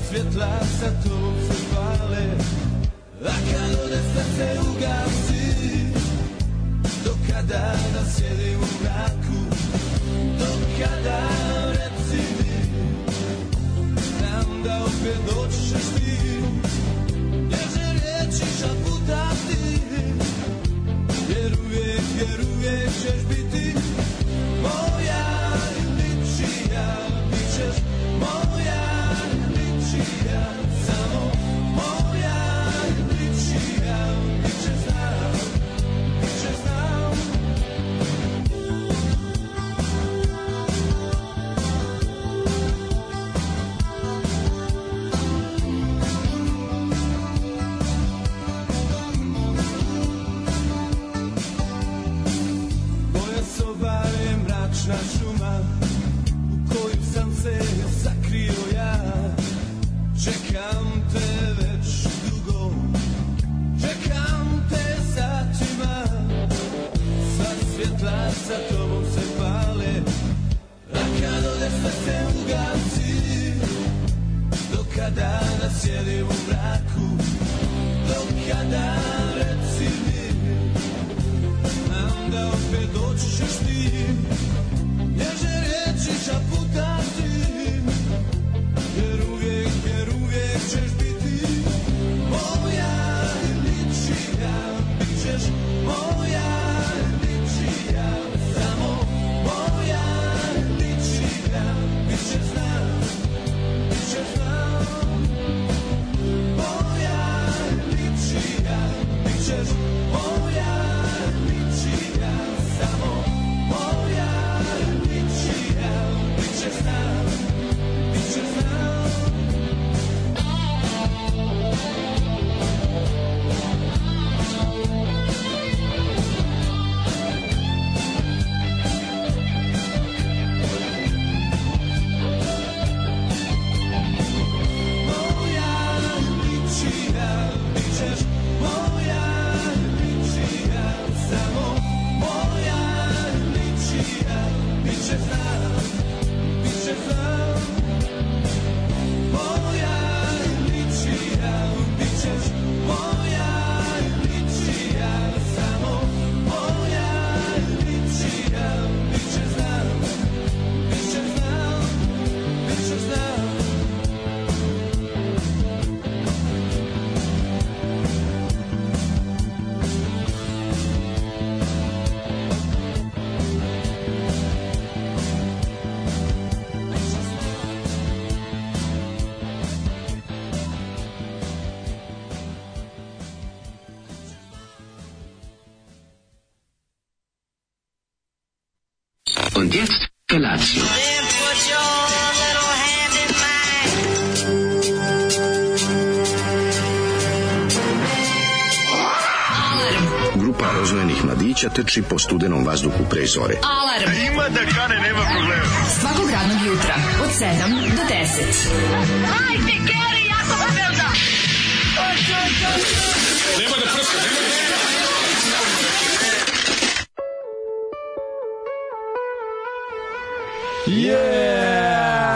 svjetla sa tobom se pale, a kad ode srce ugasi, do kada da sjedim u mraku, do kada reci mi, znam da opet doćeš ti, nježne riječi šaputati, jer uvijek ćeš biti moja ličija, bit ćeš moja ličija, samo moja ličija, bit ćeš znam, bit ćeš znam. Moja soba je mračna šuma u koju sam se sakrio ja. Čekam te već dugo, čekam te satima. Sva svjetla sa tobom se pale, a kad ode srce ugasi, do kada da sjedim u mraku, do kada reci mi, znam da opet doći ćeš ti, nježne riječi šaputati, jer uvijek ćeš biti moja ličija, bit ćeš moja ličija, samo moja ličija, bit ćeš znam, bit ćeš znam, moja ličija, bit ćeš moja ličija, samo moja ličija, bit ćeš znam, bit ćeš znam. Moja ličija, bit ćeš moja ličija, samo moja ličija, bit ćeš znam, bit ćeš znam. Moja ličija, bit ćeš moja ličija, samo moja ličija, bit ćeš znam, bit ćeš znam, bit ćeš znam. Und jetzt Felatio. Then put your little hand in mine. Grupa rozvojenih mladića trči po studenom vazduhu pre zore. Alarm. Ima da kane, nema problema. Svakog radnog jutra od 7 do 10. Hajde, Geri, jako se velda. Nema da prska, nema da prska. Yeah!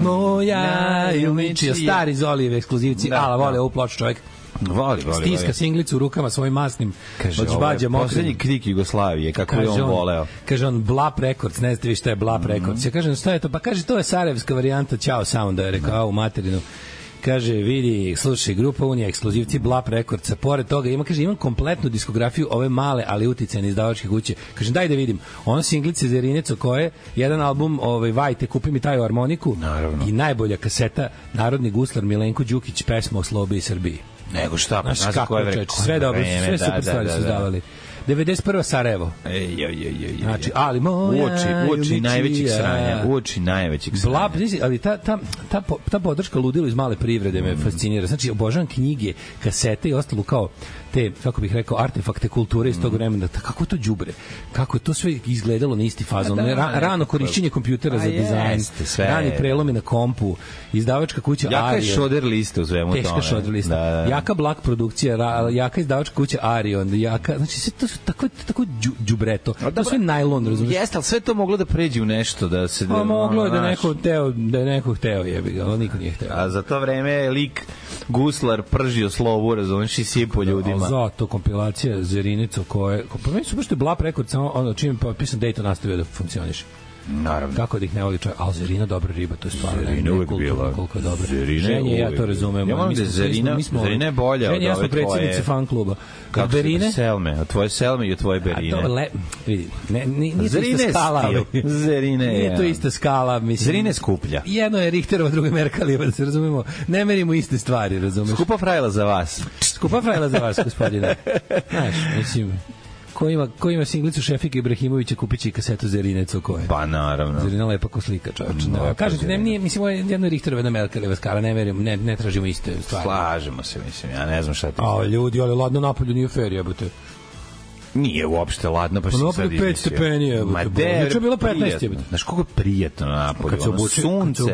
Moja Ilmičija, stari Zolijev ekskluzivci, ala vole ovu ploču čovjek. Voli. Stiska singlicu u rukama svojim masnim. Kaže, od ovo žbađa je mokrim. poslednji krik Jugoslavije, kako je on voleo. Kaže on Blap Records, ne znate vi šta je Blap Records. Ja kažem, šta je to? Pa kaže, to je sarajevska varijanta Ćao Sounda, je rekao, u materinu. Kaže, vidi, slušaj, grupa Unija, ekskluzivci Blap Recordsa, pored toga imam kompletnu diskografiju ove male, ali uticajne izdavačke kuće. Kažem, daj da vidim. Ono singlice za Irineco koje, jedan album, Vajte, kupi mi taju harmoniku. Naravno. I najbolja kaseta, Narodni guslar Milenko Đukić, pesma o Slobi i Srbiji. Nego šta, pa znaš kako je, sve dobro, sve super stvari su izdavali. 91. Sarajevo. Znači, ali moja uoči najvećeg sranja, uoči najvećeg sranja. Blab, ali ta podrška ludilo iz male privrede me fascinira. Znači, obožavam knjige, kasete i ostalo kao te, kako bih rekao, artefakte kulture iz tog vremena, kako to đubre, kako je to sve izgledalo na isti fazon, rano korišćenje kompjutera za dizajn, rani prelomi na kompu, izdavačka kuća Ario. Jaka je šoder lista u svemu tome. Teška šoder lista. Jaka Black produkcija, jaka izdavačka kuća Ario, jaka, znači sve to su tako đubreto. To je sve najlon, razumiješ? Jeste, ali sve to moglo da pređe u nešto, da se... Moglo je da je neko hteo, jebi ga, ali niko nije hteo. A za to vreme je lik Guslar pržio slovu, razumiješ, i sipo ljudima. Zato kompilacija Zerinica koje... Pa meni su baš te Blap rekord, samo ono čim je potpisan Dayton nastavio da funkcioniše. Naravno. Kako da ih ne voli čovjek, ali Zerina dobra riba, to je stvarno. Zerina uvijek bila. Koliko je dobra. Ženje, ja to razumem. Ja moram da Zerina je bolja od ove tvoje. Ja sam predsjednici fan kluba. Kako Berine? Selme, od tvoje Selme i od tvoje Berine. Vidi, nije to ista skala. Zerine je. Nije to ista skala, mislim. Zerine je skuplja. Jedno je Richterova, drugo je Merkalijeva, da se razumemo. Ne merimo iste stvari, razumeš. Skupa frajla za vas. Skupa frajla za vas, gospodine. Znaš, mislim... Ko ima singlicu Šefika Ibrahimovića, kupit će i kasetu Zerinec o koje. Pa naravno. Zerina lepa ko slika, čovječe. Kažete, nije, mislim, ovo je jedno Richterova, jedna Merkalijeva skala, ne tražimo iste stvari. Slažemo se, mislim, ja ne znam šta ti. A ljudi, ali ladno napolju nije fair, jebote. Nije uopšte ladno, pa si sad izmislio. 5 stepeni je. Juče je bilo 15. Znaš koliko je prijatno napolju? Kad se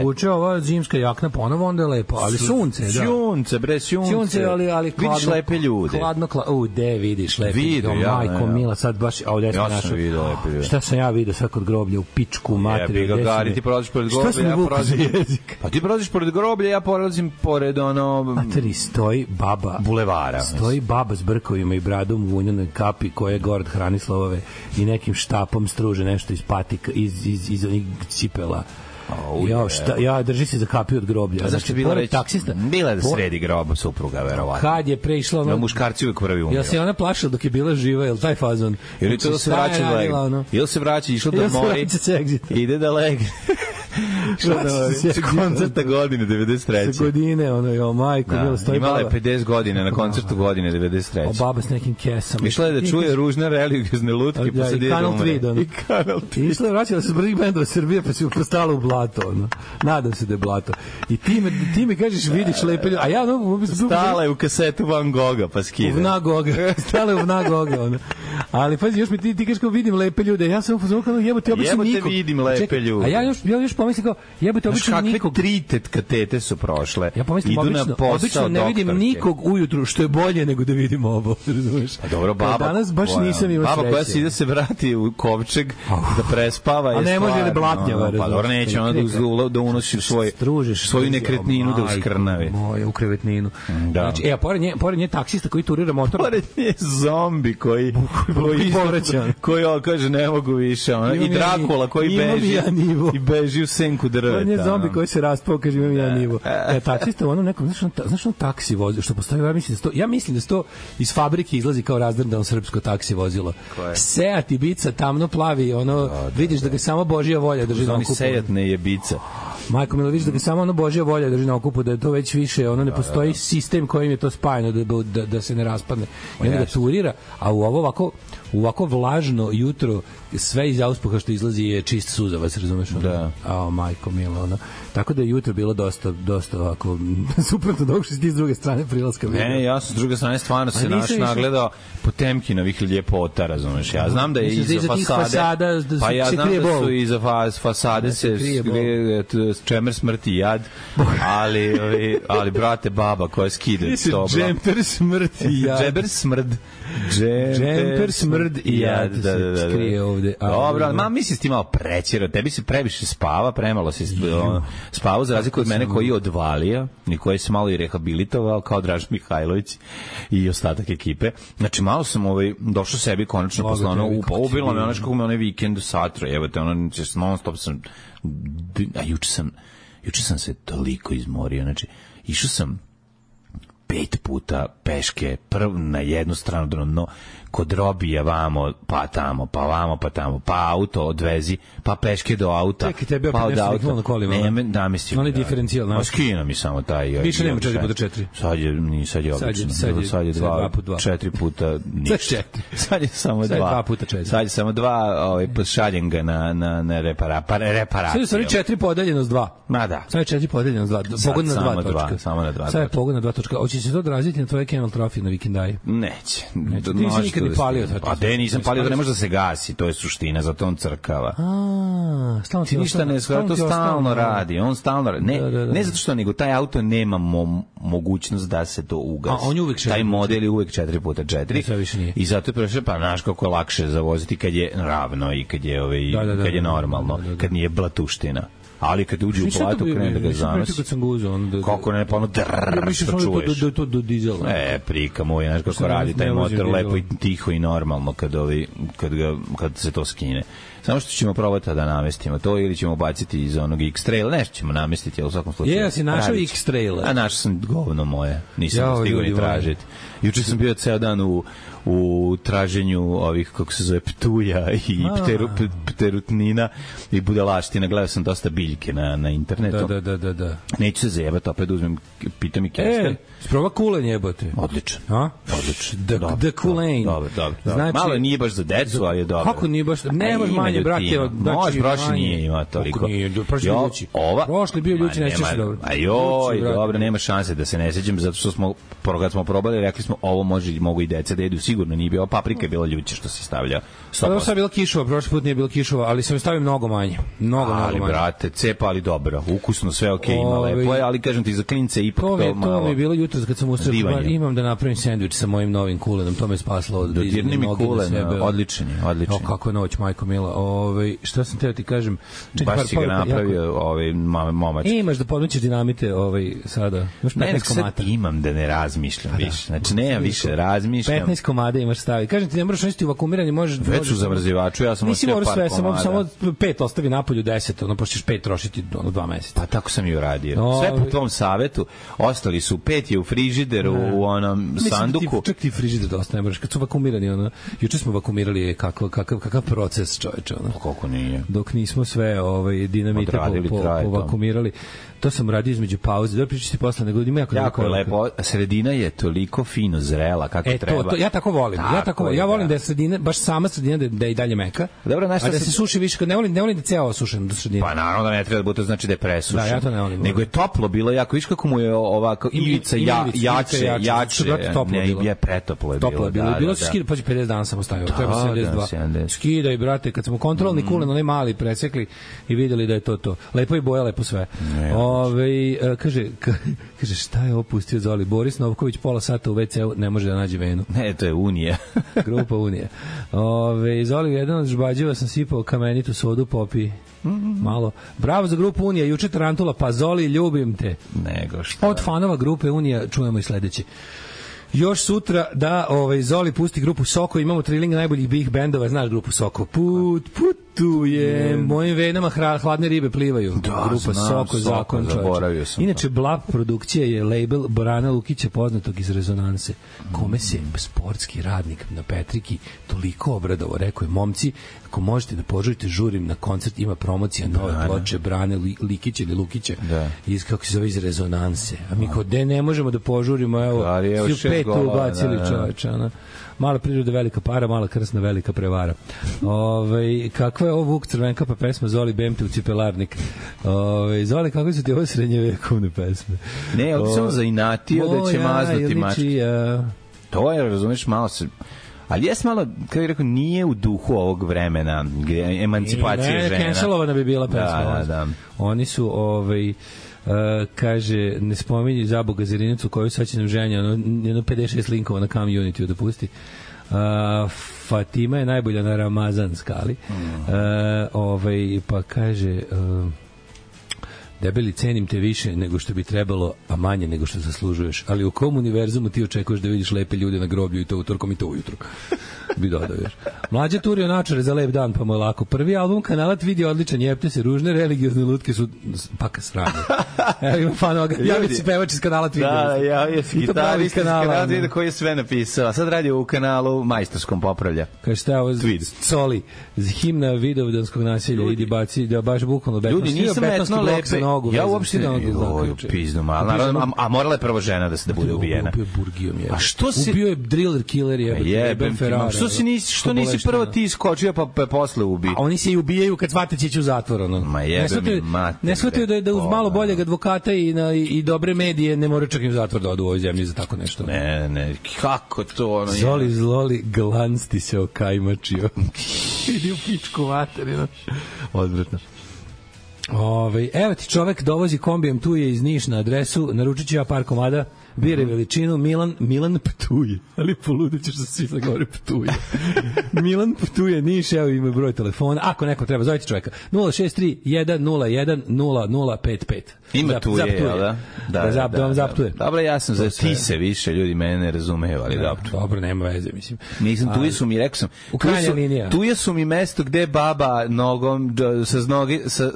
obuče ova zimska jakna ponovo, onda je lepo. Ali sunce, da. Sunce, bre, sunce. Sunce, ali hladno. Vidiš lepe ljude. Hladno, de vidiš lepe ljude. Majko mila, sad baš, ovdje sam našao. Ja sam vidio lepe ljude. Šta sam ja vidio sad kod groblja, u pičku, materiju. Ja bih ga gari, ti prolaziš pored groblja. Šta sam vuku za jezik? Pa ti prolaziš pored groblja, ja prolazim pored ono... Materi, stoji baba. Bulevara. Stoji baba s brkovima i bradom u vunjenoj kapi koja je Gord Hranislav i nekim štapom struže nešto iz patika, iz onih cipela. Ja drži se za kapiju od groblja. A zašto je bila reći? Taksista? Bila je da sredi grob supruga, verovatno. Kad je prešla ono... Muškarci uvijek prvi umio. Jel se ona plašila dok je bila živa, jel taj fazon? Ili to da se vraća ili se vraća, išla da mori, ide da legne. Koncerta godine 93. Sa godine, ono, jo, majko, bilo stoji imala baba. je 50 godine na koncertu godine 93. O baba s nekim kesama. Išla je da čuje ružne religiozne lutke, pa se dije da umre. I Kanal 3. Išla je vraćala se prvih bendova Srbije, pa se postala u blato, ono. Nadam se da je blato. I ti mi kažeš, vidiš lepe ljude, a ja, ono... Stala je u kasetu Van Gogha, pa skide. U Vnagoga. Stala je u Vnagoga, ono. Ali, pazi, još mi ti kažeš kao vidim lepe ljude, ja sam uzmano, jebote, obično nikog. Jebote vidim lepe ljude. A ja još pomislim kao, jebote, obično nikog. Kakve 3 tetkatete su prošle. Ja pomislim, obično ne vidim nikog ujutru, što je bolje nego da vidim ovo, razumeš? A dobro, baba. Danas baš nisam imao sreće. Baba koja se ide se vrati u kovčeg da prespava. A ne može da blatnjava, razumeš? Pa dobro, neće ona da unosi svoju nekretninu da uskrnavi. Moja, u krevetninu. Znači, a pored nje taksista koji turira motor. Pored nje zombi koji kaže ne mogu više. I Drakula koji beži u senku drveta. Pored nje zombi koji se raspao, kaže imam ja nivo. Taksista u onom nekom, znaš on taksi vozi, što postoji, ja mislim da to iz fabrike izlazi kao razdrndano srpsko taksi vozilo. Seat Ibiza, tamno plavi, ono, vidiš da ga samo Božja volja drži na okupu. Seat ne je Ibiza. Majko Milo, vidiš da ga samo ono Božja volja drži na okupu, da je to već više, ono ne postoji sistem kojim je to spajano da se ne raspadne. I onda ga turira, a u ovako vlažno jutro sve iz auspuha što izlazi je čist suzavac, razumeš? Da. A majko milo, ono. Tako da je jutro bilo dosta ovako suprotno dok što si ti s druge strane prilaska. Ne, ja sam s druge strane stvarno se nagledao Potemkinovih ljepota, razumeš? Ja znam da je iza fasade, pa ja znam da su iza fasade se čemer smrti jad, ali brate baba koja skide s tobla. Džemper smrti jad. Džemper smrd i jad. Da. Skrije ovde. Dobro, mislim si ti malo prećera, tebi se previše spava, premalo si spavao, za razliku od mene koji je odvalio i koji se malo i rehabilitovao kao Dražen Mihajlović i ostatak ekipe. Znači, malo sam došao sebi konačno posle ubilo me ono kako me onaj vikend u Satru, evo te ono, non stop sam, a juče sam se toliko izmorio, znači, išao sam 5 puta peške, prvo na jednu stranu, kod robija vamo, pa tamo, pa vamo, pa tamo, pa auto odvezi, pa peške do auta. Čekaj, tebi opet pa od nešto auta. niknulo na kolima, Ne, namestio. Onaj diferencijal, Ma skino mi samo taj. Više nema 4x4. Sad je obično. Sad je 4 puta ništa. Sad je samo 2. Sad je 2 puta 4. Sad je samo 2, šaljem ga na reparaciju. Sad je stvari 4 podeljeno s 2. Ma da. Sad je 4 podeljeno s 2. Pogon na 2 točka. Samo na 2. Sad je pogon na 2 točka. Hoće se to odraziti na tvoje Camel Trophy na vikendaju? Neće. Ti nisi nikad ni palio. A te nisam palio, da ne može da se gasi, to je suština, zato on crkava. Stalno ti ništa ne shvata, to stalno radi, on stalno radi. Ne zato što, nego taj auto nema mogućnost da se to ugasi. A on je uvek taj model je uvek 4x4. I zato je prešao, pa znaš kako je lakše zavoziti kad je ravno i kad je, kad je normalno, kad nije blatuština. Ali kad uđe u platu, krene da ga zanosi. Kako ne, pa ono drrrr, što čuješ. Da je to do dizela. Prika moj, znaš kako radi taj motor, lepo i tiho i normalno kad se to skine. Samo što ćemo probati da namestimo to ili ćemo baciti iz onog X-Trail, nešto ćemo namestiti, ali u svakom slučaju. Ja si našao X-Trail. A našao sam govno moje, nisam stigao ni tražiti. Juče sam bio ceo dan u traženju ovih, kako se zove, ptuja i pterutnina i budalaština. Gledao sam dosta biljke na internetu. Da. Neću se zajebati, opet uzmem, pitam i kesten. Sprova kulen jebote. Odličan. The kulen. Dobro. Znači, malo nije baš za decu, ali je dobro. Kako nije baš? Ne, baš manje, brate. Može, prošli nije ima toliko. Kako nije? Prošli bio ljući, nećeš dobro. Dobro, nema šanse da se ne sećam, zato što smo, kad smo probali, rekli smo, ovo mogu i deca da jedu, sigurno nije bilo, paprika je bila ljuće što se stavlja. Ovo sad je bila kišova, prošli put nije bilo kišova, ali sam je stavio mnogo manje. Mnogo manje. Ali, brate, cepa, ali dobro, ukusno, sve okej, ima lepo je, ali kažem ti, za klince ipak to malo. To mi je bilo jutros kad sam ustao, imam da napravim sendvič sa mojim novim kulenom, to me spaslo od dodirni mi kulen, odličan je. Kako je noć, majko mila. Šta sam teo ti kažem? Baš si ga napravio momač. Imaš da podmećeš dinamite sada. Imaš 15 komada. Imam da ne razmišljam više. Znači, nemam više, razmišljam. 15 komada imaš staviti. Kažem ti, ne moraš nositi u vakumiranje, možeš... Već u zamrzivaču, ja sam ostavio par komada. Samo 5 ostavi napolju, 10, pošto ćeš 5 trošiti 2 meseca. Pa tako sam i uradio. Sve po tvom savetu, ostali su 5 je u frižideru, u onom sanduku. Čak ti frižider dosta ne moraš, kad su vakumirani, juče smo vakumirali kakav proces, čoveče. Kako nije? Dok nismo sve dinamite povakumirali. To sam radio između pauze. Dobro, pričati posle, nego ima jako lepo. Sredina je toliko fino zrela kako treba. Ja tako volim. Ja volim da je sredina, baš sama sredina da je i dalje meka. Dobro, a da se suši više, ne volim da ceo osušen do sredine. Pa naravno da ne treba da bude, znači da je presušen. Da, ja to ne volim. Nego je toplo bilo jako, viš kako mu je ovako ivica jače. Ne, je pretoplo je bilo. Toplo je bilo. Bilo se skida, pa 50 dana sam ostavio. Treba 72. Skidaj, brate, kad smo kontrolni kulen, onaj mali presekli i videli da je to. Lepo i boja, lepo sve. Kaže, šta je opustio Zoli? Boris Novković pola sata u WC-u ne može da nađe venu. Ne, to je Unija. Grupa Unija. Zoli, jedan od žbađeva sam sipao kamenitu sodu, popi malo. Bravo za grupu Unija, juče Tarantula, pa Zoli, ljubim te. Nego što. Od fanova grupe Unija čujemo i sledeće. Još sutra da Zoli pusti grupu Soko, imamo triling najboljih big bendova, znaš grupu Soko. Putuje, mojim venama hladne ribe plivaju. Da, grupa Soko, zakon čovječe. Inače, Blab produkcija je label Borana Lukića, poznatog iz Rezonanse, kome se sportski radnik na Petriki toliko obradovao, rekao je, momci, ako možete da požurite, žurim na koncert, ima promocija nove ploče Brane Likića ili Lukića, iz, kako se zove, iz Rezonanse. A mi kao, ne možemo da požurimo, evo, svi u petu ubacili čovječa, mala priroda, velika para, mala krsna, velika prevara. Kakva je ovo Vuk Crvenka, pa pesma Zoli Bemte u cipelarnik. Zoli, kako su ti ovo srednjevekovne pesme? Ne, ovdje sam zainatio da će maznuti mačke. To je, razumeš, malo se... Ali jes malo, kako je rekao, nije u duhu ovog vremena, gdje emancipacija žena. Cancelovana bi bila pesma. Da. Oni su, kaže, ne spominji za Boga Zerinicu koju sad će nam ženja, jedno 56 linkova na Community da pusti. Fatima je najbolja na Ramazan skali. Pa kaže... Debeli, cenim te više nego što bi trebalo, a manje nego što zaslužuješ. Ali u kom univerzumu ti očekuješ da vidiš lepe ljude na groblju i to utorkom i to ujutru? Bi dodao još. Mlađa turio načare za lep dan, pa mu je lako. Prvi album Kanalat vidi odličan, jepte se, ružne religiozne lutke su paka sranje. Evo ima fanoga. Javi se pevač iz Kanalat vidi. Da, javio se gitarist iz Kanalat vidi koji je sve napisao. A sad radi u kanalu majstorskom popravlja. Kaže šta je ovo? Coli. Himna vidovdanskog nasilja. Idi baci, da baš bukvalno beton. Ljudi, nisam etno lepe. Nogu, ja uopšte ne mogu. Pizdu malo. A morala je prvo žena da bude ubijena. Ubio Burgijom je. A što se... Ubio je driller killer je. Što nisi prvo ti iskočio pa posle ubi? A oni se i ubijaju kad shvate će ići u zatvor. Ono. Ma jebe mi mater. Ne shvataju da uz malo boljeg advokata i dobre medije ne moraju čak i u zatvor da odu u ovoj zemlji za tako nešto. Ne, kako to ono je? Zoli zloli, glanc ti se okajmačio. Idi u pičku materinu. Odvratno. Evo ti čovek dovozi kombijem, tu je iz Niš na adresu, naručit ću ja par komada, bire veličinu, Milan Ptuje, ali poludećeš da svi sad govori Ptuje. Milan Ptuje, Niš, evo ima broj telefona, ako neko treba, zovite čoveka, 063 101 0055. Ima tu je, jel da? Da vam zaptuje. Dobro, ja sam za ti se više, ljudi mene ne razumeju, ali dobro. Dobro, nema veze, mislim. Nisam, tu su mi, rekao sam, tu su mi mesto gde baba nogom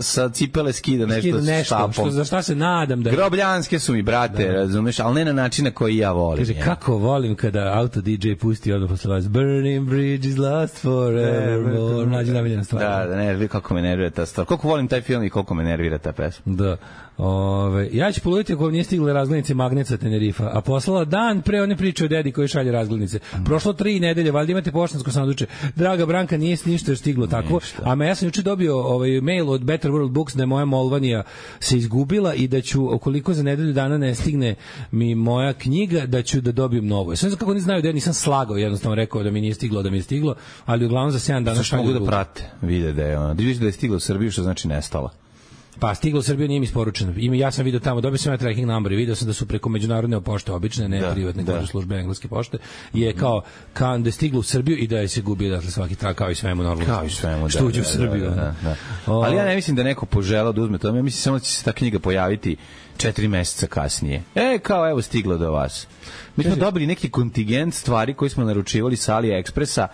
sa cipele skida nešto štapom. Za šta se nadam da... Grobljanske su mi, brate, razumeš, ali ne na način na koji ja volim. Kaže, kako volim kada auto DJ pusti odmah posle vas Burning Bridge is lost forevermore. Nađi namiljena stvar. Da, ne, kako me nervira ta stvar. Koliko volim taj film i koliko me nervira ta pesma. Da. Ja ću poluditi ako nije stigla razglednice Magneca Tenerifa, a poslala dan pre one priče o dedi koji šalje razglednice. Prošlo 3 nedelje, valjda imate poštansko sanduče. Draga Branka, nije ništa stiglo takvo. A ja sam juče dobio mail od Better World Books da je moja Molvanija se izgubila i da ću, ukoliko za nedelju dana ne stigne mi moja knjiga, da ću da dobijem novu. Sve kako oni znaju da ja nisam slagao, jednostavno rekao da mi nije stiglo, ali uglavnom za 7 dana šalju. Mogu da prate, vide da je ona. Da je stiglo u Srbiju, što znači nestala. Pa stiglo u Srbiju, nije mi isporučeno. Ja sam video tamo, dobio sam ja tracking number i video sam da su preko međunarodne pošte obične, ne privatne službe engleske pošte, je kao da je stiglo u Srbiju i da je se gubio dakle svaki trak kao i svemu normalno. Kao i svemu, što uđe u Srbiju. Ali ja ne mislim da neko poželao da uzme to, ja mislim samo da će se ta knjiga pojaviti 4 meseca kasnije. Kao evo stiglo do vas. Mi smo dobili neki kontingent stvari koje smo naručivali sa AliExpressa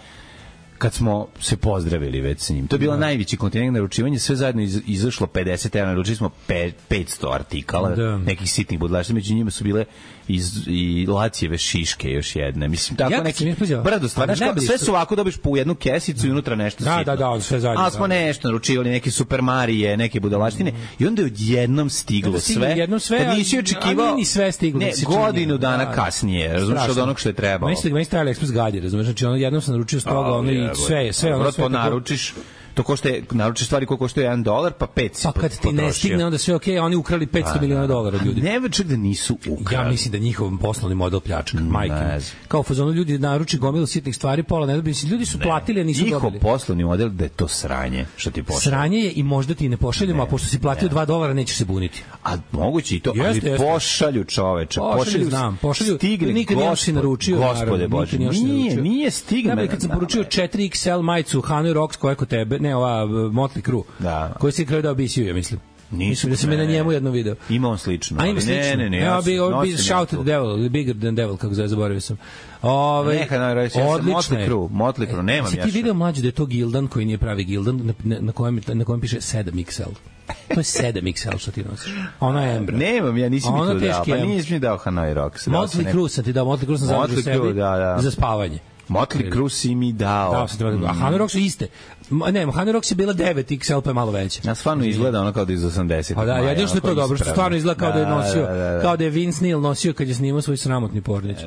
kad smo se pozdravili već s njim. To je bila najveći kontinent naručivanja, sve zajedno izašlo 50 €, naručili smo 500 artikala, nekih sitnih budalaština, među njima su bile i Lacijeve šiške još jedne. Mislim, tako neki brdo stvari. Sve su ovako, dobiš po jednu kesicu i unutra nešto sitno. Da, sve zajedno. Ali smo nešto naručivali, neke Super Marije, neke budalaštine, i onda je odjednom stiglo sve. Kad nisi očekivao, ni sve stiglo. Ne, godinu dana kasnije, razumiješ, od onog što je trebalo. Meni ste AliExpress gadi, razumiješ, znači jednom sam naručio s toga, ono i sve ono sve naručiš. To koštaje, naručiš stvari koje koštaju $1, pa 5 si potrošio. Pa kad ti ne stigne, onda sve okej, oni ukrali $500 miliona od ljudi. Ne čak da nisu ukrali. Ja mislim da njihov poslovni model pljačka, majke. Kao fazonu ljudi naruči gomilu sitnih stvari, pola ne dobiju. Ljudi su platili, a nisu dobili. Njihov poslovni model da je to sranje, što ti pošalju. Sranje je i možda ti ne pošaljemo, a pošto si platio $2, nećeš se buniti. A moguće i to, ali pošalju čoveče. Pošalju, stigne, nikad nisam naručio. Gospode Bože, nije stigne. Kad sam poručio 4XL majicu Hanoi Rocks koja je kod tebe, ne ova Motley Crue, koji si kraju dao BCU, ja mislim. Mislim da sam je na njemu jedno video. Ima on slično. A ima slično. Ne. Evo bi Shout at the Devil, Bigger than Devil, kako zove, zaboravio sam. Motley Crue, nemam ja. Ti video mlađe da je to Gildan koji nije pravi Gildan, na kojem piše 7XL. To je 7XL što ti nosiš. Ona je Embra. Nemam, ja nisam mi to dao. Pa nisam mi dao Hanoi Rocks. Motley Crue sam ti dao, Motley Crue sam zadržao sebi za spavanje. Motley Crue si mi dao. A Hanoi Rocks su iste. Ne, Hanoi Rocks je bila 9XL, pa je malo veća. Ja stvarno izgleda ono kao da je iz 80. Pa da, jedino što je to dobro, što stvarno izgleda kao da je nosio, kao da je Vince Neil nosio kad je snimao svoj sramotni pornić.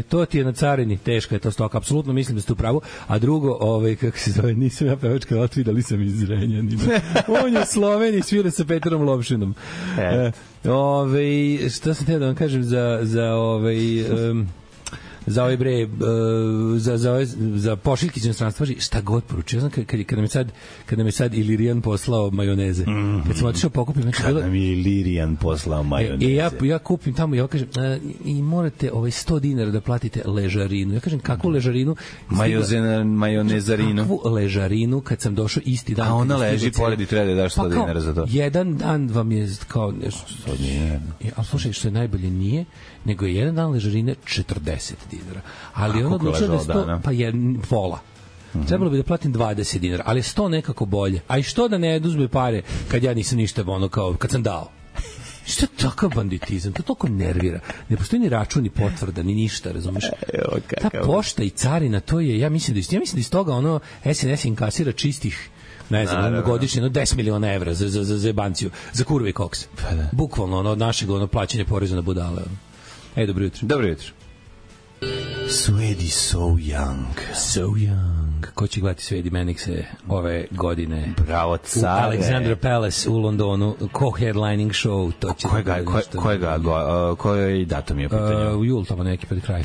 To ti je na carini, teška je to stoka, apsolutno mislim da ste u pravu. A drugo, kako se zove, nisam ja pevačka otvida, sam iz Zrenjanina. On je u Sloveniji, svira sa Petrom Lovšinom. Šta sam teo da vam kažem za za ovaj bre za pošiljke iz inostranstva, šta god poručio. Znam kada mi sad Ilirijan poslao majoneze. Kad sam otišao pokupim, kada mi Ilirijan poslao majoneze. Ja kupim tamo i ja kažem i morate 100 dinara da platite ležarinu. Ja kažem kakvu ležarinu? Majonezarinu. Kakvu ležarinu kad sam došao isti dan. A ona leži pored i treba da daš 100 dinara za to. Jedan dan vam je kao nešto 100 dinara. A slušaj, što je najbolje nije, nego je jedan dan ležarine 40 dinara. Ali on odlučio da je 100, pa je pola. Trebalo bi da platim 20 dinara, ali 100 nekako bolje. A i što da ne oduzme pare kad ja nisam ništa kao kad sam dao? Što je takav banditizam? To toliko nervira. Ne postoji ni račun, ni potvrda, ni ništa, razumeš? Ta pošta i carina, to je, ja mislim da iz toga SNS inkasira čistih ne znam, godišnje 10 miliona evra za jebanciju, za kurve i koks. Bukvalno od našeg plaćanja poreza na budale. Dobro jutro. Dobro jutro. Swedi So Young. So Young. Ko će gledati Swedi Manixe ove godine? Bravo, care. U Alexandra Palace u Londonu. Co-headlining show. To će koji datum je u pitanju? U jul, tamo neki pred kraj.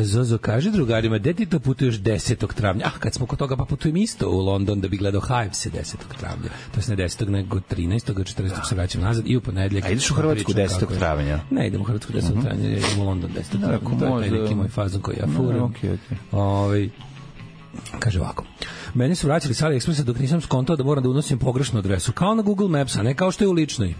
Zozo kaže drugarima, gde ti to putuješ 10. travnja? Kad smo kod toga, pa putujem isto u London da bi gledao Hives 10. travnja. To je ne 10. nego 13. 14. se vraćam nazad i u ponedljak. A ideš u Hrvatsku 10. travnja? Ne, idem u Hrvatsku 10. travnja, idem u London 10. travnja. To je neki moj fazon koji ja furam. Kaže ovako. Meni su vraćali sa AliExpressa dok nisam skontao da moram da unosim pogrešnu adresu. Kao na Google Maps, a ne kao što je u ličnoj.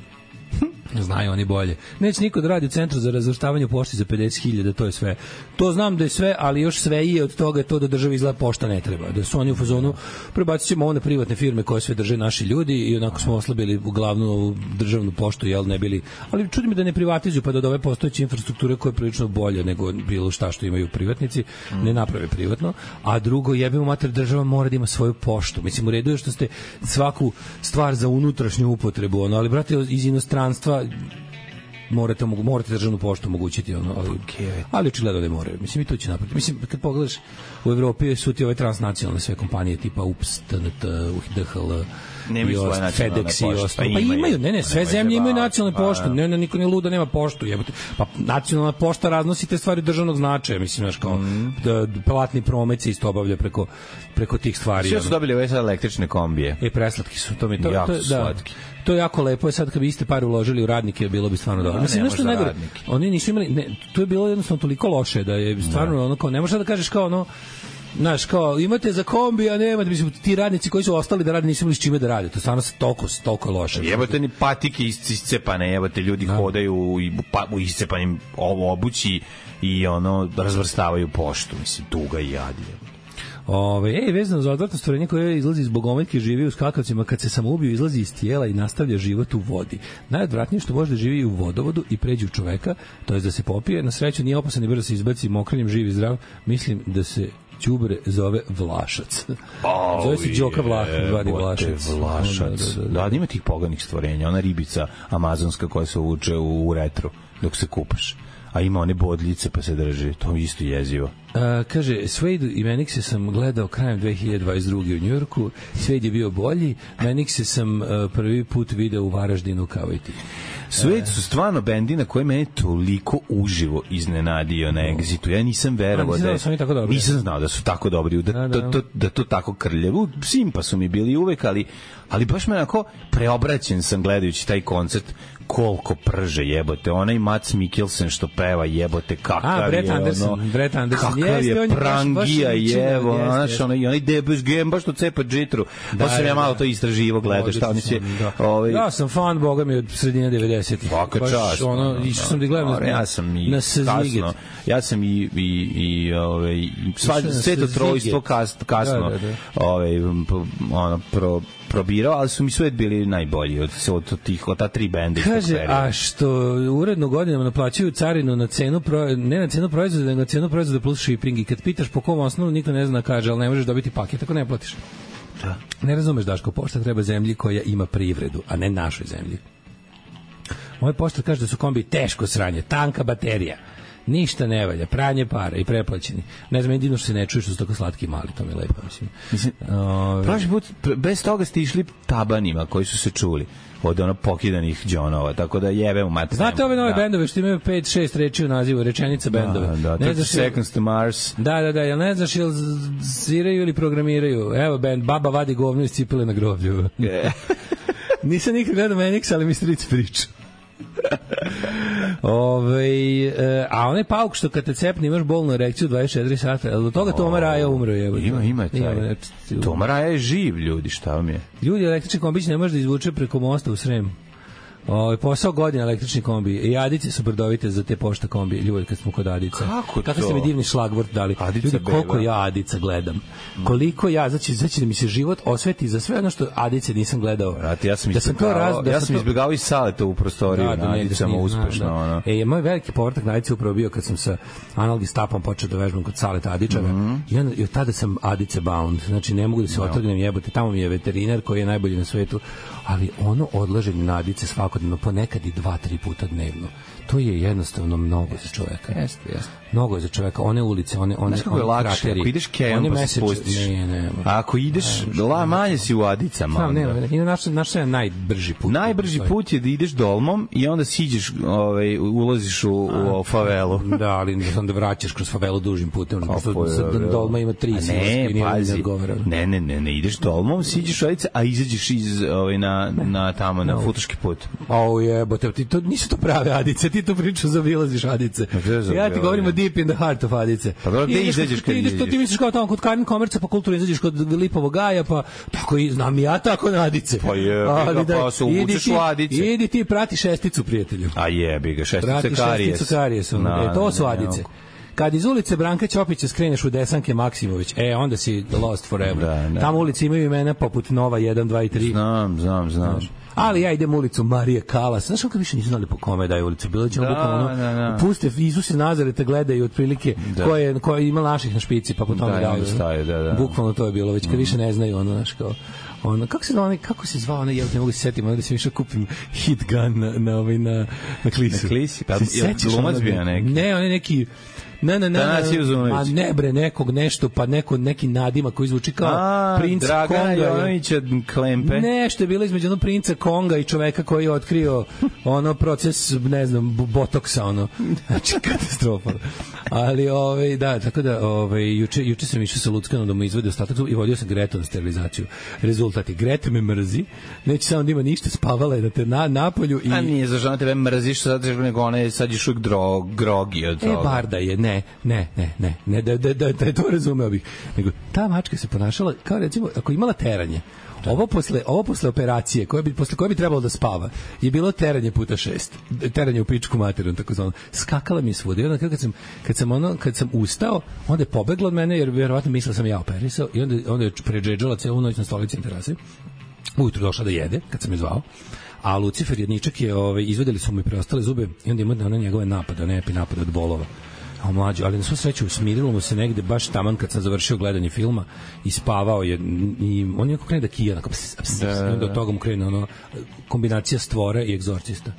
Znaju oni bolje. Neće niko da radi u centru za razvrštavanje pošti za 50.000, to je sve. To znam da je sve, ali još sve je od toga to da državi izgleda pošta ne treba. Da su oni u fazonu, prebacit ćemo one privatne firme koje sve drže naši ljudi i onako smo oslabili u glavnu državnu poštu, jel ne bili. Ali čudi me da ne privatizuju, pa da ove postojeće infrastrukture koje je prilično bolje nego bilo šta što imaju privatnici, ne naprave privatno. A drugo, jebimo mater, država mora da ima svoju poštu. Mislim, u redu je što ste svaku stvar za unutrašnju upotrebu, ali brate, iz inostranstva morate državnu poštu omogućiti ali očigledno ne moraju. Mislim, i to će napraviti. Mislim, kad pogledaš u Evropi su ti ove transnacionalne sve kompanije tipa UPS, TNT, DHL FedEx i ostalo. Pa imaju, sve zemlje imaju nacionalne pošte. Niko ne luda nema poštu. Pa nacionalna pošta raznosi te stvari državnog značaja. Mislim, znaš, kao platni promet se isto obavlja preko tih stvari. Sve su dobili ove sad električne kombije. Preslatki su. Jako su slatki. To je jako lepo, sad kad bi iste pare uložili u radnike, bilo bi stvarno dobro. Mislim, nešto najgore. Oni nisu imali, to je bilo jednostavno toliko loše da je stvarno ne možeš da kažeš kao znaš, kao, imate za kombi, a nemate, mislim, ti radnici koji su ostali da rade, nisu imali s čime da rade. To stvarno se toliko loše. Jebote ni patike iscepane, jebote, ljudi hodaju u iscepanim obući i razvrstavaju poštu, mislim, tuga i jad. Vezano za odvratno stvorenje koje izlazi iz bogomeljke, živi u skakavcima, kad se samoubiju izlazi iz tijela i nastavlja život u vodi. Najodvratnije što može da živi u vodovodu i pređe u čoveka, to je da se popije. Na sreću nije opasan i brzo se izbaci mokrenjem, živ i zdrav. Mislim da se đubre zove Vlašac. Zove se Đoka Vlašac. Da, ima tih poganih stvorenja. Ona ribica amazonska koja se uvuče u retru dok se kupaš. A ima one bodljice pa se drži. To je isto jezivo. Kaže, Swade i Manixe sam gledao krajem 2022. u Njujorku. Swade je bio bolji. Manixe sam prvi put video u Varaždinu kao i ti. Swade su stvarno bendi na koje mene toliko uživo iznenadio na Exitu. Ja nisam verovao nisam znao da su tako dobri, da to tako krljevo. Simpa su mi bili uvek, ali baš me onako preobraćen sam gledajući taj koncert. Koliko prže, jebote, onaj Mats Mikkelsen što peva, jebote, kakav je Brett Anderson, kakav je prangija, jevo, znaš, onaj Debus Game, baš to cepa džitru, pa sam ja malo to istraživo gledao, šta oni se... Ja sam fan, boga mi, od sredine 90-ih. Svaka čast. Išao sam da gledam na Sziget. Ja sam i Sveto trojstvo kasno probirao, ali su mi sve bili najbolji od ta tri benda. Kaže, a što uredno godinama naplaćuju carinu na cenu, ne na cenu proizvoda, nego na cenu proizvoda plus shipping, i kad pitaš po kom osnovu, niko ne zna, kaže, ali ne možeš dobiti paket ako ne platiš. Da. Ne razumeš, Daško, pošta treba zemlji koja ima privredu, a ne našoj zemlji. Moj poštar kaže da su kombi teško sranje, tanka baterija. Ništa ne valja, pranje para i preplaćeni. Ne znam, jedino što se ne čuje što su tako slatki i mali, to mi je lepo, mislim. Prošli put, bez toga ste išli tabanima koji su se čuli od ono pokidanih džonova, tako da jebe u mater. Znate ove nove bendove što imaju 5-6 reči u nazivu, rečenica bendove? Da, ne znaš 30 Seconds to Mars. Da, jel ne znaš ili sviraju ili programiraju? Evo bend, baba vadi govno iz cipele na groblju. Nisam nikad gledao Manix, ali mi stric priča. A onaj pauk što kad te cepne imaš bolnu erekciju 24 sata, ali do toga Toma Raja umro je. Ima taj. Toma Raja je živ, ljudi, šta vam je? Ljudi, električni kombić ne može da izvuče preko mosta u Srem. Posao godina električni kombi. I Adice su brdovite za te pošta kombi, ljudi, kad smo kod Adica. Kako ste mi divni šlagvort dali. Ljudi, koliko ja Adica gledam. Koliko ja, znači da mi se život osveti za sve ono što Adice nisam gledao. Ja sam izbjegao i Saleta u prostoriju na Adicama uspešno. Moj veliki povratak na Adice upravo bio kad sam sa analgistapom počeo da vežbam kod Saleta Adičara. I od tada sam Adice bound. Znači ne mogu da se otrgnem, jebote. Tamo mi je veterinar koji je najbolji na svetu. Ali ono odlaženje na Adice svakodnevno, ponekad i 2-3 puta dnevno, to je jednostavno mnogo za čoveka. Jeste. Mnogo je za čoveka. One ulice, one znaš kako je lakše, krateri, ako ideš kejom pa se spustiš. A ako ideš, manje si u Adicama. I naš je najbrži put. Najbrži put je da ideš Dolmom i onda siđeš, ulaziš u favelu. Da, ali onda vraćaš kroz favelu dužim putem. Dolma ima 3 silaske i nije ne odgovara. Ne, ideš Dolmom, siđeš u Adice, a izađeš iz na Futoški put. Jebote, ti to nisu to prave Adice, ti to priču zaobilaziš Adice. Ja ti govorim o deep in the heart of Adice. Pa dobro, gde izađeš kad izađeš? Ti misliš kao tamo kod Karin Komerca, pa kulturno izađeš kod Lipovog gaja, pa tako i znam ja tako na Adice. Pa pa se uvučeš u Adice. Idi ti prati šesticu, prijatelju. A jebi ga, šestice Karijes. To su Adice. Kad iz ulice Branka Ćopića skreneš u Desanke Maksimović, onda si lost forever. Tamo ulici imaju imena poput Nova 1, 2 i 3. Znam. Ali ja idem ulicu Marije Kalas. Znaš kako više nisu znali po kome daje ulicu? Bilo ćemo bukvalno puste Isuse Nazareta gledaju otprilike koje ima naših na špici, pa po tome daju. Bukvalno to je bilo, već kad više ne znaju znaš kao kako se zvao ona, ja ne mogu se setiti, da se više kupim hit gun na Klisi. Na Klisi, pa glumac bio neki. Ne, on je neki a ne bre, nekog nešto, pa neki nadima koji zvuči kao princ Dragana Konga. Jovanovića Klempe. Nešto je bilo između princa Konga i čoveka koji je otkrio proces, ne znam, botoksa, znači katastrofa. Ali, da, tako da, juče sam išao sa Luckanom da mu izvede ostatak i vodio sam Gretu na sterilizaciju. Rezultati, Greta me mrzi, neće samo da ima ništa, spavala je na napolju. A nije za žena tebe mrziš, nego ona je sad još uvijek grogi od toga. Barda je, ne, da to razumeo bih. Nego, ta mačka se ponašala kao, recimo, ako imala teranje, ovo posle operacije, posle koje bi trebalo da spava, je bilo teranje puta 6. Teranje u pičku materu, tako zvano. Skakala mi svuda. I onda kad sam ustao, onda je pobegla od mene, jer vjerovatno mislila sam ja operisao, i onda je predžedžala celu noć na stolici na terasi. Ujutru došla da jede, kad sam je zvao. A Lucifer jedničak je, izvedeli su mu i preostale zube i onda ima njegove napade, nepi napade od bolova. Mlađo, ali na svu sreću smirilo mu se negde baš taman kad sam završio gledanje filma i spavao je i on je kako krene da kija do toga mu krene kombinacija Stvora i Egzorcista.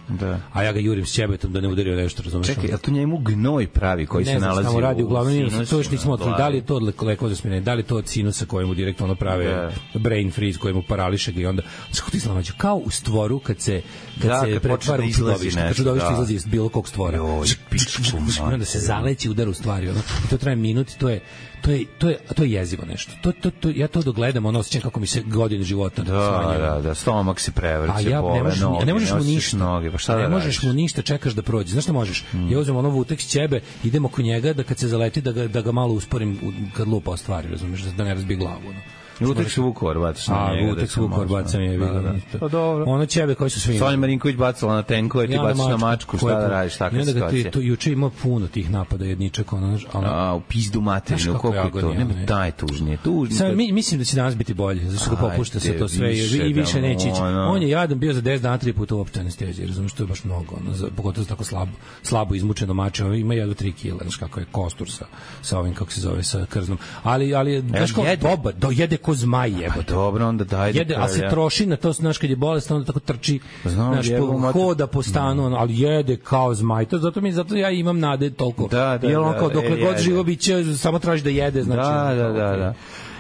A ja ga jurim s ćebetom da ne udario nešto, razumeš? Čekaj, a to njemu gnoj pravi koji se nalazi tamo radi, uglavnom to još nismo otkrili, da li je to od lekova za smirenje, da li je to od sinusa kojemu direktno prave brain freeze, kojemu parališe ga i onda kako ti znamađu, kao u Stvoru kad se pretvara u čudovište, kad čudovište izlazi iz bilo kog Stvora, onda se zaleći udar u stvari, i to traje minut, to je jezivo nešto. Ja to dogledam, osjećam kako mi se godine života smanjava. Da, stomak se prevrće, bole noge, ne možeš mu ništa. Ne možeš mu ništa, čekaš da prođe. Znaš šta možeš? Ja uzmem vutek s ćebe, idem oko njega, da kad se zaleti, da ga malo usporim kad lupa o stvari, razumiješ, da ne razbije glavu. Utek su Vukovar bacaš na njega. Utek su Vukovar bacam je bilo. Pa dobro. Ono ćebe koji su svi. Sonja Marinković bacala na tenkove, ti bacaš na mačku, šta da radiš, takva situacija. Juče ima puno tih napada jedničak. U pizdu materinu, koliko je to? Nema taj tužnije. Mislim da će danas biti bolje, zato što ga popušta se to sve i više neće ići. On je jadan bio za 10 dana 3 puta u opštoj anesteziji, razumiješ, to je baš mnogo. Pogotovo za tako slabo izmučeno mače, ima jedno 3 kila, znaš kako je kostur sa ovim, kako se zove, sa krznom. Ali, znaš kao, dobar, jede ko zmaj jebote. Dobro, onda daj da Jede, a se troši na to, znaš, kad je bolestan, onda tako trči, znaš, hoda po stanu, ali jede kao zmaj. Zato ja imam nade toliko. Jer on kao dokle god živo biće, samo traži da jede, znači. Da.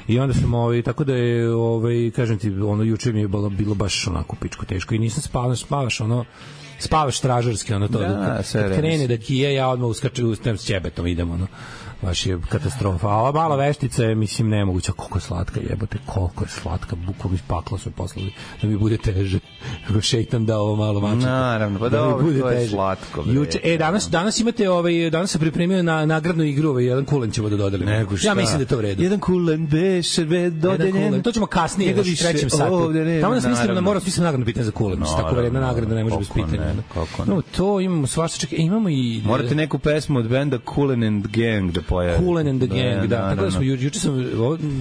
I onda sam tako da je kažem ti, juče mi je bilo baš onako pičko teško i nisam spavaš stražarski, to kad krene da kije, ja odmah uskačem s ćebetom, idemo, baš je katastrofa. A ova mala veštica je, mislim, nemoguća. Koliko je slatka, jebote, koliko je slatka. Bukvalno iz pakla su je poslali da mi bude teže. Nego šeitan dao ovo malo mačaka. Naravno, pa da mi to je slatko. Danas imate, danas se pripremio na nagradnu igru, jedan kulen ćemo da dodelimo. Ja mislim da je to u redu. Jedan kulen beše dodeljen. To ćemo kasnije, u trećem satu. Tamo nas mislim da moramo smislim nagradno pitanje za kulen. Tako vredna nagrada ne može bez pitanja. No, to imamo svašta, čekaj, imamo i... Morate neku pesmu od benda Kool and Gang da pojavi. Kool and the Gang, da. Tako da smo, juče sam,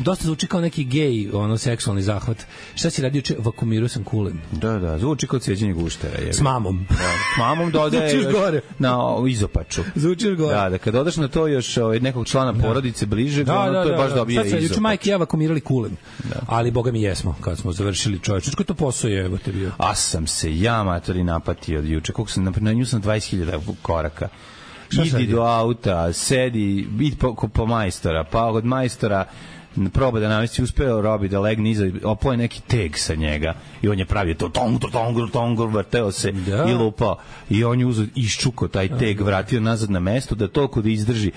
dosta zvuči kao neki gej, seksualni zahvat. Šta si radio juče? Vakumirao sam Koolen. Da, zvuči kao cijeđenje guštera. S mamom. S mamom dodaje na izopaču. Zvučiš gore. Da, kad odaš na to još nekog člana porodice bliže, to je baš dobije izopač. Juče majke i ja vakumirali Koolen. Ali, boga mi jesmo, kad smo završili čovječ. Ko to posao je, evo te bio? A sam se ja, matori, napatio od juče. Koliko sam, na nju sam 20.000 koraka. Idi do auta, sedi, idi po majstora, pa od majstora proba da namesti, uspeo Robi da legne iza, opoje neki teg sa njega i on je pravio to tong, vrteo se i lupao i on je uzeo, iščuko taj teg, vratio nazad na mesto da toliko da izdrži.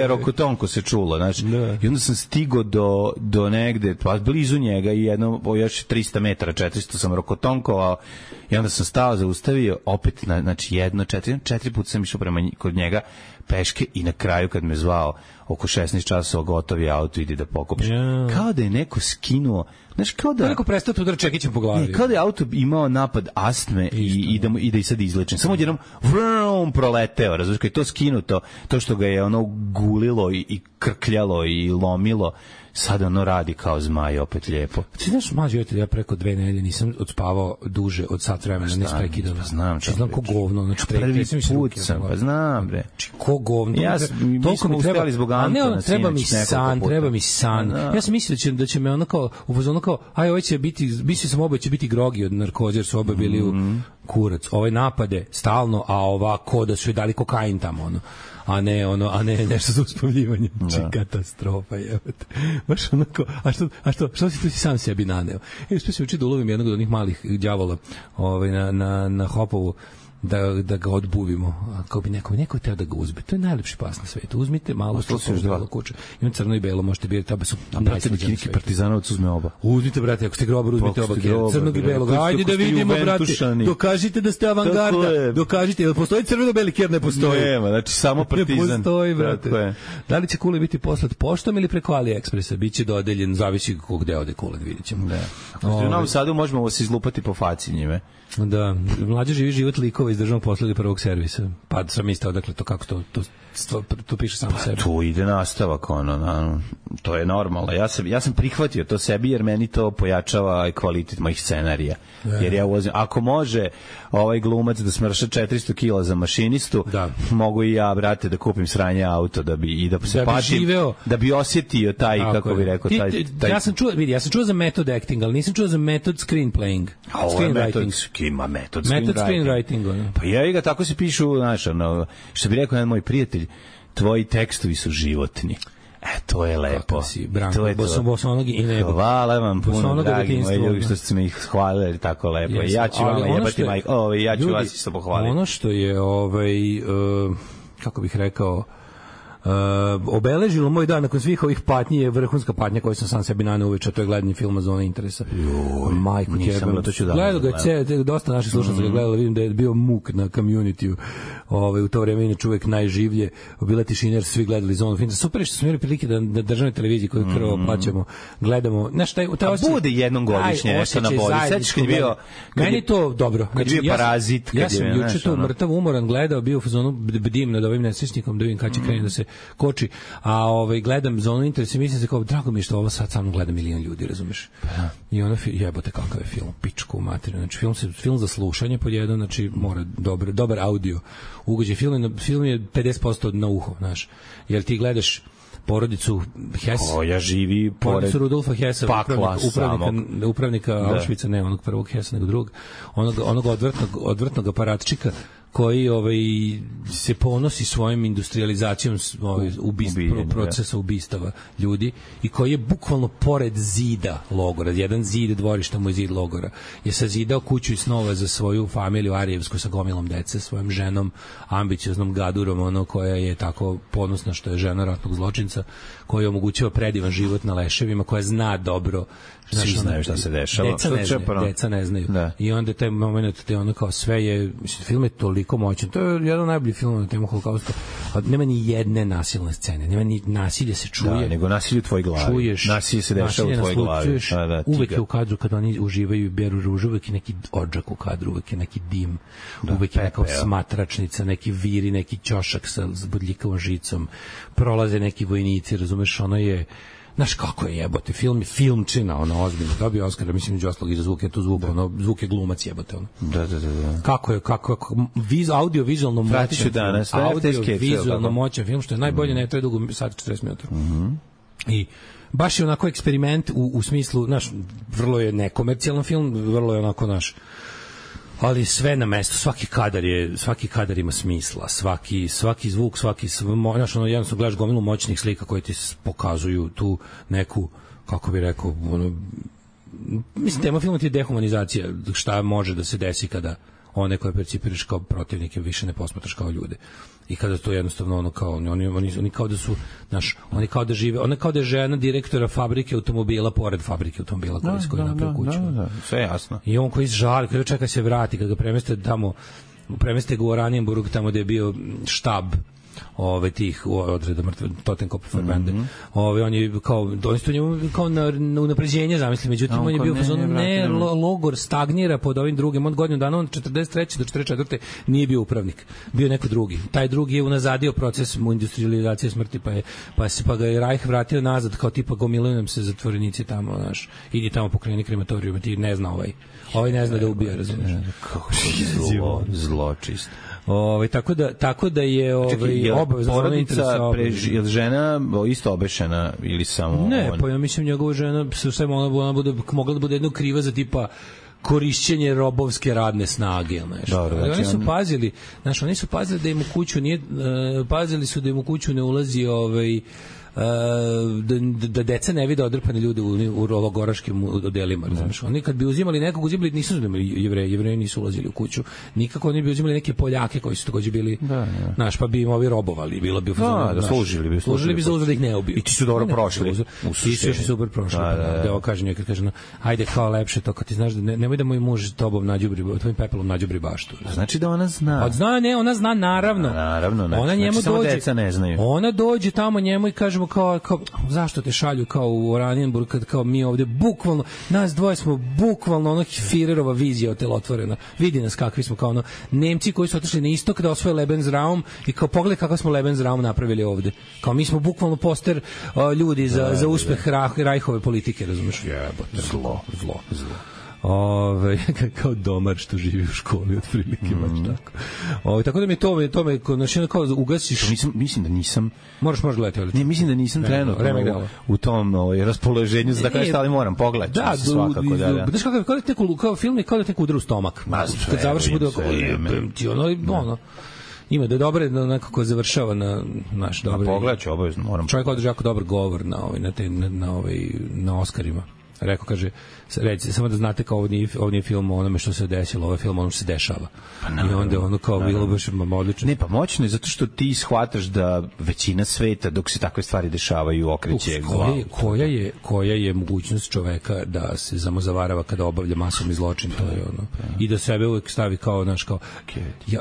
Rokotonko se čulo, znači. I onda sam stigo do negde, pa blizu njega i još 300 metara, 400 sam rokotonkovao i onda sam stao, zaustavio, opet, znači 4 puta sam išao prema kod njega peške i na kraju kad me zvao oko 16 časova gotovi auto, idi da pokupiš. Kao da je neko skinuo, znaš, kao da... Neko prestao tu čekićem po glavi. Kao da je auto imao napad astme i da i sad izlečen. Samo jednom vrum proleteo, razumiješ, kad je to skinuto, to što ga je gulilo i krkljalo i lomilo, sada radi kao zmaj, opet lijepo. Ti znaš, mađo, ja preko 2 nedelje nisam odspavao duže od sat vremena, ne sprekidano. Znam ko govno, znači prvi put sam, pa znam, bre. Ko govno. Mi smo uspjeli zbog Antona. Treba mi san. Ja sam mislio da će me ovo će biti, mislio sam oboje će biti grogi od narkoze, jer su oboje bili u kurac. Ovaj napade stalno, a ovako da su je dali kokain tamo, a ne nešto za uspavljivanje. Katastrofa, jebote. Baš onako, što si tu si sam sebi naneo? Uspio sam učiti da ulovim jednog od onih malih đavola na Hopovu, da ga odbuvimo. Ako bi neko teo da ga uzme. To je najlepši pas na svetu. Uzmite malo što se uždala kuća. Imam crno i belo, možete birati, oba su najslađeni na svetu. Partizanovac uzme oba. Uzmite, brate, ako ste grobar, uzmite oba. Crnog i belog. Ajde da vidimo, brate. Dokažite da ste avangarda. Dokažite. Jel postoji crveno-beli kjer? Ne postoji. Nema, znači samo Partizan. Ne postoji, brate. Da li će Kule biti poslat poštom ili preko AliExpressa? Biće dodeljen, zavisi gde ode Kule, vidjet ćemo. U Novom Sadu možemo vas izlupati po faci njime. Da, mlađe živi život likova iz državnog posla ili prvog servisa. Pa sam mislio, dakle, to kako to piše samo sebi. Tu ide nastavak, to je normalno. Ja sam prihvatio to sebi, jer meni to pojačava kvalitet mojih scenarija. Jer ja ulazim, ako može ovaj glumac da smrša 400 kila za mašinistu, mogu i ja, brate, da kupim sranje auto, da se patim, da bi osjetio taj, kako bi rekao, taj... Ja sam čuo za method acting, ali nisam čuo za method screenplaying. A ovo je metod screenwriting. Pa ja ga tako se pišu, znaš, što bi rekao jedan moj prijatelj, tvoji tekstovi su životni. To je lepo. To je Bosonogi i nebo. Hvala vam puno, dragi moji ljudi, što ste me ih hvalili tako lepo. Ja ću vam jebati majko, ja ću vas isto pohvaliti. Ono što je, kako bih rekao, obeležilo moj dan nakon svih ovih patnji je vrhunska patnja koju sam sam sebi naneo uveče, to je gledanje filma Zona interesa. Majko jebem. Gledao ga je dosta naših slušalaca ga gledalo, vidim da je bio muk na community-u. U to vreme inače uvek najživlje. Bila tišina jer svi gledali Zonu filma. Super je što smo imali prilike da državnoj televiziji koju krvo plaćamo gledamo. Znaš, bude jednom godišnje nešto na boli. Sećaš kad je bio... Meni to dobro. Kad je bio Parazit. Ja sam juče to mrtav umoran gledao, bio u fazonu bdim nad ovim nesrećnikom da vidim kad će krenuti da se koči, a gledam Zonu interesa i mislim se kao, drago mi je što ovo sad samo gleda milion ljudi, razumeš? I ono, jebote kakav je film, pičku materiju, znači film za slušanje pod jedan, znači mora dobar audio ugođaj, film je 50% na uho, znaš, jer ti gledaš porodicu Hess. Koja živi pored porodicu Rudolfa Hessa, pakla upravnika Auschwitza, ne onog prvog Hessa, nego drugog, onog odvrtnog aparatčika koji se ponosi svojim industrializacijom procesa ubistava ljudi i koji je bukvalno pored zida logora, jedan zid dvorišta mu je zid logora, je sazidao kuću i snova za svoju familiju arijevsku sa gomilom dece, svojom ženom, ambicioznom gadurom, koja je tako ponosna što je žena ratnog zločinca, koja omogućava predivan život na leševima, koja zna dobro. Svi znaju šta se dešava. Deca ne znaju. Da. I onda taj moment, kao sve je, film je toliko moćan. To je jedan od najboljih filmova na temu Holokausta. Nema ni jedne nasilne scene. Nema ni nasilje se čuje. Da, nego nasilje u tvojoj glavi. Čuješ, nasilje se dešava u tvojoj glavi. Čuješ, uvek je u kadru kada oni uživaju i beru ružu, uvek je neki odžak u kadru, uvek je neki dim, uvek je neka smatračnica, neki viri, neki ćošak sa bodljikavom žicom. Prolaze neki vojnici, razumeš, ono je. Znaš kako je jebote, filmčina, ozbiljno, dobio Oskara, mislim, među ostalog i za zvuk, je to zvuk, zvuk je glumac jebote, Da. Kako audio-vizualno moćan film, što je najbolje, ne traje dugo, sad 40 minuta. I baš je onako eksperiment u smislu, znaš, vrlo je nekomercijalan film, vrlo je onako, znaš, ali sve na mestu, svaki kadar ima smisla, svaki zvuk, znaš, jednostavno gledaš gomilu moćnih slika koje ti pokazuju tu neku, kako bi rekao, mislim, tema filma ti je dehumanizacija, šta može da se desi kada one koje percipiraš kao protivnike više ne posmatraš kao ljude. I kada to jednostavno oni kao da su, znaš, oni kao da žive, ona kao da je žena direktora fabrike automobila pored fabrike automobila koji napravi kuću. Da, sve jasno. I on koji žali, kada čeka se vrati, kada ga premeste ga u Oranienburg, tamo gde je bio štab tih odreda Totenkopf Verbande. On je oni su njemu kao na unapređenje zamislili, međutim on je bio logor stagnira pod ovim drugim, od godinu dana, on 43. do 44. nije bio upravnik, bio neko drugi. Taj drugi je unazadio proces industrializacije smrti, pa ga je Reich vratio nazad, kao tipa gomilaju nam se zatvorenici tamo, znaš, idi tamo pokreni krematorijum, ti ne zna ovaj ne zna da ubija, razumiješ. Kako zločist. Tako da je obavezno porodica je žena isto obešena ili samo ne, pa ja mislim njegova žena ona bude mogla da bude jedno kriva za tipa korišćenje robovske radne snage, oni su pazili da im u kuću nije pazili su da im u kuću ne ulazi da deca ne vide odrpane ljude u logoraškim odelima, razumiješ? Oni kad bi uzimali nekog, nisu uzimali Jevreji nisu ulazili u kuću, nikako oni bi uzimali neke Poljake koji su takođe bili, znaš, pa bi im ovi robovali, bilo bi služili bi za uzor da ih ne ubiju. I ti su dobro prošli. Ti su još super prošli. Da ovo kaže njoj, kad kaže, ajde kao lepše to, kad ti znaš da nemoj da moj muž tvojim pepelom nađubri baštu. Znači da ona zna. Ona zna, naravno. Ona njemu dođe, ona dođe tamo njemu i kažemo kao zašto te šalju kao u Oranienburg, kad kao mi ovde bukvalno, nas dvoje smo bukvalno Führerova vizija otelotvorena. Vidi nas kakvi smo, kao Nemci koji su otišli na istok da osvoje Lebensraum i kao pogledaj kako smo Lebensraum napravili ovde. Kao mi smo bukvalno poster ljudi za uspeh Reichove politike, razumeš? Zlo. Kao domar što živi u školi otprilike baš tako. Tako da mi to me kao ugasiš. Mislim da nisam. Možeš gledati. Ne, mislim da nisam trenutno u tom raspoloženju za da šta, ali moram pogledati. Da, svakako da. Znaš kako film je kao da te udara u stomak. Kad završi bude ima da je dobro da nekako završava na naš dobar. Pogledaću obavezno, moram. Čovjek održi jako dobar govor na Oscarima. Rekao, kaže, recite, samo da znate kao ovo nije film o onome što se desilo, ovo je film o onome što se dešava. I onda kao bilo baš odlično. Ne, pa moćno je zato što ti shvataš da većina sveta, dok se takve stvari dešavaju, okreće glavu. Koja je mogućnost čoveka da se zavarava kada obavlja masovni zločin, to je ono. I da sebe uvek stavi kao, znaš, kao...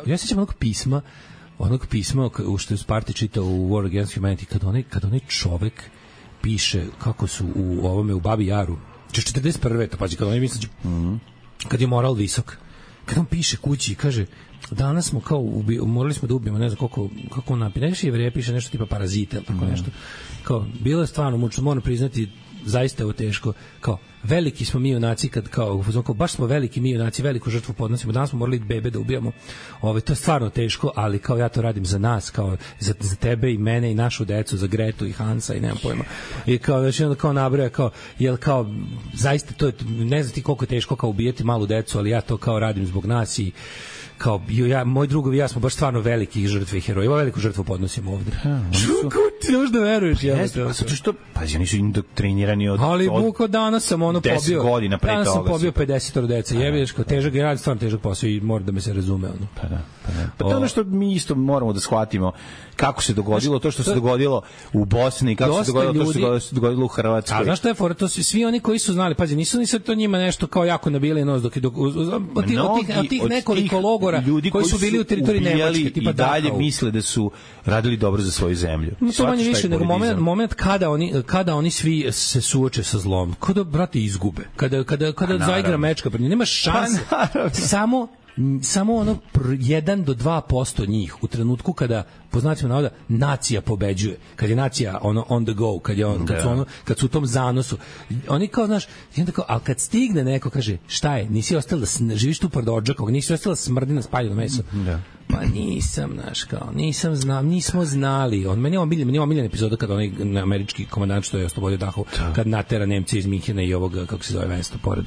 Ja sećam onog pisma što je Sparti čitao u War Against Humanity, kad onaj čovek piše kako su u Babi Jaru 41. to pađi, kad oni misle kad je moral visok, kad on piše kući i kaže danas smo kao morali smo da ubijemo, ne znam kako on napiše, Jevreja piše nešto tipa parazite, tako nešto, kao bilo je stvarno mučno, moram priznati zaista je ovo teško, kao veliki smo mi junaci kad kao baš smo veliki mi junaci, veliku žrtvu podnosimo. Danas smo morali bebe da ubijamo. To je stvarno teško, ali kao ja to radim za nas, kao za tebe i mene i našu decu, za Gretu i Hansa i nemam pojma. I kao znači onda kao nabraja kao jel kao zaista to je, ne znam ti koliko je teško kao ubijati malu decu, ali ja to kao radim zbog nas i kao moj drugovi ja smo baš stvarno veliki žrtve i heroji. Veliku žrtvu podnosimo ovde. Kako ti možda veruješ? Zato što, pazi, oni su indoktrinirani ali buko danas sam ono pobio 10 godina pre toga. Danas sam pobio 50 deca. Jebeš kao težak je rad, stvarno težak posao i mora da me se razume. Ono. Pa to ono što mi isto moramo da shvatimo kako se dogodilo to što se dogodilo u Bosni, kako se dogodilo to što se dogodilo u Hrvatskoj. A znaš što je fora? To su svi oni koji su znali, pazi, nisu ni sad to njima nešto kao jako nabili nos od tih nekoliko logora ljudi koji su bili u teritoriji Nemačke, tipa i dalje misle da su radili dobro za svoju zemlju. To manje više nego moment kada oni svi se suoče sa zlom, kada brate izgube, kada zaigra mečka, nema šanse. Samo ono 1 do 2% njih u trenutku kada po znacima navoda nacija pobeđuje, kad je nacija ono on the go, kad su u tom zanosu, oni kao znaš, i onda kao, ali kad stigne neko kaže šta je, nisi ostala da živiš tu pored odžakog, nisi ostala smrdi na spaljeno meso. Pa nisam, znaš, kao, nismo znali. Meni je omiljen epizoda kada onaj američki komandant što je oslobodio Dachau, kad natera Nemci iz Minhena i ovoga, kako se zove mesto, pored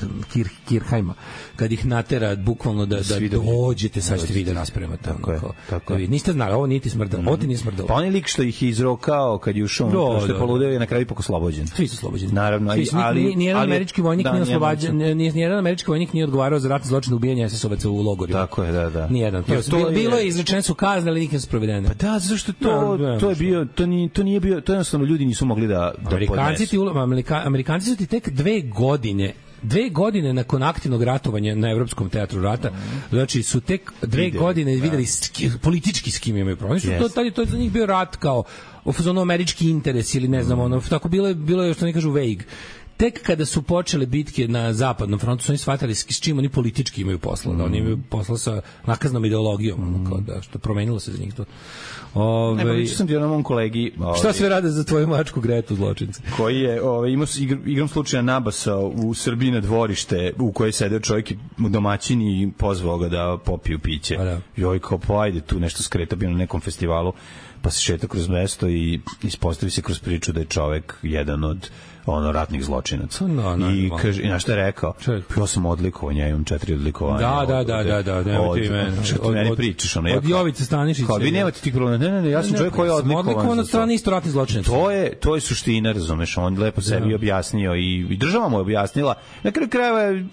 Kirchheima, kad ih natera bukvalno da dođete, sad ćete vi da raspremate. Tako je. Niste znali, ovo niti smrdalo, ovo ti nije smrdalo. Pa onaj lik što ih je izrokao kad je ušao, što je poludeo je na kraju ipak oslobođen. Svi su oslobođeni. Naravno, nijedan američki vojnik nije oslobođen, nijedan američki vojnik nije odgovarao za ratne zločine ubijanja SS-ovaca u logorima. Tako je, da. Nijedan. Bilo je izrečene su kazne, ali nikad su provedene. Pa da, zašto to je bio, to nije bio, to jednostavno ljudi nisu mogli da podnesu. Amerikanci su ti tek 2 godine nakon aktivnog ratovanja na Evropskom teatru rata, znači su tek 2 godine videli politički s kim imaju problem. To je za njih bio rat kao ono američki interes ili ne znam, ono, tako bilo je što oni kažu vague. Tek kada su počele bitke na zapadnom frontu su oni shvatili s čim oni politički imaju posla, da oni imaju posla sa nakaznom ideologijom, kao da što promenilo se za njih to. Pričao sam ti o mom kolegi. Šta sve rade za tvoju mačku Gretu zločinci? Koji je imao igrom slučaja nabasao u Srbiji na dvorište u kojoj sedeo čovjek domaćin i pozvao ga da popiju piće. Joj, kao pa ajde tu nešto skreta, bio na nekom festivalu, pa se šeta kroz mesto i ispostavi se kroz priču da je čovjek jedan od ratnih zločinaca. I kaže, na šta je rekao? Ja sam odlikovao, ja imam 4 odlikovanja. Da, nemojte i mene. Što ti meni pričaš? Od Jovice Stanišića. Kao, vi nemate tih problema. Ne, ja sam čovjek koji je odlikovan od strane isto ratnih zločinaca. To je suština, razumeš, on lepo sebi objasnio i država mu je objasnila. Na kraju krajeva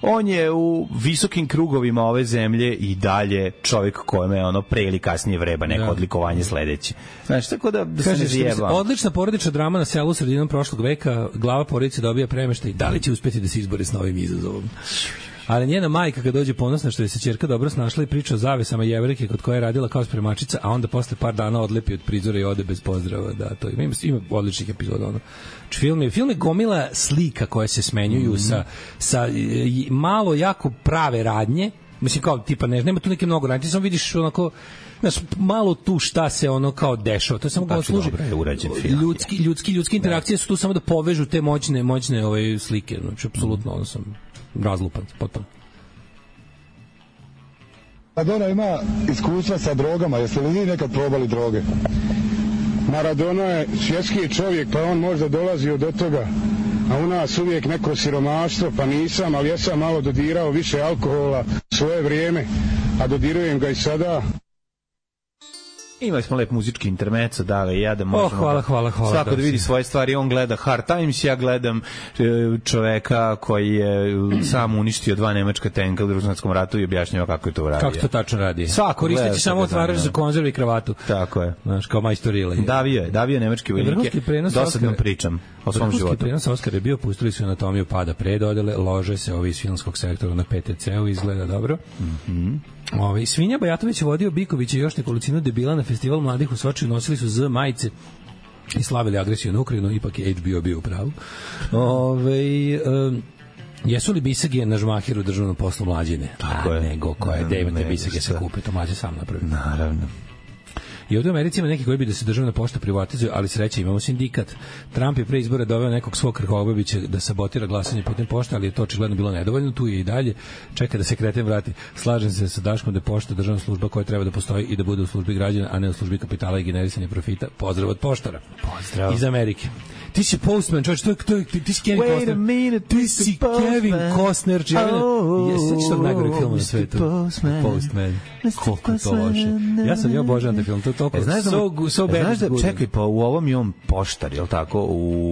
on je u visokim krugovima ove zemlje i dalje čovjek kojeme je pre ili kasnije vreba neko odlikovanje sledeće. Znači, tako da se ne zjeba. Odlična porodična drama na selu sredinom prošlog veka, glava porodice dobija premeštaj. Da li će uspeti da se izbori s novim izazovom? Ali njena majka kad dođe ponosna što je se ćerka dobro snašla i priča o zavesama Jevrejke kod koje je radila kao spremačica, a onda posle par dana odlepi od prizora i ode bez pozdrava. Da, to ima odličnih epizoda. Film je gomila slika koje se smenjuju sa malo jako prave radnje. Mislim kao tipa nema tu neke mnogo radnje, samo vidiš onako malo tu šta se ono kao dešava. To je samo kao služi ljudski interakcije su tu samo da povežu te moćne slike. Znači apsolutno ono sam razlupan potpuno. Maradona ima iskustva sa drogama, jeste li vi nekad probali droge? Maradona je svjetski čovjek, pa on možda dolazio do toga, a u nas uvijek neko siromaštvo, pa nisam, ali ja sam malo dodirao više alkohola svoje vrijeme, a dodirujem ga i sada. Imali smo lep muzički intermezzo, da i ja da možemo. Hvala. Svako da vidi svoje stvari, on gleda Hard Times, ja gledam čoveka koji je sam uništio 2 nemačka tenka u Drugom svjetskom ratu i objašnjava kako je to uradio. Kako to tačno radi? Koristeći samo otvarač za konzervu i kravatu. Tako je. Znaš, kao majstor Rile. Davio nemački vojnike. Dosadno pričam o svom životu. Vrhunski prenos Oskar je bio, pustili su anatomiju pada predodele, lože se ovi iz filmskog sektora na PTC-u, izgleda dobro. Svinja Bajatović je vodio Biković i još nekolicinu debila na festival mladih u Sočiju, nosili su Z majice i slavili agresiju na Ukrajinu, ipak je HBO bio u pravu. Jesu li bisage na žmahiru državnom poslu Mlađine? Tako je. Nego koje David bisage se kupe, to Mlađe sam napravi. Naravno. I ovdje u Americi ima neki koji bi da se državna pošta privatizuje, ali sreće, imamo sindikat. Trump je pre izbora doveo nekog svog Krkobabića da sabotira glasanje putem pošte, ali je to očigledno bilo nedovoljno, tu je i dalje. Čeka da se kreten vrati. Slažem se sa Daškom da je pošta državna služba koja treba da postoji i da bude u službi građana, a ne u službi kapitala i generisanja profita. Pozdrav od poštara. Pozdrav. Iz Amerike. Ti si Postman, čovječ, ti si Kevin Costner. Ti si Kevin Costner. Sveći tog najgoreg filma na svetu. Postman. Koliko je to loše. Ja sam obožavam taj film. To je toliko so bad. Znaš da, čekaj, pa u ovom je on poštar, je li tako?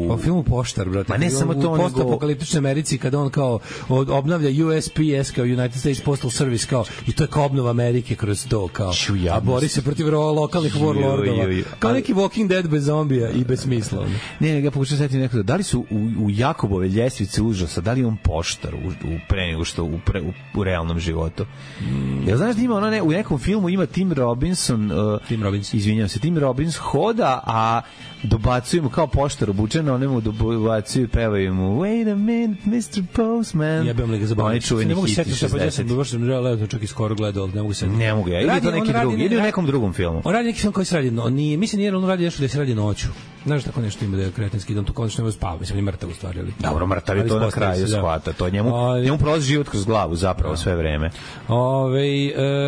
Pa u filmu Poštar, brate. Ma ne samo to, u postapokaliptičnoj Americi, kada on kao obnavlja USPS, kao United States Postal Service, kao, i to je kao obnova Amerike kroz to, kao, a bori se protiv lokalnih warlordova. Kao neki Walking Dead bez zombija i bez smisla. Ne, ja pokušam setiti nekako, da li su u Jakobove ljestvice užasa, da li je on poštar pre nego što u realnom životu? Ja znaš da ima ona u nekom filmu ima Tim Robbins, izvinjavam se, Tim Robbins hoda, a dobacuju mu kao poštar obučeno, one mu dobacuju, pevaju mu Wait a minute, Mr. Postman. Jebem li ga zabaviti. Oni čuveni hiti 60. Ja sam želeo čak i skoro gledao, ali ne mogu se. Ne mogu ja. Ili to neki drugi, ili u nekom drugom filmu. On radi neki film koji se radi, mislim nije on radi nešto da se radi noću. Znaš tako nešto ima da je kretenski, da on to konačno ne spava, mislim, ni mrtav u stvari. Ali, dobro, mrtav je to na kraju shvata, to njemu prolazi život kroz glavu zapravo sve vreme.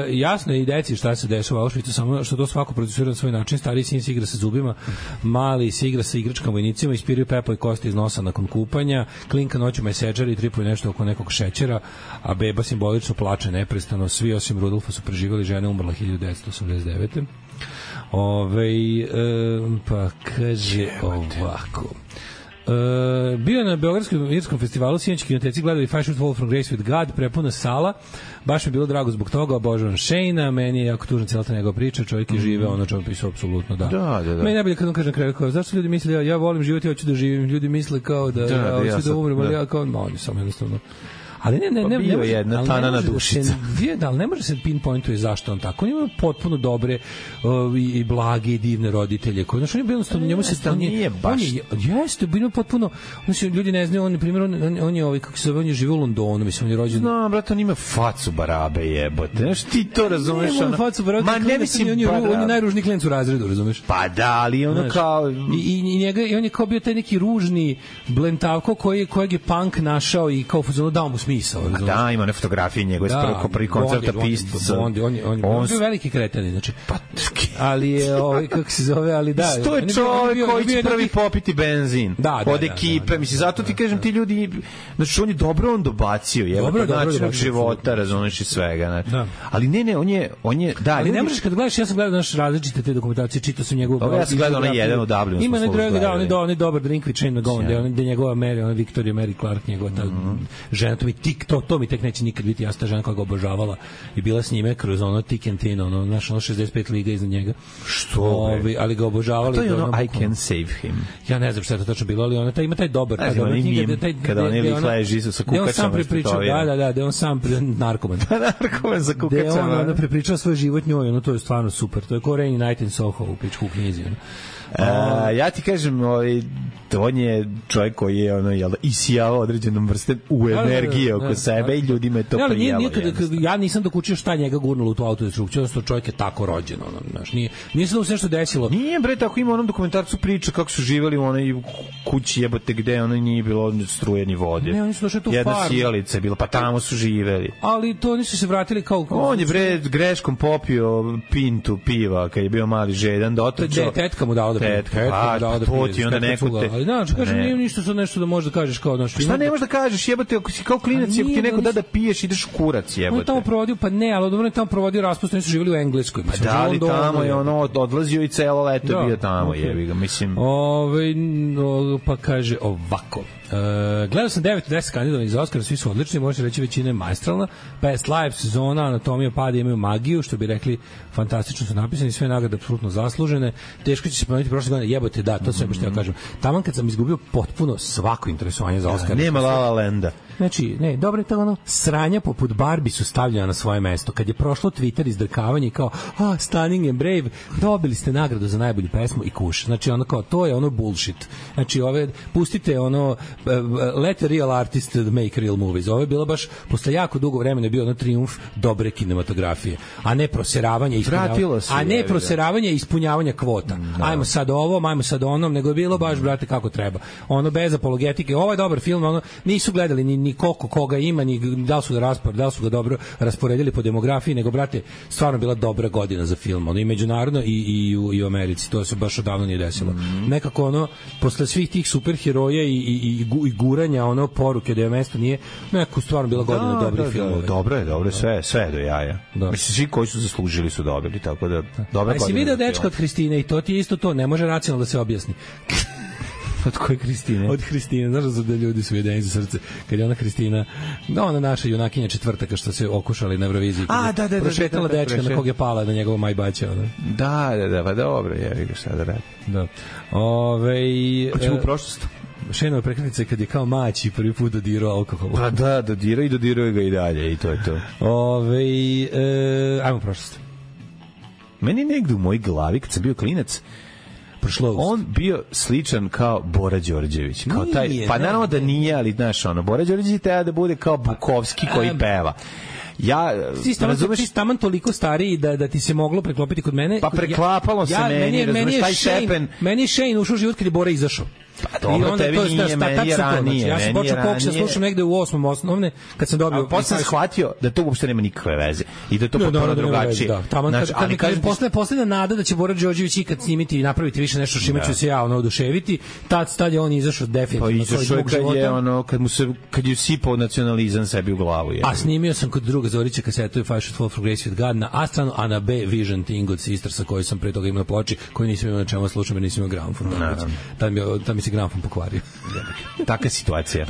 Jasno je i deci šta se dešava u Auschwitzu, samo što to svako producira na svoj način. Stariji sin se igra sa zubima, mali se igra sa igračkama vojnicima, ispiraju pepo i kosti iz nosa nakon kupanja, klinka noću meseđari i tripuje nešto oko nekog šećera, a beba simbolično plače neprestano. Svi osim Rudolfa su preživjeli, žena umrla 1989. Pa kaže ovako. Bio na Beogradskom irskom festivalu, sinoć kinoteci gledali Five Shoot Fall from Grace with God, prepuna sala, baš mi je bilo drago zbog toga, obožavam Shane-a, meni je jako tužna cijela ta njegova priča, čovjek je žive, ono čovjek pisao apsolutno, da. Meni najbolje kad on kaže na kraju, kao, zašto ljudi misle, ja volim život, ja hoću da živim, ljudi misle kao da hoću da umrem, ali ja kao, oni samo jednostavno. Ali ne bio jedna tanana dušica. Ne može se pinpointuje zašto on tako. On ima potpuno dobre i blage i divne roditelje. Znači, on je jednostavno, njemu se nije baš. Jeste, bilo potpuno, znači, ljudi ne znaju, on je kako se zove, on je živio u Londonu, mislim, on je rođen. No, brate, on ima facu barabe, jebote. Znaš, ti to razumeš? Ne, facu barabe, ma ne mislim, on je najružniji klijent u razredu, razumeš? Pa da, ali ono kao... I on je kao bio taj neki ružni blentavko kojeg je punk našao i kao fuzonu dao mu smisao. Da, ima one fotografije njegove s prvi koncerta Pista. On je veliki kretan, znači. Ali je, kako se zove, ali da. To je čovjek koji će prvi popiti benzin od ekipe. Mislim, zato ti kažem, ti ljudi, znači, on je dobro dobacio, je način života, razumeš i svega. Ali ne, on je, da. Ali ne možeš kad gledaš, ja sam gledao naš različite te dokumentacije, čitao sam njegovu. Ja sam gledao onaj jedan u Dublinu. Ima on je dobar Drinkwick Shane McGowan, gde njegova Mary, ona Victoria Mary Clark, njegova ta žena, to mi tek neće nikad biti jasna, žena koja ga obožavala i bila s njime kroz ono Tick and Tin, ono 65 liga iznad njega. Što? Ali ga obožavali. To je ono I can save him. Ja ne znam šta je to tačno bilo, ali ona ima taj dobar. Kada on lik leži sa kukačama. Da, on sam narkoman. Narkoman za kukačama. Da, on prepričao svoj život njoj, ono to je stvarno super. To je ko Rainy Night in Soho u pičku knjizi. Ja ti kažem, on je čovjek koji je isijao određenom vrstem u energije oko sebe i ljudima je to prijelo. Ja nisam dokučio šta njega gurnulo u tu autodestrukciju, odnosno čovjek je tako rođen. Nije se da se nešto desilo. Nije, bre, tako ima onom dokumentarcu priča kako su živjeli u onoj kući jebote gde nije bilo struje ni vode. Ne, oni su došli tu jedna sjelica je bila, pa tamo su živeli. Ali to nisu se vratili kao... On je, bre, greškom popio pintu piva kad je bio mali žedan, dotrčao. Tetka mu dao da to ti onda neko te... Ali znači, kažem, nije ništa sad nešto da možeš da kažeš kao... Šta ne možeš da kažeš, jebote, ako si kao klinac, ti neko da piješ, ideš u kurac, jebote. On je tamo provodio, pa ne, ali dobro je tamo provodio raspust, oni su živjeli u Engleskoj. Pa da, ali tamo je odlazio i celo leto je bio tamo, jebi ga, mislim... Pa kaže ovako... Gledao sam 9-10 kandidovanih za Oscar, svi su odlični, može reći većina je maestralna. Past Life, sezona, Anatomija pada imaju magiju, što bi rekli, fantastično su napisani, sve nagrade apsolutno zaslužene. Teško će se pomenuti prošle godine, jebote, da, to sve što ja kažem. Taman kad sam izgubio potpuno svako interesovanje za Oscar. Nema La La Landa. Znači, ne, dobro je to ono, sranja poput Barbie su stavljena na svoje mesto. Kad je prošlo Twitter izdrkavanje kao, Stunning and Brave, dobili ste nagradu za najbolju pesmu i kuš. Znači, ono kao, to je ono bullshit. Znači, pustite ono, let the real artist make real movies. Ovo je bilo baš, posle jako dugo vremena je bio ono trijumf dobre kinematografije, a ne proseravanje i ispunjavanja kvota. Ajmo sad ovo, ajmo sad onom, nego je bilo baš, brate, kako treba. Ono, bez apologetike, ovo je dobar film, ono, nisu gledali ni koliko koga ima, ni da li su ga dobro rasporedili po demografiji, nego, brate, stvarno bila dobra godina za film, ono, i međunarodno i u Americi, to se baš odavno nije desilo. Nekako, ono, posle svih tih superheroja i guranja, ono, poruke da je mesto nije, nekako stvarno bila godina dobrih filmova. Dobro je, sve je do jaja. Mislim, svi koji su zaslužili su dobili, tako da, dobra godina. Si vidio dečka od Hristine i to ti je isto to, ne može racionalno da se objasni. Od koje Hristine? Od Hristine, znaš da ljudi su jedeni za srce. Kad je ona Hristina, ona naša junakinja četvrtaka što se okušali na Euroviziji. Prošetala dečka na kog je pala na njegovo majbaća. Da, pa dobro, jevi ga šta da radi. Da. Hoćemo u prošlost. Šenova prekretnica kad je kao maći prvi put dodirao alkohol. Pa da, dodirao ga i dalje i to je to. Ajmo u prošlost. Meni negde u mojoj glavi, kad sam bio klinac, on bio sličan kao Bora Đorđević, kao taj, pa naravno da nije, ali znaš, ono, Bora Đorđević treba da bude kao Bukovski koji peva. Ti si taman toliko stariji da ti se moglo preklopiti kod mene. Pa preklapalo se meni, razumiješ, taj Šepen. Meni je Shane ušao život kad je Bora izašao. Pa dobro, tebi nije, meni je ranije. Ja sam počeo Koksa, slušam negde u 8. osnovne, kad sam dobio... A posle sam shvatio da to uopšte nema nikakve veze i da je to potpuno drugačije. Poslednja nada da će Bora Đorđević ikad snimiti i napraviti više nešto što ću se ja oduševiti, tad je on izašao definitivno. Pa izašao kad je sipao nacionalizam sebi u glavu. A snimio sam kod druga Zorića kasetu i Five Should Fall for Grace with God na A stranu, a na B Vision Thing od Sistersa koji sam pre toga imao na ploči, koji nisam imao na čemu slušam jer nisam imao gramofon. Tad mi se gramofon pokvario. Taka situacija.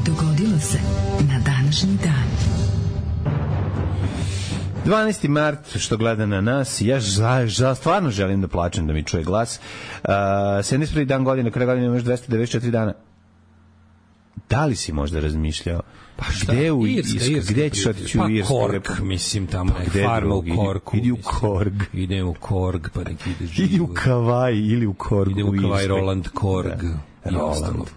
Dogodilo se na današnji dan. 12. mart, što gleda na nas, ja stvarno želim da plačem da mi čuje glas. 71. dan godine, kraj godine imaš 294 dana. Da li si možda razmišljao? Pa šta? Gde ćeš otići u Irsku? Pa Kork, mislim, tamo farma u Korku. Idi u Korg. Idem u Korg, pa neki ide živo. Idi u Kavaj ili u Korgu. Idem u Kavaj, Roland, Korg. Roland.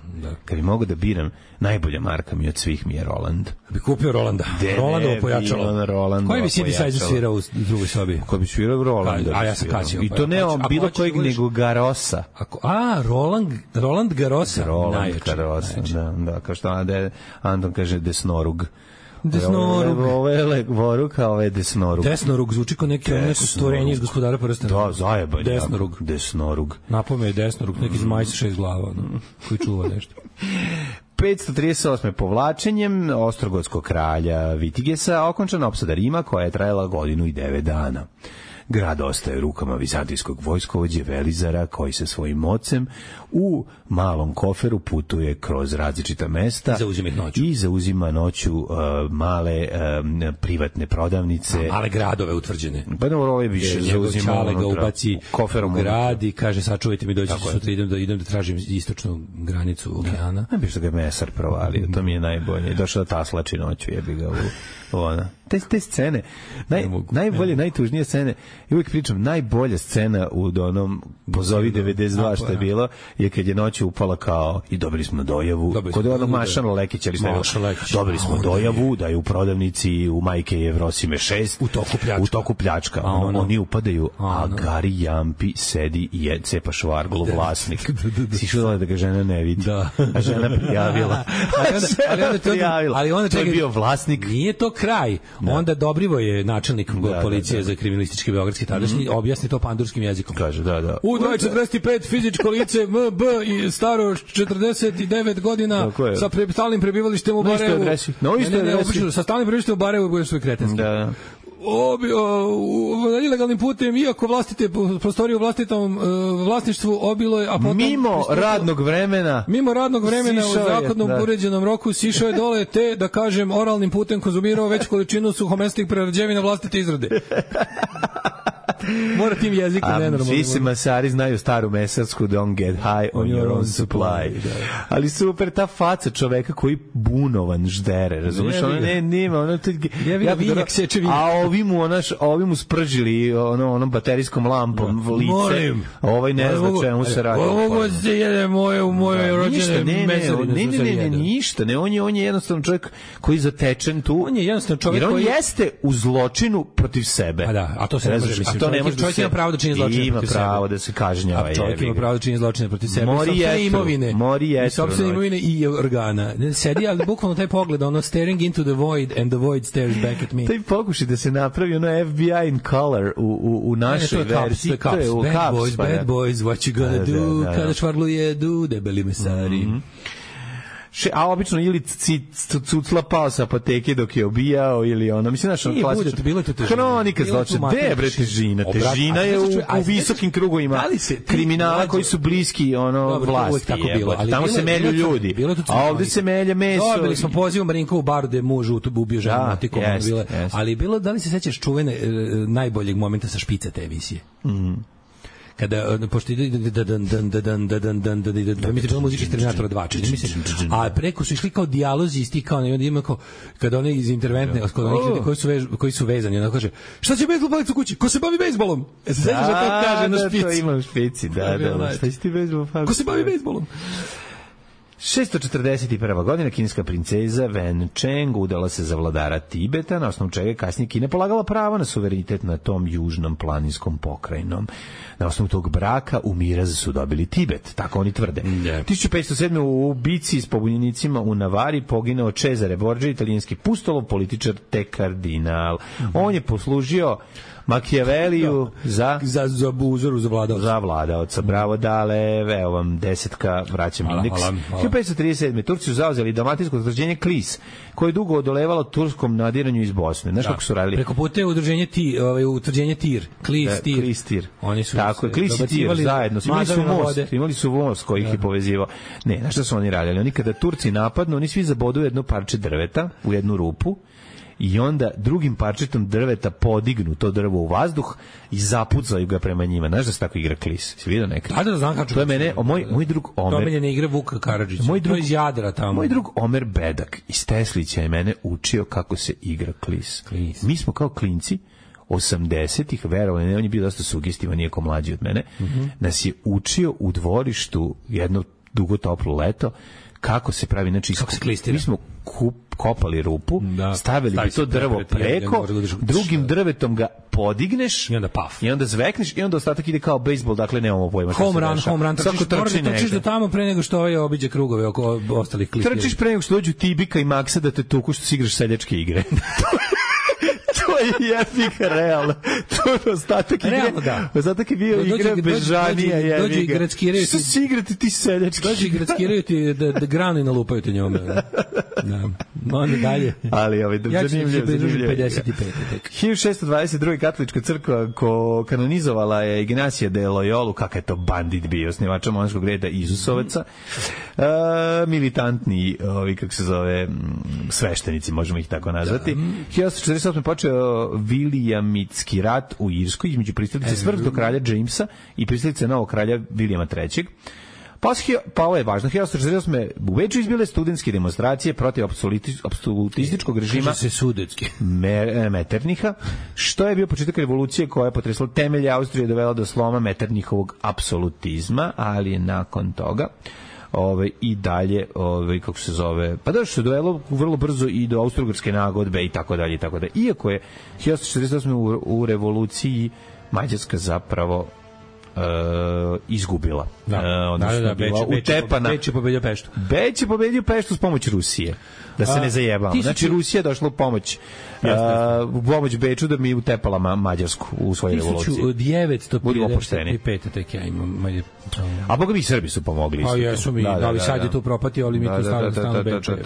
Kad bi mogu da biram, najbolja marka mi od svih mi je Roland. Bi kupio Rolanda. Rolandovo pojačalo. Koji bi synthesizer svirao u drugoj sobi? Koji bi svirao Rolanda. A ja sam kačio. I to ne bilo kojeg nego Garosa. Roland Garosa. Roland Garosa, da. Kao što Anton kaže Desnorug. Desnorug. Ovo je Voruka, ovo je Desnorug. Desnorug zvuči kao neko stvorenje iz Gospodara prstena. Da, zajebanje. Desnorug. Napome je Desnorug, neki zmaj sa 6 glava, koji čuva nešto. 538. povlačenjem Ostrogodskog kralja Vitigesa okončana opsada Rima koja je trajala godinu i 9 dana. Grad ostaje rukama vizantijskog vojskovođe Velizara koji sa svojim mocem u malom koferu putuje kroz različita mesta i zauzima noću male privatne prodavnice. Male gradove utvrđene. Pa dobro, ovo je više zauzima ga ubaci koferom u grad i kaže sačuvajte mi, doći sutra idem da tražim istočnu granicu okeana. Ne bi što ga mesar provalio, to mi je najbolje. Došao da taslači noću, jebi ga u ona. Te scene, najbolje, najtužnije scene, i uvijek pričam, najbolja scena u onom Pozovi 92 što je bilo, je kad je noću upala kao i dobili smo dojavu, kod onog Mašana Lekića, dobili smo dojavu da je u prodavnici u Majke Jevrosime 6 u toku pljačka. Oni upadaju, a Gari Jampi sedi i cepa švarglu, vlasnik. Si šudala da ga žena ne vidi. A žena prijavila. Ali onda to je bio vlasnik. Nije to kraj. Onda Dobrivoje, načelnik policije za kriminalistički beogradski tadašnji, objasni to pandurskim jezikom. Kaže, da. U 245 fizičko lice MB i staro 49 godina sa stalnim prebivalištem u Barajevu. Na istoj adresi. Sa stalnim prebivalištem u Barajevu bude svoj kretenski. Da. ilegalnim putem, iako vlastite prostorije u vlastitom vlasništvu obilo je, a potom Mimo radnog vremena u zakonom uređenom roku sišao je dole te, da kažem, oralnim putem konzumirao veću količinu suhomesnih prerađevina vlastite izrade. Mora tim jezikom nenormalno. Svi se masari znaju staru mesarsku don't get high on your own supply. Ali super ta faca čoveka koji bunovan ždere, razumiješ? A ovi mu spržili onom baterijskom lampom lice. Molim. Ovaj ne zna čemu se radi. Ovo se jede u moje rođene mesari. Ne, ništa. On je jednostavno čovjek koji je zatečen tu. On je jednostavno čovjek koji... Jer on jeste u zločinu protiv sebe. A to se ne može, mislim. Čovjek ima pravo da čini zločine protiv sebe. Ima pravo da se kažnjava. Čovjek ima pravo da čini zločine protiv sebe. Sopstvene imovine i organa. Sedi, ali bukvalno taj pogled, staring into the void and the void stares back at me. Taj pokušaj da se napravi FBI in color u našoj verziji. To je Bad boys, what you gonna do, kada švarlu jedu, debeli mesari. A obično ili cucla pao sa apoteke dok je obijao ili mislim naš klasično. Hronika zločina. Gde je bre težina? Težina je u visokim krugovima kriminala koji su bliski vlasti. Tamo se melju ljudi. A ovde se melje meso. Dobili smo poziv Marinkovu baru da je muž ubio ženu motikom. Ali bilo, da li se sećaš čuvene najboljeg momenta sa špice te emisije? Kada pošto ide mi se čula muzika iz Terminatora 2, čini mi se, a preko su išli kao dijalozi isti, kao onda ima kao kada oni iz interventne, kod onih ljudi koji su vezani, ona kaže šta će bejzbol palicu kući, ko se bavi bejzbolom, se sećaš da to kaže na špici, to ima u špici, da, šta će ti bejzbol, ko se bavi bejzbolom. 641. godina kineska princeza Wen Cheng udala se za vladara Tibeta, na osnovu čega je kasnije Kina polagala pravo na suverenitet na tom južnom planinskom pokrajinom. Na osnovu tog braka u miraz su dobili Tibet, tako oni tvrde. 1507. u bici s pobunjenicima u Navari poginao Cesare Borgia, italijanski pustolov, političar te kardinal. On je poslužio Machiavelliju za uzoru za vladaoca. Bravo, dale, evo vam desetka, vraćam indeks. 1537. Turci su zauzeli dalmatinsko utvrđenje Klis, koje je dugo odolevalo turskom nadiranju iz Bosne. Znaš kako su radili? Preko puta je utvrđenje Tir. Klis, Tir. Oni su tako, Klis i Tir zajedno. Imali su most koji ih je povezivao. Ne, znaš šta su oni radili? Oni kada Turci napadnu, oni svi zabodu jedno parče drveta u jednu rupu i onda drugim parčetom drveta podignu to drvo u vazduh i zapucaju ga prema njima. Znaš da se tako igra Klis? Si vidio nekad? Da, znam kako. To je mene, moj drug Omer. Domiljene igre Vuka Karadžića. To je iz Jadra tamo. Moj drug Omer Bedak iz Teslića je mene učio kako se igra Klis. Mi smo kao klinci 80-ih, verovali, ne, on je bio dosta sugestivan, nije ko mlađi od mene, nas je učio u dvorištu jedno dugo toplo leto kako se pravi, znači mi smo kopali rupu, stavili bi to drvo preko, drugim drvetom ga podigneš i onda paf. I onda zvekneš i onda ostatak ide kao bejsbol, dakle nemamo pojma šta se dešava. Home run, trčiš do tamo pre nego što obiđe krugove oko ostalih klistira. Trčiš pre nego što dođu Tibika i Maksa da te tuku što si igraš seljačke igre. To je jefika, realno. To je ostatak igre. Realno, da. Ostatak je bio igra bežanija jefika. Dođu i grackiraju ti. Što si igrati ti seljački? Dođu i grackiraju ti da granu i nalupaju te njome. Da. Onda dalje. Ali zanimljivo. 55. 1622. katolička crkva kanonizovala je Ignacija de Loyolu, kakav je to bandit bio, osnivača monашkog reda Isusovaca. Militantni, kako se zove, sveštenici, možemo ih tako nazvati. 1848. počeo Williamitski rat u Irskoj između pristalice smrtnog kralja Jamesa i pristalice novog kralja Williama III. Pa ovo je važno. 1848. u Beču izbile studentske demonstracije protiv apsolutističkog režima Metternicha, što je bio početak revolucije koja je potresla temelje Austrije i dovela do sloma Metternichovog apsolutizma, ali je nakon toga i dalje, kako se zove, pa da što je dovelo vrlo brzo i do Austro-Ugarske nagodbe i tako dalje i tako dalje. Iako je 1848. u revoluciji Mađarska zapravo izgubila. Da, Odnosno, bila utepana. Beč je pobedio Peštu. Beč je pobedio Peštu s pomoć Rusije. Da se ne zajebamo. Znači, Rusija je došla u pomoć Beču da mi utepala Mađarsku u svojoj revoluciji. 1955. tek ja imam. A boga mi Srbi su pomogli. Pa jesu mi, ali sad je to propatio, ali mi tu stavno Beča.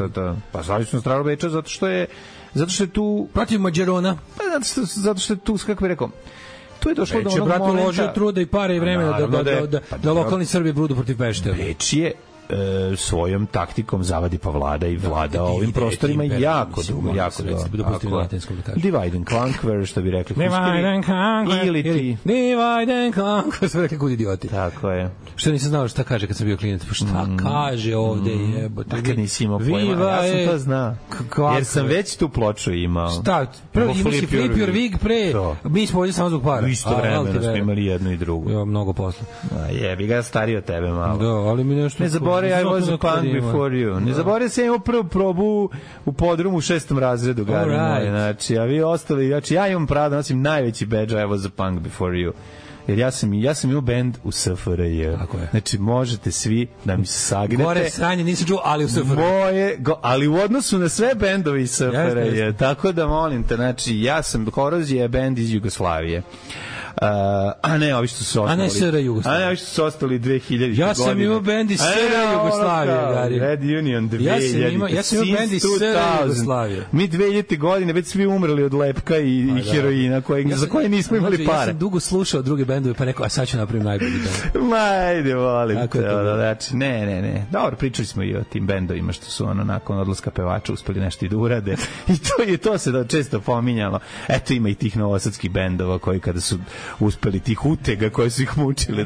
Pa stavili smo stranu Beča zato što je tu... Protiv Mađarona. Pa zato što je tu, kako bih rekao, tu je došlo do onog momenta... Beč je, brate, uložio truda i pare i vremena da lokalni Srbi budu protiv Pešte. Beč je svojom taktikom zavadi pa vlada i vlada ovim prostorima jako dugo. Divide and conquer, što bi rekli. Divide and conquer. Ili ti. Divide and conquer. Sve rekli kud idioti. Tako je. Što nisam znao šta kaže kad sam bio klinac. Pa šta kaže ovde jebote. Kad nisi imao pojma. Ja sam to znao. Jer sam već tu ploču imao. Šta? Prvo imao si Flip Your Wig pre. Mi smo ovdje samo zbog para. Isto vremena smo imali jednu i drugu. Ja, mnogo posla. Jebi ga, stariji od tebe malo. Da, ali mi nešto... I was a punk before you. Ne zaboravim se, imao prvu probu u podrumu u 6. razredu, gari moji. Znači, a vi ostali, znači, ja imam pravo da nosim najveći badge, I was a punk before you. Jer ja sam imao bend u SFRJ. Znači, možete svi da mi sagnete. Gore sranje, nisam čuo, ali u SFRJ. Ali u odnosu na sve bendovi iz SFRJ. Tako da, molim te, znači, ja sam Korozija, bend iz Jugoslavije. A ne, ovi što su ostali. A ne SR Jugoslavije. A ne, ovi što su ostali 2000. Ja sam imao bend iz SR Jugoslavije, Gari. Red Union 2000. Ja sam imao bend iz SR Jugoslavije. Mi 2000. godine već svi umrli od lepka i heroina za koje nismo imali pare. Ja sam dugo slušao druge bendove, pa rekao, a sad ću napravim najbolji bend. Ajde, volim te. Znači, ne. Dobro, pričali smo i o tim bendovima što su nakon odlaska pevača uspeli nešto i da urade. I to se često pominjalo. Eto, ima i tih novosadskih bendova koji kada su uspeli tih utega koje su ih mučili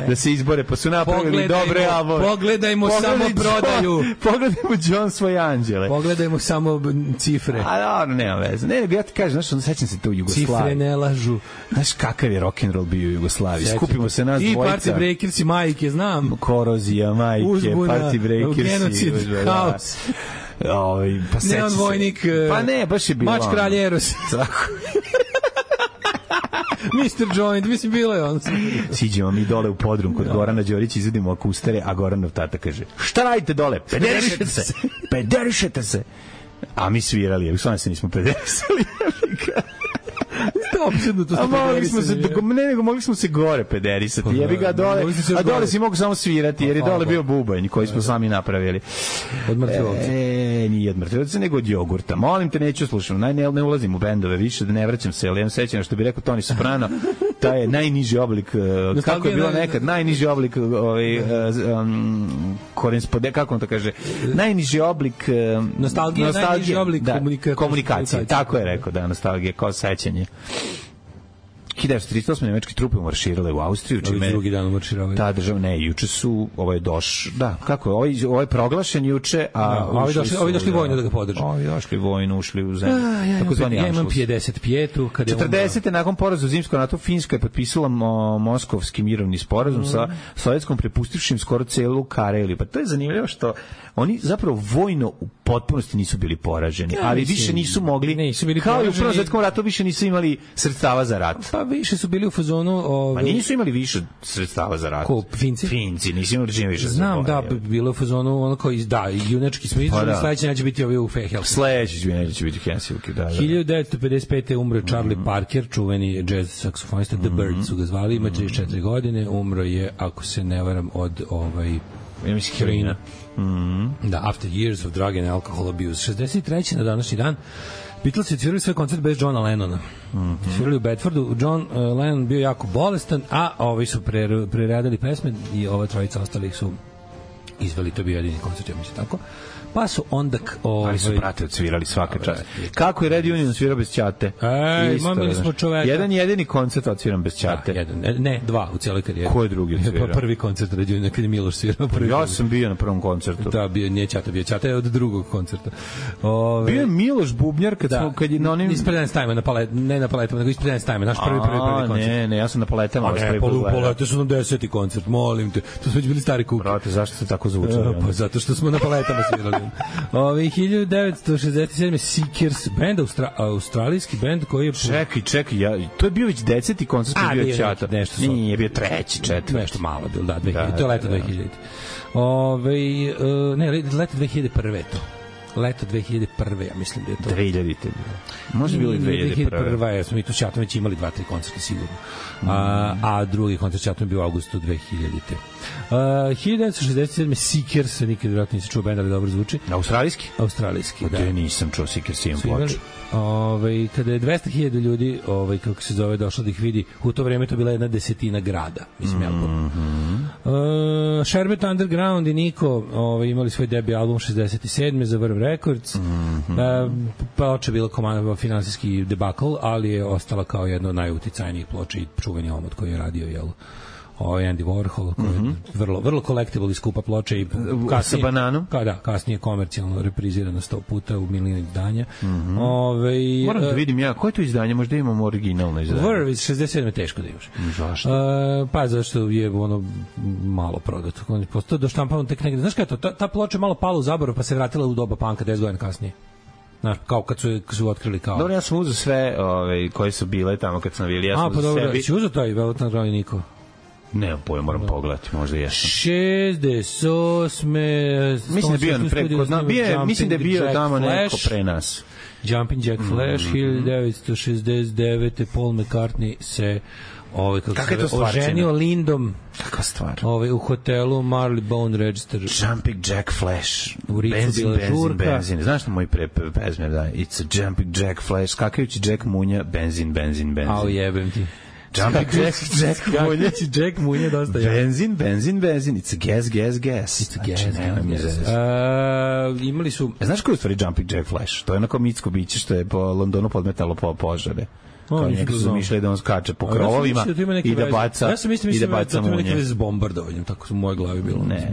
da se izbore, pa su napravili dobre albome. Pogledajmo samo prodaju. Pogledajmo John svoje anđele. Pogledajmo samo cifre. A dobro, nema veze. Ne, ja ti kažem, znaš, sećam se to u Jugoslaviji. Cifre ne lažu. Znaš kakav je rock'n'roll bio u Jugoslaviji. Skupimo se nas dvojica. I Party Breakersi, majke, znam. Korozija, majke, Party Breakersi. Genocid, haos. Pa sećam se. Neon vojnik. Pa ne, baš je bilo. Mač kralj Eros. Tako. Mr. Joint, mislim, bilo je on. Siđemo mi dole u podrum kod Gorana Đorića, izvedimo akustere, a Goranov tata kaže, šta radite dole? Pederišete se. A mi svirali, jer stvarno se nismo pederisali. Mogli smo se gore pederisati, jebi ga dole, a dole si mogu samo svirati, jer je dole bio bubanj koji smo sami napravili. Od mrtvelovca. Nije od mrtvelovca, nego od jogurta. Molim te, neću slušati, ne ulazim u bendove više, da ne vraćam se, ali imam sećanje što bi rekao Toni Soprano, taj je najniži oblik, kako je bilo nekad, najniži oblik kako on to kaže, najniži oblik nostalgije, najniži oblik komunikacije, tako je rekao, da, nostalgija kao sećanje. 1938. nemački trupe marširale u Austriju, čime drugi dan marširali. Ta država, ne, juče su, ovo je ovo je proglašen juče, a ovi došli vojno da ga podrže. Ovi došli vojno, ušli u zemlju. Ja imam 55. 40. nakon poraza u Zimskom ratu, Finska je potpisala Moskovski mirovni sporazum sa Sovjetskom, prepustivšim skoro celu Kareliju. Pa to je zanimljivo što oni zapravo vojno u potpunosti nisu bili poraženi, ali više nisu mogli, kao i u Prvom svjetskom ratu, više nisu imali sredstava za rat. Pa više su bili u fazonu... Pa nisu imali više sredstava za rat. Ko, Finci? Finci, nisu imali čim više. Znam, da, bilo u fazonu ono kao, junački smo izvali, sledeće neće biti ovi u Helsinki. Sledeće neće biti Helsinki, da. 1955. umro Charlie Parker, čuveni jazz saksofonista, The Birds su ga zvali, ima 34 godine, umro je, ako se ne varam, od heroina. Da, After Years of Drug and Alcohol Abuse. 63. na današnji dan Beatles je svirali svoj koncert bez Johna Lennona. Svirali u Bedfordu. John Lennon bio jako bolestan, a ovi su preradili pesme i ova trojica ostalih su izveli, to bio jedini koncert, ja mislim tako. Pa su onda... Ali su brate odsvirali svaka čast. Kako je Red Union svirao bez Ćate? Imali smo čoveka. Jedan jedini koncert odsviran bez Ćate. Ne, dva u cijeloj karijeri. Ko je drugi odsvirao? Prvi koncert Red Union, kad je Miloš svirao. Ja sam bio na prvom koncertu. Da, nije Ćata, bio Ćata je od drugog koncerta. Bio je Miloš Bubnjar kad je na onim... Ispred Dance Time, ne na paletama, nego ispred Dance Time, naš prvi koncert. Ne, ja sam na paletama. Palete su nam 10. koncert, molim te. To smo već bili stari kuk. Brate, zašto se tako zvučali? Pa zato što smo na paletama svirali. Ove 1967. Seekers band, australijski band koji je Čekaj, to je bio već 10. koncert koji je bio Ćata. Nije bio 3, 4. Nešto malo bilo, da, 2000. To je leto 2000. Ne, leto 2001. je to. Leto 2001. ja mislim da je to. 2000. Može bilo i 2001. 2001. jer smo mi tu s Ćatom već imali 2-3 koncerta sigurno. A drugi koncert s Ćatom je bio u augustu 2000. 1967. Seekers, nikad vjerojatno nisi čuo benda, ali dobro zvuči. Australijski, da. Ja nisam čuo Seekers, imam ploču. Kada je 200.000 ljudi, kako se zove, došlo da ih vidi, u to vreme to bila 1/10 grada, mislim, Sherbet Underground i Niko imali svoj debi album 67. za Verve Records. Ploča je bila finansijski debakl, ali je ostala kao jedna od najuticajnijih ploča i čuveni omot koji je radio, Andy Warhol, koji je vrlo collectible i skupa ploča i sa bananom? Kasnije komercijalno reprizirano 100 puta u milion izdanja. Moram da vidim koje je to izdanje, možda imamo originalno izdanje. Verve iz 67. teško da imaš. Zašto? Zašto je malo prodato. Postao do štampano tek negde. Znaš kada je to? Ta ploča je malo pala u zaborav pa se vratila u doba panka 10 godina kasnije. Znaš, kao kad su otkrili kao... Dobro, ja sam uzeo sve koje su bile tamo kad sam bili. Ja sam uzeo sebi... Si uzeo taj Velvet Underground i Niko? Nemam pojma, moram pogledati, možda jesam. 68. Mislim da je bio tamo neko pre nas. Jumping Jack Flash, 1969. Paul McCartney se oženio Lindom. Kakva stvar? U hotelu Marylebone Register. Jumping Jack Flash. U Ricu bila žurka. Znaš na moj pesme, da? It's a Jumping Jack Flash. Skakajući Jack Munja, benzin. Au jebem ti. Jumping Jack Munja dosta je. Benzin. It's a gas. It's a gas. Imali su... Znaš koji je u stvari Jumping Jack Flash? To je onako mitsko biće što je po Londonu podmetalo po požare. Kao neki su mišljali da on skače po krovovima i da baca munje. Ja sam mislio da ima neke veze s bombardovanjem, tako su u mojoj glavi bilo. Ne.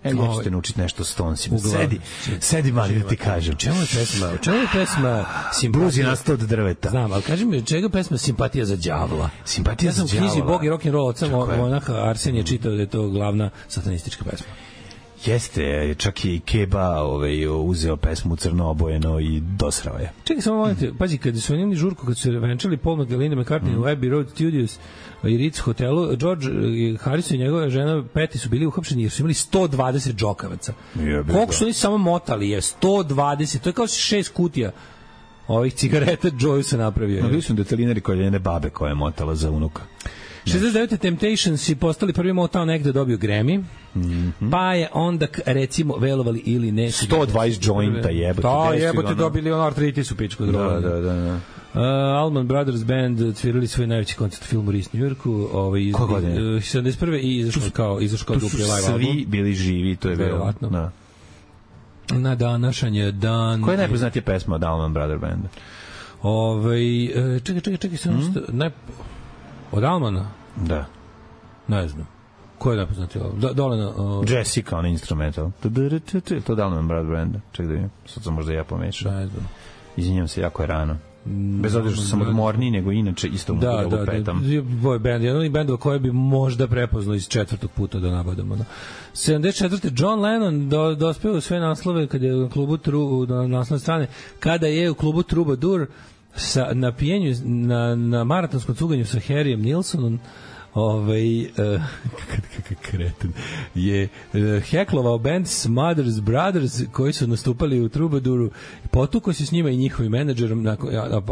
Ja ćete naučiti nešto s Stonesima. Sedi mali da ti kažem. Čemu je pesma Simpatija? Blues je nastao od drveta. Znam, ali kaži mi, čega pesma Simpatija za đavola? Simpatija za đavola. Ja sam u knjizi Bog i rock'n'roll od samo Arsen je čitao da je to glavna satanistička pesma. Jeste, čak je i Keba uzeo pesmu crno obojeno i dosrao je. Čekaj, samo molite, pazi, kada su imali žurku, kad su venčali Paul McCartney McCartney u Abbey Road Studios i Ritz hotelu, George Harrison i njegova žena Patty su bili uhapšeni jer su imali 120 džokavaca. Koliko su oni samo motali je? 120, to je kao 6 kutija ovih cigareta Joe se napravio. Bili su detalinari koje jedne babe koja je motala za unuka. 69. Temptations i postali prvi Motown act da dobio Grammy, pa je onda, recimo, velovali ili ne... 120 jointa jebote. Da, jebote, dobili artritis u pičku. Da. Allman Brothers Band tvirali svoj najveći koncert u filmu Ris New Yorku. Koje godine? 71. i izašao kao dupli live album. Svi bili živi, to je verovatno. Da. Na današanj je dan... Koja je najpoznatija pesma od Allman Brothers Banda? Čekaj, od Almana? Da. Ne znam. Ko je najpoznatiji album? Dole na... Jessica, on instrumental. To da Allman Brothers Banda. Čekaj da vidim. Sad sam možda ja pomešao. Ne znam. Izvinjam se, jako je rano. Bez obzira što sam odmorniji, nego inače isto mu da petam. Boy band, jedan od bendova koje bi možda prepoznao iz 4. puta da nabadamo. 74. John Lennon dospeo u sve naslove kada je u klubu na naslovne strane, kada je u klubu Troubadour na pijenju, na maratonskom cuganju sa Harryem Nilsonom kreten je heklovao band Smothers Brothers koji su nastupali u Troubadouru, potukao se s njima i njihovim menadžerom,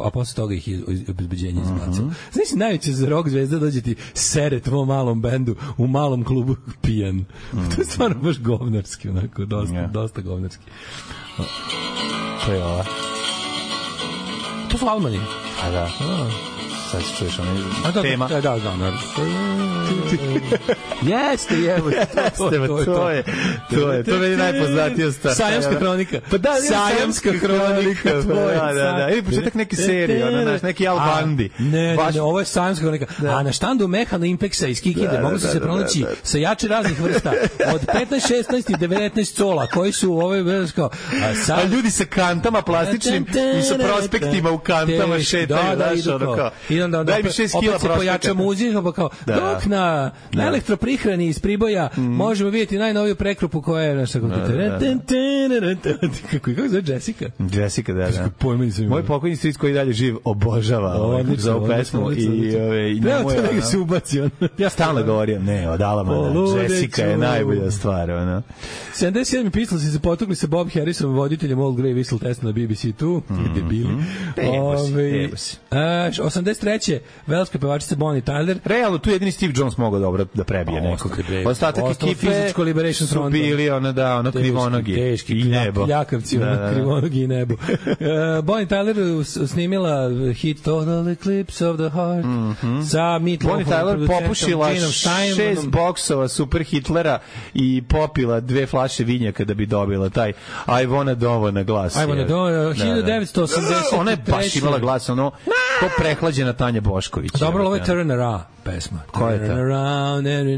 a posle toga ih je obezbeđenje izbacilo. Znači, najveće za rock zvezda dođe ti sere tvom malom bendu u malom klubu pijan. To je stvarno baš govnarski, onako, dosta govnarski. To je ova. To su Almani. A da. Sad se čuješ onaj tema. Da. Jeste, jevo. To je najpoznatija stvar. Sajamska hronika. Pa da, Sajamska hronika. Da. Ili početak neke serije, neki Al Bundy. Ne, ovo je Sajamska hronika. A na štandu Mehana Impexa iz Kikinde mogu se pronaći sa jače raznih vrsta. Od 15, 16 i 19 cola, koji su u ovoj kao... A ljudi sa kantama plastičnim i sa prospektima u kantama šetaju. Da, I onda Daj mi 6 kila opet se pojača muzika, pa kao, dok na elektroprihrani iz Priboja možemo vidjeti najnoviju prekrupu koja je naša kompjuter. Kako zove Jessica? Jessica, da. Pojmeni Moj pokojni stric koji dalje živ obožava za ovu pesmu i treba to da ga se ubaci. Ja stalno govorim, ne, od Alamana, Jessica je najbolja stvar. 77. Beatlesi se potukli sa Bob Harrisom, voditeljem Old Grey Whistle Test na BBC2. Debili. 83. velska pevačica Bonnie Tyler. Realno, tu jedini Steve Jones mogao dobro da prebije nekog. Ostatak ekipe su bili krivonogi teški i nebo. Ljakavci, krivonogi i nebo. Bonnie Tyler snimila hit Total Eclipse of the Heart sa Meatloafom. Bonnie Tyler popušila 6 boksova Super Hitlera i popila 2 flaše vinjaka da bi dobila taj I wanna dovo na glas. I wanna dovo, 1983. Ona je baš imala glas, ono, ko prehlađena Tanja Bošković. Dobro, ovo je Turn Around pesma. Ko je ta? Turn Around, I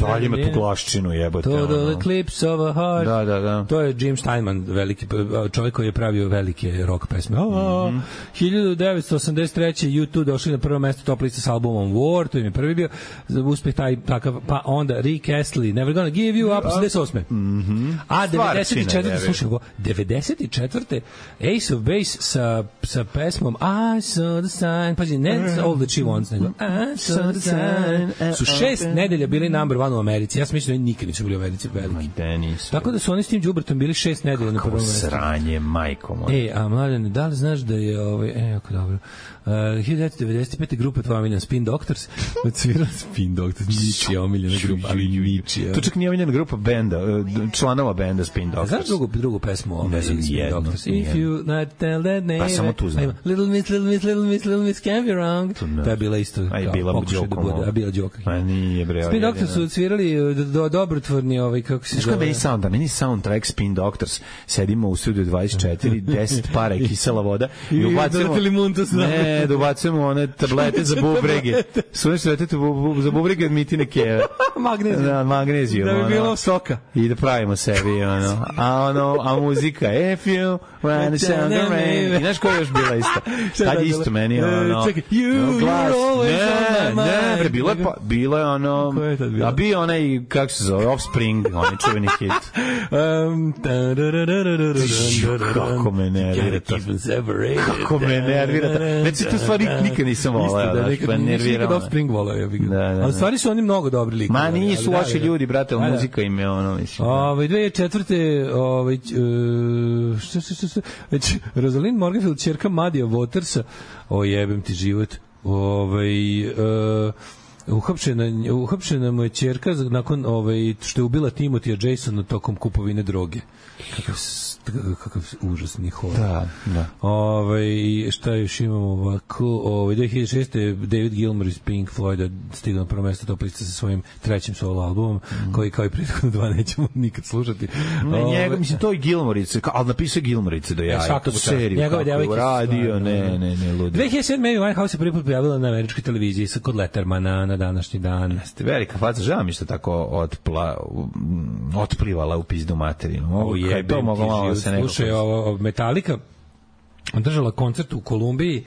dalje ima tu glaščinu, jebote. Total Eclipse of a Heart. Da. To je Jim Steinman, veliki čovjek koji je pravio velike rock pesme. 1983. U2 došli na prvo mesto top liste s albumom War, to im je prvi bio uspeh takav, pa onda Rick Astley, Never Gonna Give You Up, 88. A 94. slušaj go, 94. Ace of Base sa pesmom I saw the sign, pazi, ne All That She Wants, nego I saw the sign. Su 6 nedelja bili number one u Americi. Ja sam mislim da nikad nisu bili u Americi veliki. Tako da su oni s tim đubretom bili 6 nedelja na prvom mestu. Sranje, majko moja. A mladene, da li znaš da je jako dobro. 1995. grupa tvoja omiljena Spin Doctors odsvirala Spin Doctors, ničija omiljena grupa, ali ničija. To čak nije omiljena grupa benda, članova benda Spin Doctors. Znaš drugu pesmu Spin Doctors? If you not tell that name, pa samo tu znam. Little Miss can't be wrong. To je bila isto pokušaj da bude, a bila džoka. Pa nije bre. Spin Doctors su odsvirali dobrotvorni, kako se zove. Meni soundtrack Spin Doctors, sedimo u studiju 24, 10 para i kisela voda i ubacimo da ubacujemo one tablete za bubrege. Sve što dete za bubrege od Mitine keve. Magnezijum. Da bi bilo soka. I da pravimo sebi, a muzika, if you wanna sound the rain. I znaš koja je još bila isto? Tad isto meni, čekaj, you're always on my mind. Ne, bilo je a bio onaj, kako se zove, Offspring, onaj čuveni hit. Kako me nervira to. Kako me nervira to. Znači, tu stvari nikad nisam volao. Nikad Offspring volao. Ali stvari su oni mnogo dobri likovi. Ma nisu loši ljudi, brate, ali muzika im je mislim. 2004. Rosalind Morganfield, ćerka Madija Watersa, jebem ti život. Uhapšena mu je ćerka nakon što je ubila Timothya Jasona tokom kupovine droge. Kakav užasni horor. Da. Šta još imamo ovako? 2006. David Gilmour iz Pink Floyda stigao na prvo mesto top liste sa svojim trećim solo albumom, koji kao i prethodno 2 nećemo nikad slušati. Mislim, to je Gilmourice, ali napisao Gilmourice do jaja. To seriju. Njegove devojke radio, ne, ludi. 2007. Amy Winehouse se prvi put pojavila na američkoj televiziji kod Lettermana na današnji dan. Velika faca, žao mi što tako otplivala u pizdu materinu. To moglo malo se nekako... Slušaj, Metallica održala koncert u Kolumbiji,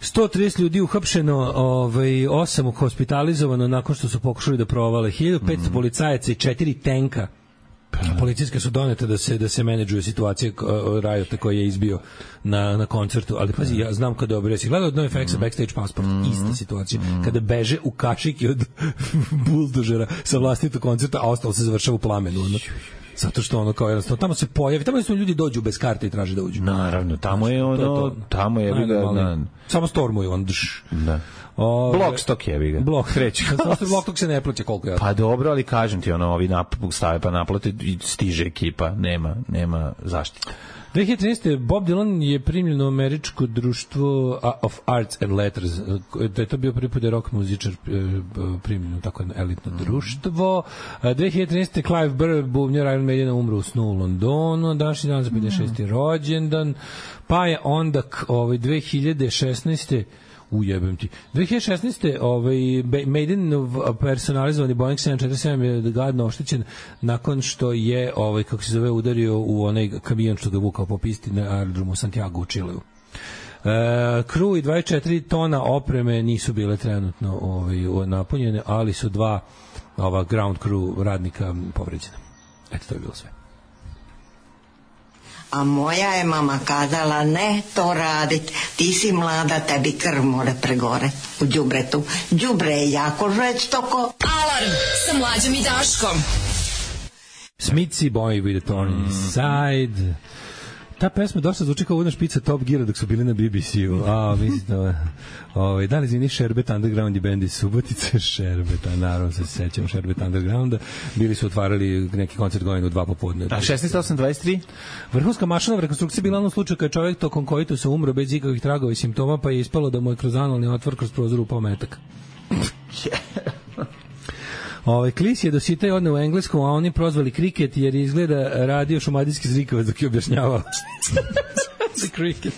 130 ljudi uhapšeno, 8 hospitalizovano nakon što su pokušali da provale, 1500 policajaca i 4 tenka policijske su donete da se menadžuje situacija Riota koji je izbio na koncertu, ali pazi, ja znam kada obresi, gledao od NoFX-a Backstage Passport, ista situacija, kada beže u kašiki od buldožera sa vlastitog koncerta, a ostalo se završava u plamenu, zato što kao jednostavno tamo se pojavi, tamo su ljudi dođu bez karte i traže da uđu. Naravno, tamo je tamo je samo stormuju da. Blockstock je ga. Blockstock se ne plaća koliko ja. Pa dobro, ali kažem ti, ovi stave pa naplate i stiže ekipa, nema zaštite. 2013. Bob Dylan je primljen u američko društvo of Arts and Letters, da je to bio prvi put rock muzičar primljen u tako elitno društvo. 2013. Clive Burr, bubnjar Iron Maidena, umro u snu u Londonu, današnji dan za 56. rođendan, pa je onda 2016. Ujebem ti. 2016. Maiden personalizovani Boeing 747 je gadno oštećen nakon što je kako se zove udario u onaj kamion što ga vukao po pisti na aerodromu Santiago u Čileu. Crew i 24 tona opreme nisu bile trenutno napunjene, ali su 2 ground crew radnika povređena. Eto, to je bilo sve. A moja je mama kazala, ne to radit, ti si mlada, tebi krv more pregore u đubretu. Đubre je jako žestoko. Alarm sa Mlađom i Daškom. Smithy Boy with a Thorn Inside. Ta pesma dosta zvuči kao uvodna špica Top Geara dok su bili na BBC-u. Mislim da li zvini Šerbet Underground i bend iz Subotice? Šerbeta, naravno se sećam Šerbet Undergrounda. Bili su otvarali neki koncert godinu 2 popodne. A 16.8.23? Vrhunska mašinova rekonstrukcija bila u slučaju kada je čovjek tokom koitusa umro bez ikakvih tragova i simptoma, pa je ispalo da mu je kroz analni otvor kroz prozor upao metak. Klis je dositao i odne u engleskom, a oni prozvali kriket jer izgleda radio šumadijski zrikavac dok je objašnjavao. The cricket.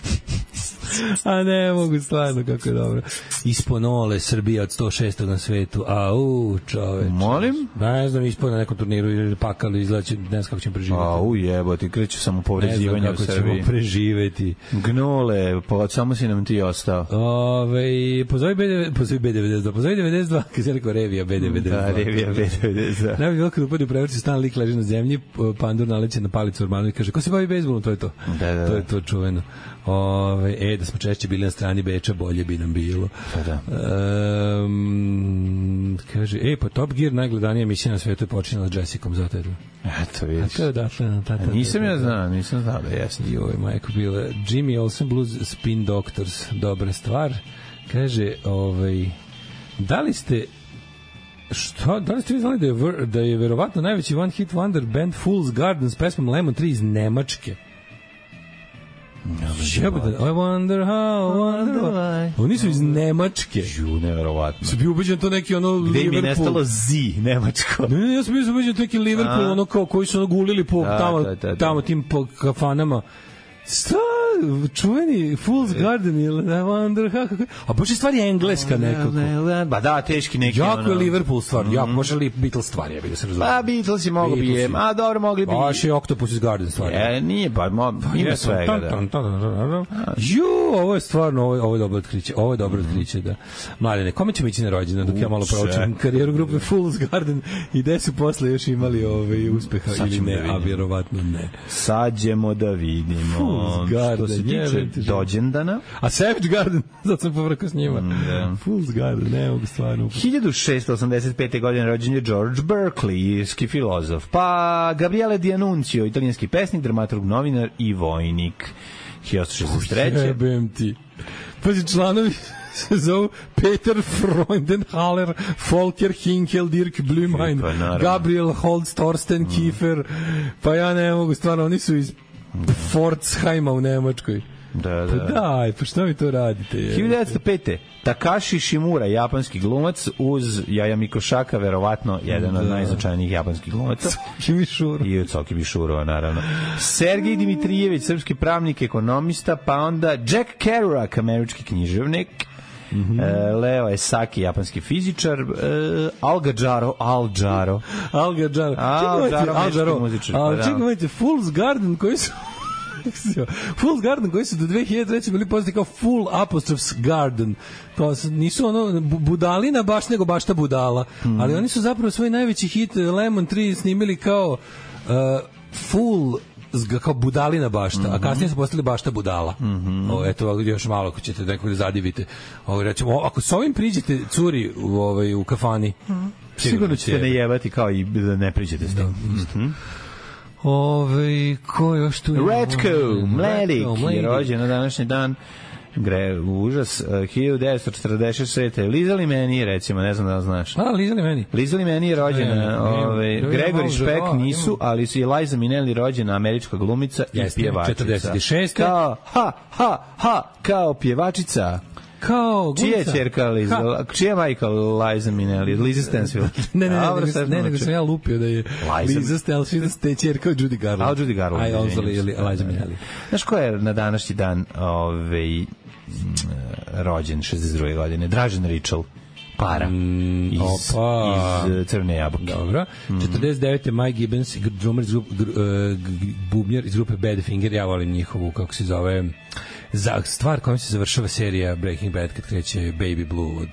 A ne mogu stvarno, kako je dobro. Isponole, Srbija od 106. na svetu. Čoveč. Molim? Ne znam, ispod na nekom turniru ili pakali, izlači, ne znam kako ćemo preživjeti. Jebote, kreću samo povređivanja u Srbiji. Ne znam kako ćemo preživjeti. Gnole, samo si nam ti ostao. Pozovi B92, pozovi 92, kada je rekao Revija B92. Da, Revija B92. Ne bi bilo kada upadi u prevrci, stan lik leži na zemlji, pandur naleće na palicu Ormanu i kaže, ko se bavi bejsbolom, to je to. Da. To je to čuveno. Da smo češće bili na strani Beča, bolje bi nam bilo. Da. Kaže, pa Top Gear najgledanija emisija na svetu je počinjala s Jessicom, zato je to. Eto, vidiš. A to je odatle. Nisam znao da jesno. Joj, majko bila. Jimmy Olsen Blues Spin Doctors, dobra stvar. Kaže, da li ste vi znali da je verovatno najveći one hit wonder band Fool's Garden s pesmom Lemon Tree iz Nemačke? I wonder why. Oni su iz Nemačke. Neverovatno. Su bi ubeđen to neki Liverpool. Gde mi je nestalo Z, Nemačko. Ne, ja sam bio ubeđen to neki Liverpool, koji su gulili po tamo tim po kafanama. Šta? Čuveni Fool's Garden I wonder how... A baš je stvar je engleska nekako. Ba da, teški neki. Jako je Liverpool stvar. Može li Beatles stvar? Ja bih da se razumio. Beatles je mogo bi je. Dobro, mogli bi. Baš je Octopus Garden stvar. Nije, ima svega. Ovo je stvarno, ovo je dobro otkriće. Da. Mladine, kome ćemo ići na rođendan dok ja malo proučim karijeru grupe Fool's Garden i gde su posle još imali uspeha ili ne, a vjerovatno ne. Sad ćemo da vidimo. Fool's Garden. Što se tiče dođendana. A Savage Garden, zato sam povrkao s njima. Fool's Garden, ne mogu stvarno. 1685. godine rođen je George Berkeley, irski filozof. Pa Gabriele D'Annunzio, italijanski pesnik, dramaturg, novinar i vojnik. 1863. Jebem ti. Pazi, članovi se zovu Peter Freudenhaller, Volker Hinkel, Dirk Blümheim, Gabriel Holst, Thorsten Kiefer. Pa ja ne mogu stvarno, oni su iz Pforzheima u Nemačkoj. Da. Pa daj, pa što mi to radite? 1905. Takashi Shimura, japanski glumac, uz Jaja Mikošaka, verovatno jedan od najznačajnijih japanskih glumaca. I od Coki Mišurova, naravno. Sergej Dimitrijević, srpski pravnik, ekonomista, pa onda Jack Kerouac, američki književnik, Leo Esaki, japanski fizičar, Al Jaro, čekajte, Fool's Garden koji su Fool's Garden koji su do 2003. bili poznati kao Full Apostrofs Garden. Kao nisu budalina baš, nego baš ta budala. Ali oni su zapravo svoj najveći hit Lemon Tree snimili kao full kao budalina bašta, a kasnije su postali bašta budala. Eto, još malo ako ćete nekog da zadivite. Rećemo, ako s ovim priđete curi u kafani, sigurno ćete ne jebati kao i da ne priđete s tim. Ko još tu je? Retko Mladik je rođen na današnji dan. Užas, 1946. Liza Limeni, recimo, ne znam da znaš. Liza Limeni je rođena, Gregory Špek nisu, ali su i Liza Minnelli rođena, američka glumica i pjevačica. 46. Kao pjevačica. Čija je čerka Liza? Čija je majka Liza Minnelli? Liza Stansfield? Ne, nego sam ja lupio da je Liza Stansfield te čerka od Judy Garland. Judy Garland. A on zove Liza Minnelli. Znaš ko je na današnji dan rođen 62. godine? Dražen Ričel. Para. Iz Crvene jabuke. Dobro. 49. Mike Gibbons, drummer bubnjar iz grupe Badfinger. Ja volim njihovu, kako se zove, za stvar kojom se završava serija Breaking Bad kad kreće Baby Blue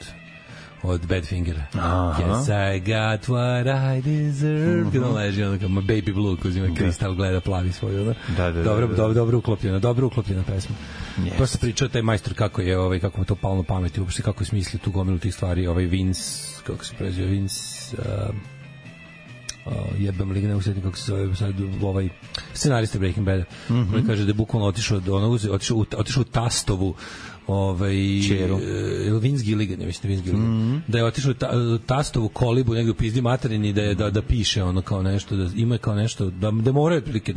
od Badfingera. Yes, I got what I deserve. Kada on leži, ono kao Baby Blue, ko uzima kristal, gleda, plavi svoju. Ono. Dobro uklopljena pesma. Yes. Prosto pričao taj majstor kako je, kako mu to palo na pameti, uopšte kako je smislio tu gomilu tih stvari, Vince, kako se preziva, Vince... jebem li, ne usjetim kako se zove sad, scenarista Breaking Bada, koji kaže da je bukvalno otišao u Tastovu Vince Gilligan, ja mislim Vince Gilligan, da je otišao u Tastovu kolibu negdje u pizdi materini da piše ono kao nešto, da ima kao nešto, da mora otprilike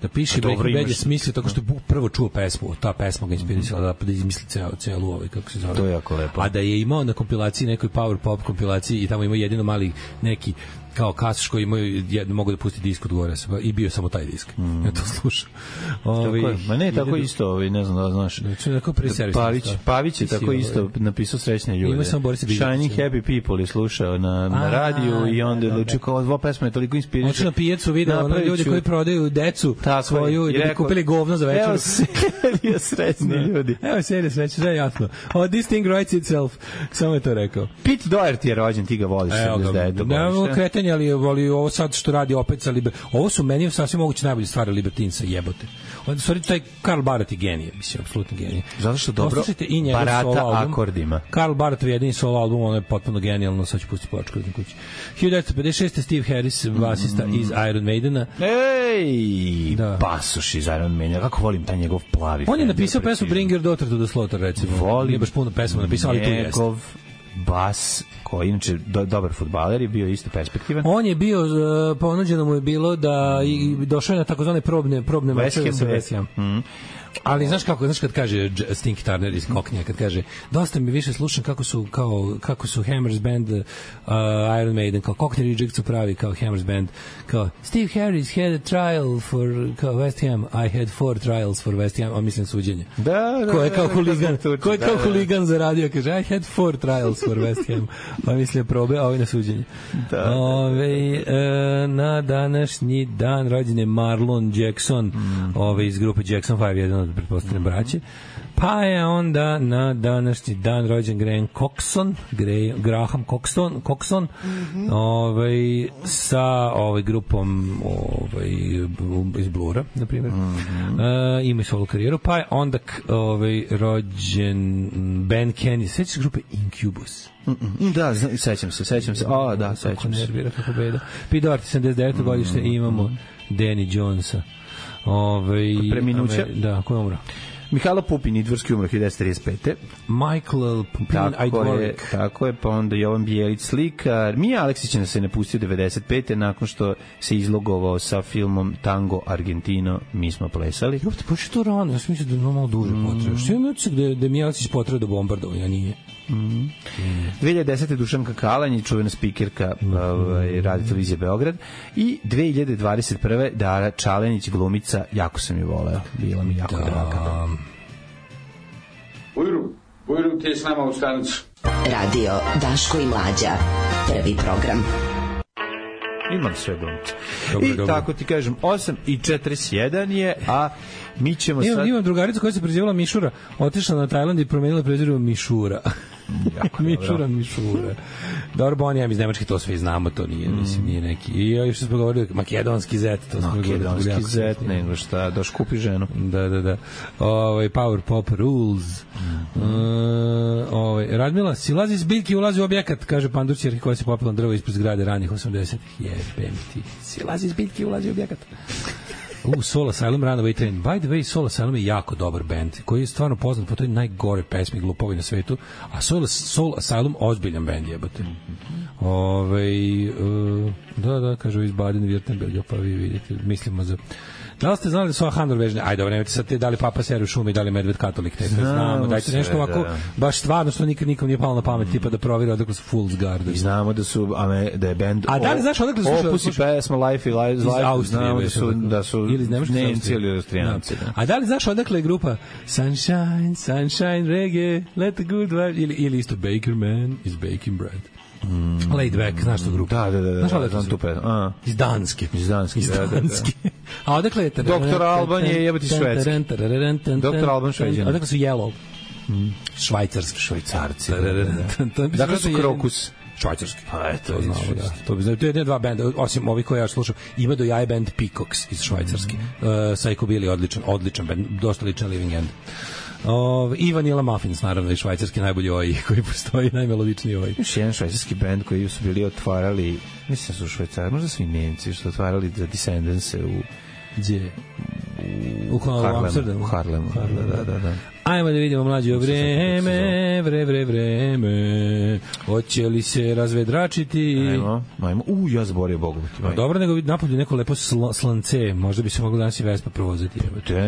da piše. Breaking Bad je smislio tako što je prvo čuo pesmu, ta pesma ga inspirisala da izmisli celu kako se zove. To je jako lepo. A da je imao na kompilaciji, nekoj power pop kompilaciji i tamo imao jedino mali neki kao kasaš koji mogu da pusti disk od gore i bio samo taj disk. Ja to slušam. Ma ne, tako isto, ne znam da znaš. Pavić je tako isto napisao Srećne ljude. Shining Happy People je slušao na radiju i onda je odlučio kao ova pesma je toliko inspiriše. Očeo na pijecu video ljudi koji prodaju decu svoju i da bi kupili govno za večeru. Evo serija Srećni ljudi. Evo serija Srećni, sve je jasno. This thing writes itself. Samo je to rekao. Pete Doherty je rođen, ti ga voliš. Ali ovo sad što radi opet sa ovo su meni sasvim moguće najbolje stvari Libertinsa, jebote. On stvari taj Karl Barth je genije, mislim, apsolutno genije. Zato što dobro barata akordima. Karl Barthov jedini solo album, ono je potpuno genijalno, sad ću pustiti pločku na kući. 1956. Steve Harris, basista iz Iron Maidena. Ej, pasoš iz Iron Maidena, kako volim taj njegov plavi. On je napisao pesmu Bring Your Daughter to the Slaughter, recimo. Nije baš puno pesma napisao, ali tu jeste. Njegov bas, koji inače dobar fudbaler, je bio isto perspektivan. On je bio, ponuđeno mu je bilo da došao je na takozvane probne mečeve sa West Ham. Ali znaš kad kaže Stinky Turner iz Koknija, kad kaže dosta mi više slušam kako su Hammers Band, Iron Maiden, kao Cockney Rejects su pravi kao Hammers Band, kao Steve Harris had a trial for kao West Ham, I had 4 trials for West Ham, a mislim suđenje. Ko je kao huligan zaradio, kaže I had 4 trials for West Ham, a mislim probe, a ovaj na suđenje. Na današnji dan rođen je Marlon Jackson, iz grupe Jackson 5, jedan od pretpostavljene braće. Pa je onda na današnji dan rođen Graham Coxon, sa grupom iz Blura, na primjer. Ima i solo karijeru. Pa je onda rođen Ben Kenny, sećaš grupe Incubus? Da, sećam se. Sećam se. Nervira kako beda. Pete Doherty, 79. godište, imamo Danny Jonesa. Preminuće? Da, ko je umro? Mihajlo Pupin, idvorski umro 1935. Michael Pupin, Idvorik. Tako je, pa onda Jovan Bijelić, slikar. Mija Aleksić nas se napustio 95. nakon što se izlogovao sa filmom Tango Argentino, mi smo plesali. Jopte, pa što rano, ja sam mislio da je malo duže potreba. Što je mislio da je Mija Aleksić potreba do bombardovanja, nije? 2010. Dušanka Kalanj, čuvena spikerka Radio televizije Beograd, i 2021. Dara Čalenić, glumica, jako sam je voleo, bila mi jako draga. Ujru ti je s nama u stanicu. Radio Daško i Mlađa, prvi program. Imam sve glumice. I tako ti kažem, 8:41 je, a mi ćemo sad... Imam drugaricu koja se prezivala Mišura, otišla na Tajland i promenila prezir Mišura. Mišura. Dobro, on je iz Nemačke, to svi znamo, to nije, mislim, nije neki. I još smo govorili, makedonski zet, to smo govorili. Makedonski zet, nego šta, doš kupi ženu. Da. Power Pop Rules. Radmila, silazi iz biljke i ulazi u objekat, kaže Pandurćer koja se popila na drvo ispred zgrade ranih 80-ih. Jebem ti. Silazi iz biljke i ulazi u objekat. Soul Asylum, Runaway Train. By the way, Soul Asylum je jako dobar band, koji je stvarno poznat po toj najgore pesmi glupovi na svetu, a Soul Asylum ozbiljan band, jebote. Da, kažu iz Baden-Württemberga, pa vi vidite, mislimo za... Da li ste znali da su Handor vežne? Ajde, dobro, nemojte sad da li Papa Seru u šumi, da li Medved Katolik, znamo, dajte nešto ovako, baš stvarno što nikom nije palo na pamet, tipa da proviri odakle su Fool's Garden. I znamo da je band a da li znaš odakle su Opus i pesma Life iz znamo da su ili iz Nemci ili Austrijanci. A da li znaš odakle je grupa Sunshine Reggae, Let the Good Vibe, ili isto Baker Man is Baking Bread. Laid Back, znaš tu grupu? Da, znam tu pe. Iz Danske. A odakle je... Doktor Alban je jebati Švedski. Doktor Alban Šveđan. Odakle su Yellow? Švajcarci. Dakle su Krokus. Švajcarski. Pa eto, to znamo, da. To bi znao. To je dva benda, osim ovih koje ja slušam. Ima do jaje band Peacocks iz Švajcarski. Psycho Billy, odličan band, dosta ličan Living End. I Vanilla Muffins, naravno, i švajcarski najbolji koji postoji, najmelodičniji Još jedan švajcarski band koji su bili otvarali, mislim su Švajcarci, možda svi Nemci, su otvarali za Descendants-e Gdje? U Harlemu. Da. Ajmo da vidimo mlađe vreme. Hoće li se razvedračiti? Ajmo. Ja zaborio Bogu. Dobro, nego napolju neko lepo slance. Možda bi se moglo danas i Vespa provozati.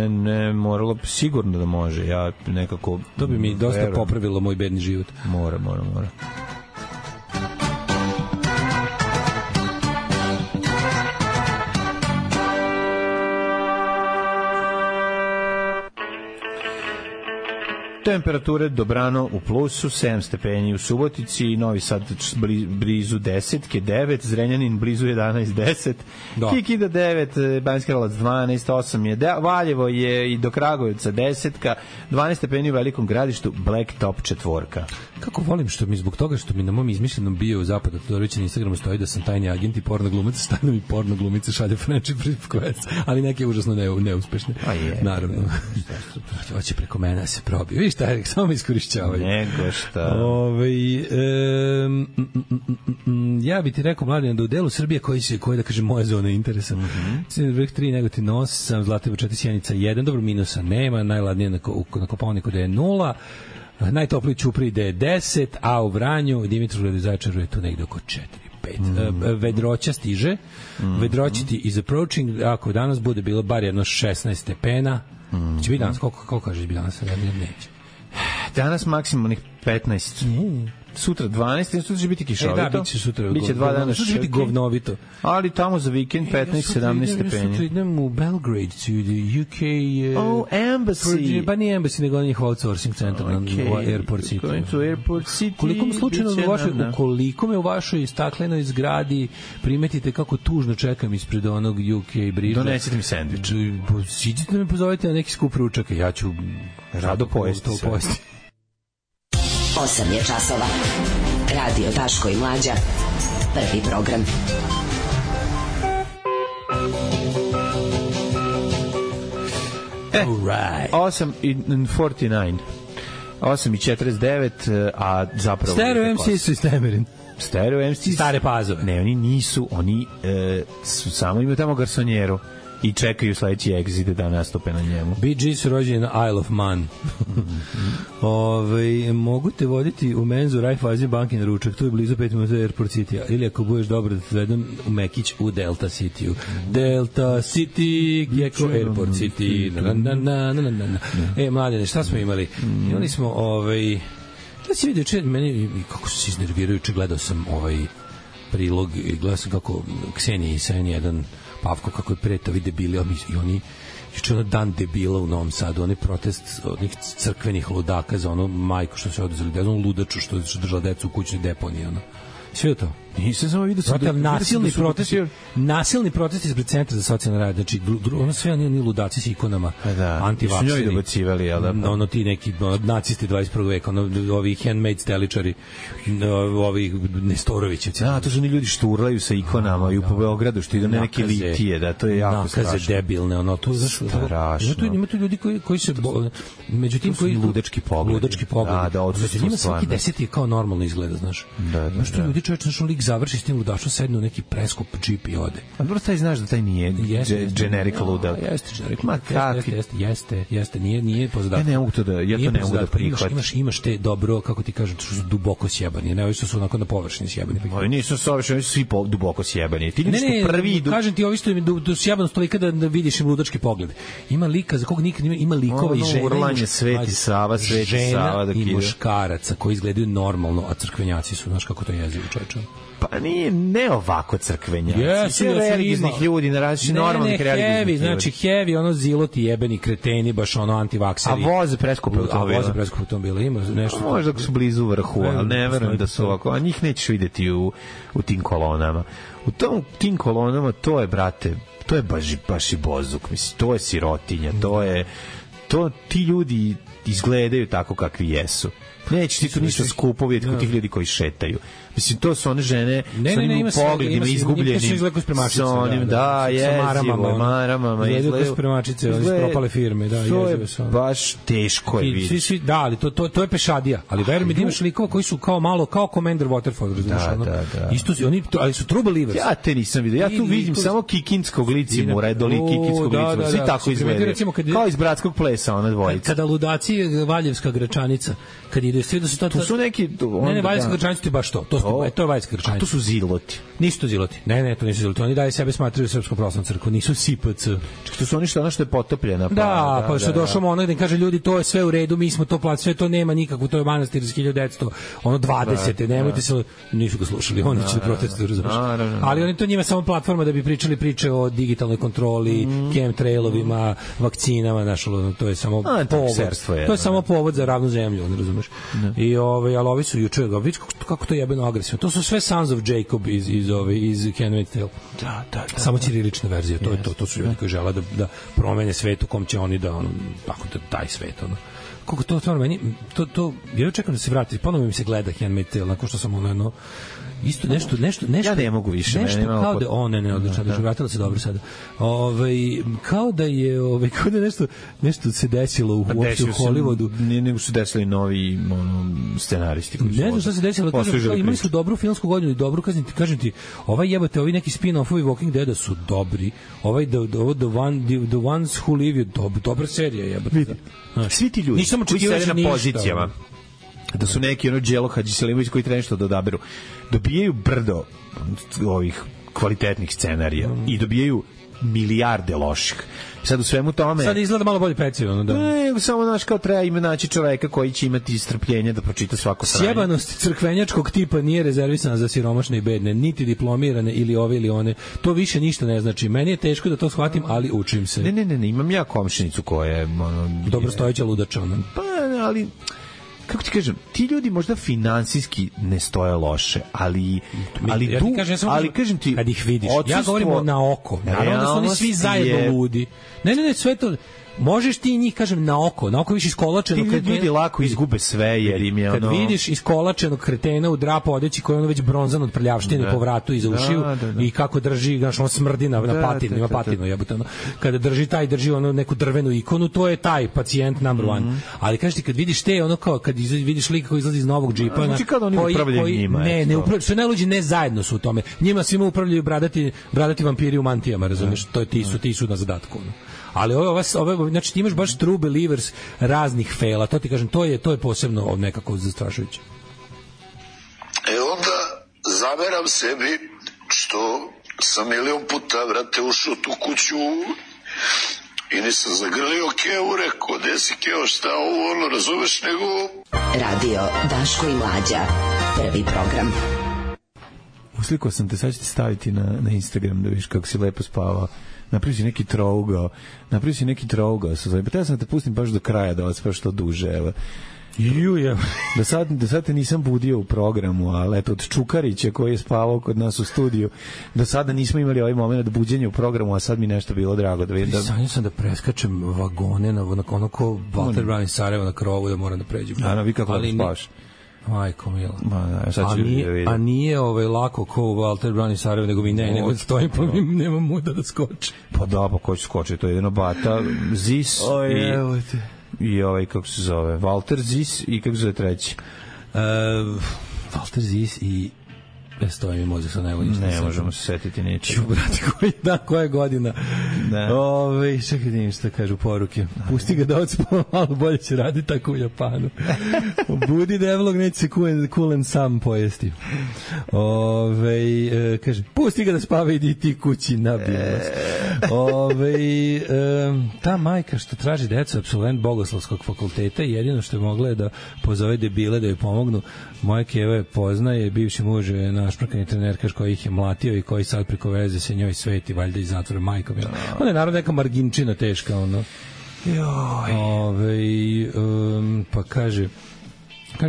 Ne, moralo sigurno da može. Ja nekako... To bi mi dosta popravilo moj bedni život. Mora. Temperature dobrano u plusu, 7 stepeni u Subotici, Novi Sad blizu 10, 9, Zrenjanin blizu 11, 10, Kikida 9, Banjska Karlovac 12, 8 je, Valjevo je i do Kragujevca 10, 12 stepeni u Velikom Gradištu, Blacktop 4. Kako volim što mi zbog toga što mi na mom izmišljenom bio u Zapada Todorovića na Instagramu stoji da sam tajni agent i porno glumac, stanu mi porno glumice šalje friendship request, ali neke užasno neuspešne. Naravno. Hoće preko mene se probio. Viš šta, samo mi iskorišćavaju. Nego šta. Ja bi ti rekao, Mladen, da u delu Srbije koji da kaže moja zona interesa. Crni vrh 3, Negotin 8, Zlatibor 4, Sjenica 1, dobro minusa nema, najladnije na Kopaoniku da je 0, najtopliji Ćupriji da je 10, a u Vranju Dimitrovgradu i Zaječaru je tu negde oko 4-5. Vedroća stiže, Vedroćiti is approaching, ako danas bude bilo bar jedno 16 stepena, će biti danas, koliko kažeš bi danas, neće. Danas maksimalnih 15. Sutra 12, sutra će biti kišovito. Da, biće sutra. Biće 2 dana sutra će biti govnovito. Ali tamo za vikend 15-17 stepeni. Sutra idem u Belgrade, to the UK... Embassy. Pa nije Embassy, nego njih outsourcing centar na Airport City. Going to Airport City. Koliko me u vašoj staklenoj zgradi primetite kako tužno čekam ispred onog UK bridža. Donesite mi sendvič. Siđite me pozovite na neki skup ručaka. Ja ću rado pojesti. 8 je časova. Radio Daško i Mlađa. Prvi program. Alright. 8:49. 8:49, a zapravo... Stereo MC su iz Temerin. Stereo MC... Stare Pazove. Ne, oni nisu, oni su samo imaju tamo garsonjeru i čekaju sledeći exit da nastupe na njemu. BG su rođeni na Isle of Man. Mogu te voditi u menzu Raiffeisen banke na ručak, tu je blizu 5 minuta Airport City, ili ako budeš dobro da te vedem u Mekić u Delta City-u. Delta City, Gecko Airport City. Mladene, šta smo imali? Imali smo da si vidio meni kako se iznervirajuće, gledao sam prilog i gledao sam kako Ksenija i Sen jedan Pavko kako je preto vide bili i oni juče ono dan debila u Novom Sadu, onaj protest onih crkvenih ludaka za ono majku što se oduzeli, da je ono ludaču što držala decu u kućnoj deponiji, ono. Sve to. Nisam samo vidio nasilni protest ispred centra za socijalni rad, znači ono sve oni ludaci s ikonama, antivakseri. Su njoj dobacivali, jel da? Ono ti neki nacisti 21. veka, ovi handmade steličari, ovi Nestorovićevci. Da, to su oni ljudi šturlaju sa ikonama i u Beogradu što idu na neke litije, da, to je jako strašno. Nakaze debilne, ono, to strašno. Ima tu ljudi koji se međutim koji ludački pogled. Da, među njima svaki 10 je kao normalno izgleda, znaš. Da. Što ljudi čovječ, znaš, lik završi s tim ludašom, sedne u neki preskup džip i ode. A dobro, taj znaš da taj nije generic ludak. Jeste generic ludak. Jeste, nije pozadatak. Ja to ne mogu da prihvatim. Imaš te dobro, kako ti kažem, što su duboko sjebani, ne ovi što su onako na površini sjebani. Ovi nisu savršeni, svi duboko sjebani. Ti vidiš što prvi idu. Kažem ti, ovi što im do sjebanost tolika da vidiš im ludački pogled. Ima lika za kog nikad ima likova i žena. Urlanje Sveti Sava i muškaraca koji izgledaju normalno, a crkvenjaci su, znaš kako to jezivo, čoveče. Pa nije, ne ovako crkvenjaci. Jesu, Sve jesu, religijnih ima. ljudi, na različitih normalnih religijnih ljudi. Znači heavy, ono ziloti jebeni kreteni, baš ono antivakseri. A voze preskupe automobile. A voze preskupe automobile, ima nešto. Možda su blizu vrhu, ali ne verujem da su ovako. A njih nećeš videti u tim kolonama. Tim kolonama to je, brate, to je baš i bozuk, mislim, to je sirotinja, ti ljudi izgledaju tako kakvi jesu. Neće ti tu ništa skupo vidjeti kod tih ljudi koji šetaju. Mislim, to su one žene sa onim pogledima izgubljenim. Sa onim, jezivo, maramama. Izgledaju kao spremačice, iz propale firme. To je baš teško je vidjeti. Da, ali to je pešadija. Ali veruj mi da imaš likova koji su kao malo, kao Commander Waterford, razumiješ? Da. Isto su, ali su true believers. Ja te nisam vidio. Ja tu vidim samo kikinskog licimura, kikinskog licimura. Svi tako izgledaju. Kao iz Bratskog plesa, ona dvojica. Kada ludaci Valjevska Gračanica, kad ide sve da su to su neki ne Valjevska Gračanica ti baš to je Valjevska Gračanica. To su ziloti. Nisu to ziloti. Ne, to nisu ziloti. Oni dalje sebe smatraju Srpskom pravoslavnom crkvom, nisu SIPC. To su oni što je potopljena. Pa što došao ono gde kaže ljudi to je sve u redu, mi smo to platili, sve to nema nikakvu, to je manastir iz 1900, ono 20. Nemojte se, nisu ga slušali, oni će da protestuju, razumiješ. Ali oni to njima samo platforma da bi pričali priče o digitalnoj kontroli, chemtrailovima, vakcinama, to je samo povod. To je samo povod za ravnu zemlju, razumiješ. I ali ovi su juče, vidiš kako to jebeno agresivno. To su sve Sons of Jacob iz Handmaid's Tale. Da. Samo ćirilična verzija, to je to su ljudi koji žele da promene svet u kom će oni da tako da taj svet kako to stvarno meni to ja čekam da se vrati, ponovo mi se gleda Handmaid's Tale, nakon što sam isto nešto ja ne mogu više, nešto kao da ne odlično, da vratila se dobro sada. Kao da je nešto se desilo u Hollywoodu. Nego su desili novi scenaristi koji su. Ne znam šta se desilo, imali su dobru filmsku godinu i dobru, kažem ti, jebote, ovi neki spin-offovi Walking Deada su dobri. The Ones Who Live je dobra serija, jebote. Svi ti ljudi koji sede na pozicijama, da su neki Đelo Hadžiselimović koji treba nešto da odaberu, dobijaju brdo ovih kvalitetnih scenarija i dobijaju milijarde loših. Sad u svemu tome... Sad izgleda malo bolje pecivo, da. Ne, samo kao treba ima naći čoveka koji će imati strpljenja da pročita svako sranje. Sjebanost crkvenjačkog tipa nije rezervisana za siromašne i bedne, niti diplomirane ili ove ili one. To više ništa ne znači. Meni je teško da to shvatim, ali učim se. Ne, imam ja komšinicu koja je... Dobrostojeća ludača, Pa, ali... Kako ti kažem, ti ljudi možda finansijski ne stoje loše, ali kažem ti, kad ih vidiš, ja govorim na oko, naravno da su oni svi zajedno ludi. Ne, sve to, možeš ti njih, kažem, na oko viš iskolačenog kretena. Ti ljudi lako izgube sve, jer im je kad vidiš iskolačenog kretena u drapu odeći koji je već bronzan od prljavštine po vratu i za ušiju i kako drži, znaš, on smrdi na patinu, ima patinu, jebote, kada drži neku drvenu ikonu, to je taj pacijent number one. Ali kažeš ti, kad vidiš te, kao kad vidiš lika koji izlazi iz novog džipa, znači kada oni upravljaju njima. Ne upravljaju, sve najluđi ne zajedno su u tome. Njima svima upravljaju bradati vampiri u mantijama, razumiješ, to je ti su na zadatku. Ali ove, znači ti imaš baš true believers raznih fela, to ti kažem, to je posebno nekako zastrašujuće. Onda zameram sebi što sam milion puta, vrate, ušao tu kuću i nisam zagrlio Kevu, rekao, gde si Keo, šta ovo, razumeš, nego... Radio Daško i Mlađa, prvi program. Uslikao sam te, sad ću ti staviti na Instagram da vidiš kako si lepo spavao. Napravio si neki trougao. Pa ja sam te pustim baš do kraja da vas što duže, evo. Da sad te nisam budio u programu, ali eto, od Čukarića koji je spavao kod nas u studiju, do sada nismo imali ovaj moment buđenja u programu, a sad mi nešto bilo drago da vidim. Sanjao sam da preskačem vagone na ono ko Walter Brown iz Sarajeva na krovu, da moram da pređem. Vi kako da spavaš? Majko mila. A nije lako ko Walter Brown iz Sarajeva, nego mi nego stojim pa mi nemam muda da skoči. Pa da, pa ko će skoči, to je jedno Bata, Zis i kako se zove, Walter Zis i kako se zove treći? Walter Zis i stoji mi mozak sa najbolji. Ne možemo se setiti neće. Brate, koja je godina? Čekaj, vidim šta kažu poruke. Pusti ga da odspava, malo bolje će raditi tako u Japanu. Budi devlog, neće se kulen sam pojesti. Kaže, pusti ga da spava, idi ti kući, nabijem vas. Ta majka što traži decu, apsolvent Bogoslovskog fakulteta, jedino što je mogla je da pozove debile da joj pomognu. Moja keva je poznaje, bivši muž je našprkani trenerkaš koji ih je mlatio i koji sad preko veze se njoj sveti, valjda iz zatvora majkom. Ona je naravno neka marginčina teška, ono. Pa kaže,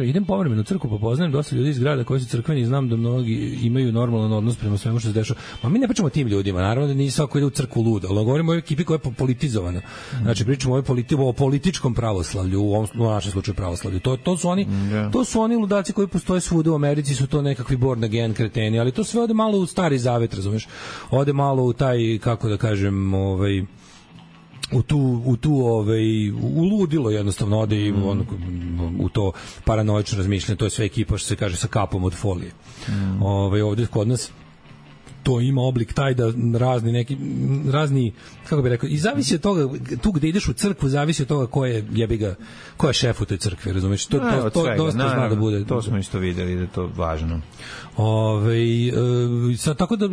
idem povremeno u crkvu, pa poznajem dosta ljudi iz grada koji su crkveni i znam da mnogi imaju normalan odnos prema svemu što se dešava. Ma mi ne pričamo o tim ljudima, naravno da nije svako ide u crkvu luda, ali govorimo o ekipi koja je politizovana. Znači, pričamo o političkom pravoslavlju, u našem slučaju pravoslavlju. To su oni ludaci koji postoje svuda u Americi, su to nekakvi born again kreteni, ali to sve ode malo u stari zavet, razumeš? Ode malo u taj, kako da kažem, u ludilo jednostavno ode i u to paranoično razmišljanje, to je sve ekipa što se kaže sa kapom od folije. Ovde kod nas to ima oblik taj da razni, kako bih rekao, i zavisi od toga, tu gde ideš u crkvu, zavisi od toga ko je šef u toj crkvi, razumiješ? To dosta zna da bude. To smo isto videli da je to važno. Tako da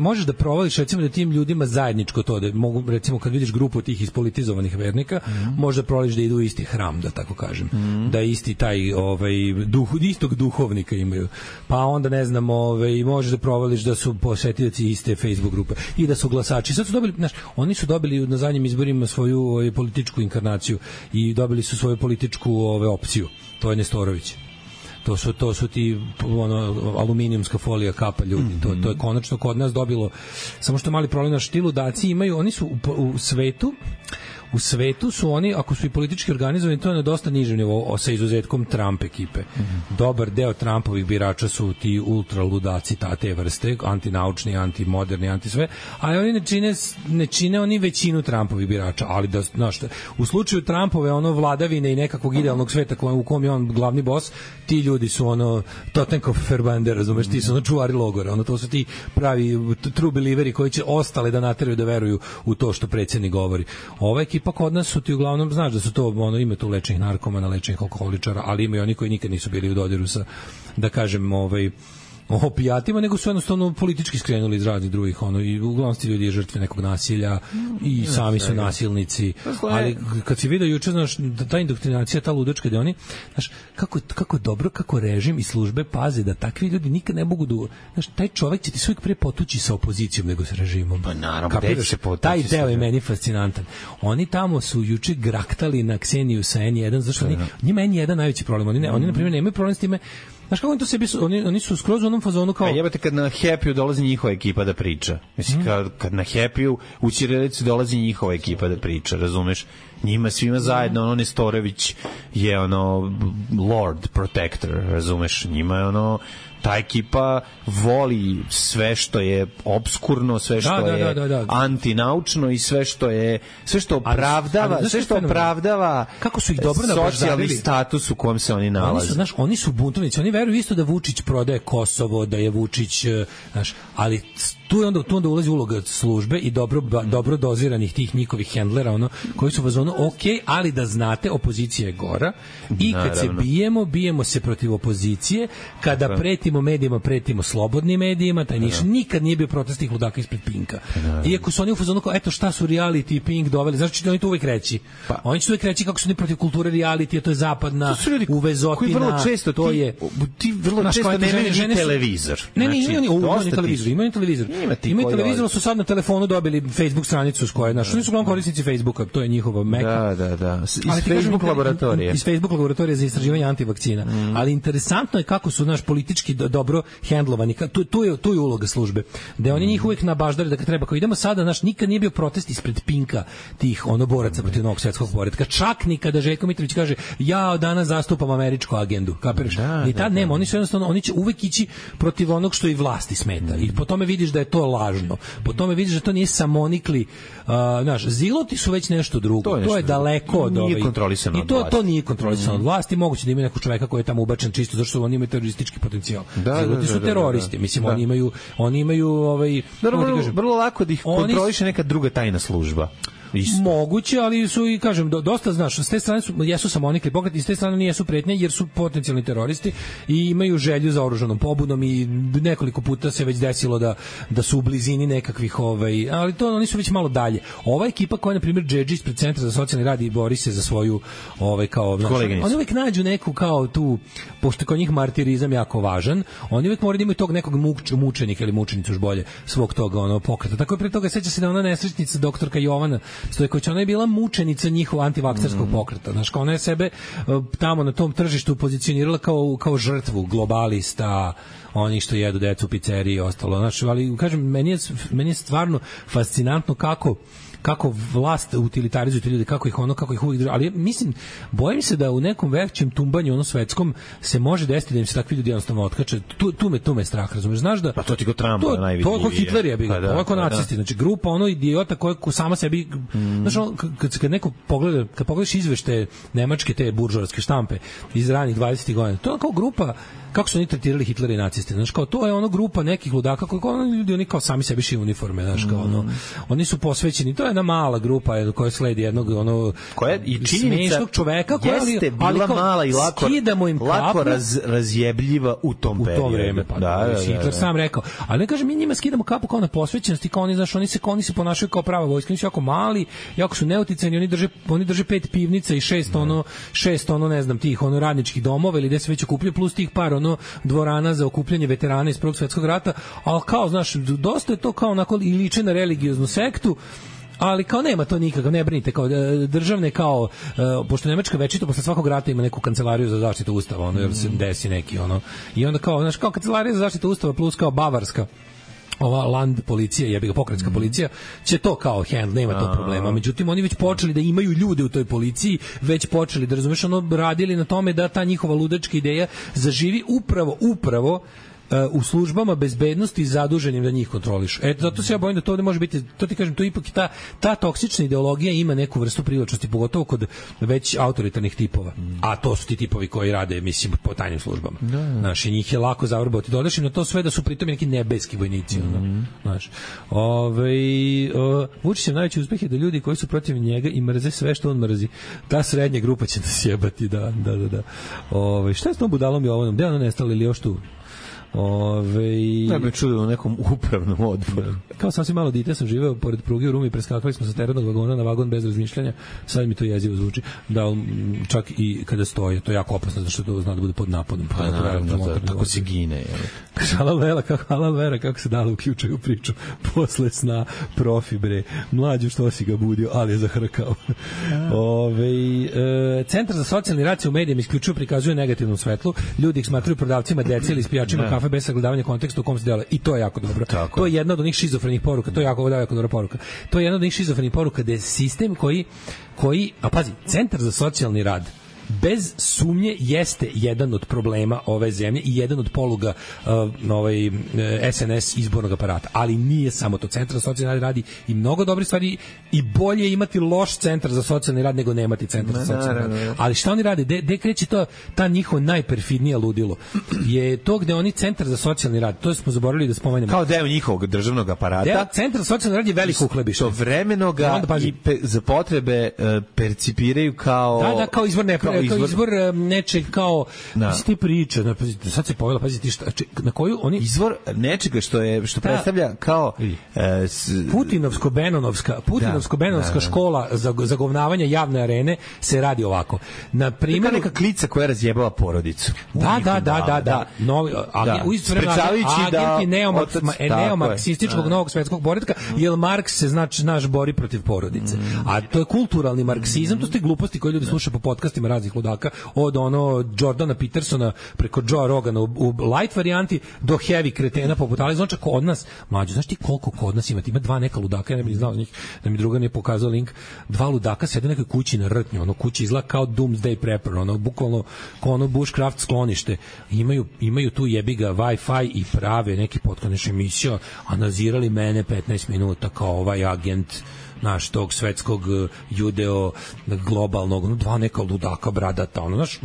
možeš da provališ, recimo da tim ljudima zajedničko to, da mogu, recimo kad vidiš grupu tih ispolitizovanih vernika, možda provališ da idu u isti hram, da tako kažem, da isti taj istog duhovnika imaju, pa onda ne znam, možeš da provališ da su posetioci iste Facebook grupe i da su glasači. Sad su dobili, oni su dobili na zadnjim izborima svoju političku inkarnaciju i dobili su svoju političku opciju, to je Nestorović. To su ti aluminijumska folija kapa ljudi. To je konačno kod nas dobilo, samo što mali problem, ti ludaci imaju, oni su u svetu su oni, ako su i politički organizovani, to je na dosta nižem nivou, sa izuzetkom Trump ekipe. Dobar deo Trumpovih birača su ti ultra ludaci te vrste, antinaučni, antimoderni, antisve, ali oni ne čine oni većinu Trumpovih birača, ali da, u slučaju Trumpove vladavine i nekakvog idealnog sveta u kom je on glavni bos, ti ljudi su Totenkopf-Verbander, razumeš, ti su čuvari logora, to su ti pravi true believeri koji će ostale da nateraju da veruju u to što predsjednik govori. Ova ekipa kod nas su ti uglavnom, znaš da su to ima tu lečenih narkomana, lečenih alkoholičara, ali ima i oni koji nikad nisu bili u dodiru sa, da kažem, opijatima, nego su jednostavno politički skrenuli iz raznih drugih, i uglavnom ti ljudi je žrtve nekog nasilja i sami su nasilnici, ali kad si vidio juče, znaš, ta indoktrinacija, ta ludačka, da oni, znaš, kako dobro, kako režim i službe paze da takvi ljudi nikad ne mogu da, znaš, taj čovek će ti sve pre potući sa opozicijom nego sa režimom. Pa naravno, taj deo je meni fascinantan. Oni tamo su juče graktali na Kseniju sa N1, zašto njima N1 najveći problem, oni na primjer nemaju problem s time. Znaš kako to sebi oni su skroz u onom fazonu kao... jebate kad na Happy-u dolazi njihova ekipa da priča. Mislim, kad na Happy-u u Ćirilici dolazi njihova ekipa da priča, razumeš? Njima svima zajedno, Nestorović je Lord Protector, razumeš? Njima je ta ekipa voli sve što je obskurno, sve što je antinaučno i sve što opravdava kako su ih dobro socijalni status u kom se oni nalaze. Oni su buntovnici, oni veruju isto da Vučić prodaje Kosovo, da je Vučić, ali tu onda ulazi uloga službe i dobro doziranih tih njihovih hendlera, koji su vazonu, ali da znate, opozicija je gora i kad se bijemo se protiv opozicije, kada pretimo medijima, pretimo slobodnim medijima, taj nikad nije bio protest tih ludaka ispred Pinka. Iako su oni u fazonu kao, eto šta su reality i Pink doveli, znači oni to uvek reći. Oni će uvek reći kako su oni protiv kulture reality, to je zapadna uvezotina, to je... Ti vrlo često nemaju ni televizor. Imaju televizor. Imaju televizor, su sad na telefonu dobili Facebook stranicu s kojoj, oni su glavno korisnici Facebooka, to je njihova meka. Da. Iz Facebook laboratorije. Iz Facebook laboratorije za istraživanje antivakcina. Ali interesantno je kako su politički dobro hendlovani. Tu je uloga službe. Da oni njih uvek nabaždari da kad treba, kao idemo sada, nikad nije bio protest ispred Pinka tih boraca protiv novog svetskog poretka. Čak ni kada Željko Mitrović kaže, ja danas zastupam američku agendu. Kapiraš? Ni tad nema. Oni su jednostavno, oni će uvek ići protiv onog što i vlasti smeta. I po tome vidiš da je to lažno. Po tome vidiš da to nije samonikli, znaš, ziloti su već nešto drugo. To je daleko od nije kontrolisano od vlasti. To nije kontrolisano od vlasti. Moguće da ima nekog čoveka koji je tamo ubačen čisto zato što oni imaju teroristički potencijal. Ziloti su teroristi. Mislim, oni imaju vrlo lako da ih kontroliše neka druga tajna služba. Isto. Moguće, ali su i kažem dosta, znaš, s te strane jesu samonikli pokret i s te strane nijesu pretnje jer su potencijalni teroristi i imaju želju za oružanom pobudom i nekoliko puta se već desilo da su u blizini nekakvih ali to oni su već malo dalje. Ova ekipa koja je na primjer Džedži ispred Centra za socijalni rad i bori se za svoju kao oni uvek nađu neku kao tu, pošto kod njih martirizam jako važan, oni uvek moraju da imaju tog nekog mučenika ili mučenicu još bolje svog toga pokreta. Tako je pre toga seća se da ona nesrećnica doktorka Jovana Stojković, ona je bila mučenica njihovog antivakserskog pokreta. Znaš, kao ona je sebe tamo na tom tržištu pozicionirala kao žrtvu globalista, oni što jedu decu u pizzeriji i ostalo. Znaš, ali kažem, meni je stvarno fascinantno kako vlast utilitarizuje te ljude, kako ih uvijek drži. Ali mislim, bojim se da u nekom većem tumbanju svetskom se može desiti da im se takvi ljudi jednostavno otkače. Tu me strah, razumeš? Znaš da... Pa to ti go Trumpa najvidljivije. To je Hitler je bio, ovo je ko nacisti. Znači, grupa idiota koja sama sebi... Znaš, kad neko pogleda, kad pogledaš izveštaje nemačke te buržoarske štampe iz ranih 20. godina, to je kao grupa kako su oni tretirali Hitlera i naciste. Znaš, kao to je grupa nekih ludaka koji ljudi, oni kao sami sebi šiju uniforme, znaš, kao oni su posvećeni, to je jedna mala grupa koja sledi jednog koja i činjenica čoveka koja jeste bila mala i lako razjebljiva u tom vreme. Pa Hitler sam rekao. Ali ne kažem, mi njima skidamo kapu kao na posvećenosti, kao oni, znaš, oni se ponašaju kao prava vojska, oni su jako mali, jako su neuticajni, oni drže 5 pivnica i 6 ne znam, tih radničkih domova ili gde se već okupljaju, plus tih par dvorana za okupljanje veterana iz Prvog svjetskog rata, ali kao, znaš, dosta je to kao onako i liče na religioznu sektu, ali kao nema to nikako, ne brinite, kao državne, kao pošto Nemačka večito posle svakog rata ima neku kancelariju za zaštitu ustava, jer se desi neki i onda kao, znaš, kao kancelarija za zaštitu ustava plus kao bavarska ova land policija, jebiga pokretska policija, će to kao handle, nema to problema. Međutim, oni već počeli da imaju ljude u toj policiji, već počeli da, razumeš, radili na tome da ta njihova ludačka ideja zaživi upravo u službama bezbednosti zaduženim da njih kontrolišu. Eto, zato se ja bojim da to ovde može biti, to ti kažem, to ipak ta toksična ideologija ima neku vrstu privlačnosti, pogotovo kod već autoritarnih tipova. A to su ti tipovi koji rade, mislim, po tajnim službama. Znaš, i njih je lako zavrbovati. Dodaš im na to sve da su pritom neki nebeski vojnici. Znaš, Vučićev najveći uspeh je da ljudi koji su protiv njega i mrze sve što on mrzi. Ta srednja grupa će nas jebati, da. Šta je s tom budalom Jovanom? Gde je ona nestala ili još tu? Ja bih čuo u nekom upravnom odboru. Kao sasvim malo dite sam živeo pored pruge u Rumi, preskakali smo sa teretnog vagona na vagon bez razmišljanja. Sad mi to jezivo zvuči. Da, čak i kada stoje, to je jako opasno, zato što to zna da bude pod napadom. Tako se gine. Halal vera, kako se dalo uključaju u priču posle sna, profi bre. Mlađu što si ga budio, ali je zahrkao. Centar za socijalni rad se u medijima isključivo prikazuje negativnom svetlu. Ljudi ih smatruju prodavcima dece ili ispijačima kafe bez sagledavanja konteksta u kom se dele. I to je jako dobro. To je jedna od onih šizofrenih poruka. To je jako dobra poruka. To je jedna od onih šizofrenih poruka da je sistem koji, a pazi, Centar za socijalni rad bez sumnje jeste jedan od problema ove zemlje i jedan od poluga SNS izbornog aparata, ali nije samo to. Centar za socijalni rad radi i mnogo dobrih stvari i bolje imati loš centar za socijalni rad nego nemati centar za socijalni rad. Ali šta oni rade? Gde kreće ta njihova najperfidnija ludilo? Je to gde oni Centar za socijalni rad, to smo zaboravili da spomenemo. Kao deo njihovog državnog aparata. Centar za socijalni rad je veliko uhlebište. Istovremeno ga za potrebe percipiraju kao kao izvor izvor nečeg kao ti priča, sad se povela, pazite na koju oni izvor nečega što predstavlja kao Putinovsko-Benonovska škola za govnavanje javne arene se radi ovako. Na primjer, neka klica koja razjebava porodicu. Da. Agenti neomarksističkog novog svetskog poretka, jer Marks se naš bori protiv porodice. A to je kulturalni marksizam, to su te gluposti koje ljudi slušaju po podcastima raznih ludaka, od ono Jordana Petersona preko Joe Rogana u light varijanti do heavy kretena poput Ali Zonča kod nas. Mlađo, znaš ti koliko kod nas ima? Ima dva neka ludaka, ja ne bih znao njih, da mi druga ne pokazao link. Dva ludaka sede u nekoj kući na Rtnju, ono kući izgleda kao Doomsday Prepper, ono bukvalno kao ono bushcraft sklonište. Imaju tu jebiga Wi-Fi i prave neki podcast emisija, a nazirali mene 15 minuta kao ovaj agent naš tog svetskog judeo globalnog, dva neka ludaka bradata, znaš,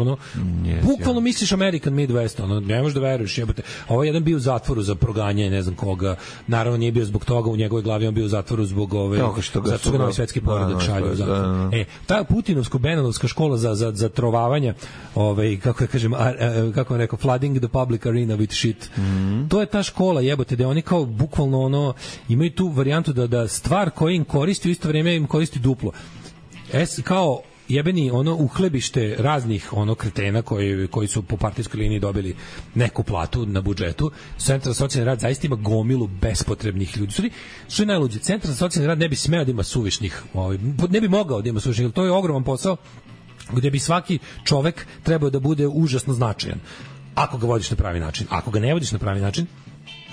bukvalno misliš American Midwest, ne možeš da veruješ, jebote. Ovo jedan bio u zatvoru za proganjanje, ne znam koga, naravno nije bio zbog toga, u njegovoj glavi on bio u zatvoru zbog zato što ga novi svetski poredak šalju u zatvor. Ta Putinovsko-Benanovska škola za trovavanja, kako ja kažem, kako vam rekao, flooding the public arena with shit. To je ta škola, jebote, da oni kao bukvalno imaju tu varijantu da stvar koja im koristi u isto vrijeme im koristi duplo. Kao jebeni uhlebište raznih kretena koji su po partijskoj liniji dobili neku platu na budžetu. Centar za socijalni rad zaista ima gomilu bespotrebnih ljudi. Što je najluđe, Centar za socijalni rad ne bi smeo da ima suvišnih, ne bi mogao da ima suvišnih, to je ogroman posao gde bi svaki čovek trebao da bude užasno značajan. Ako ga vodiš na pravi način. Ako ga ne vodiš na pravi način,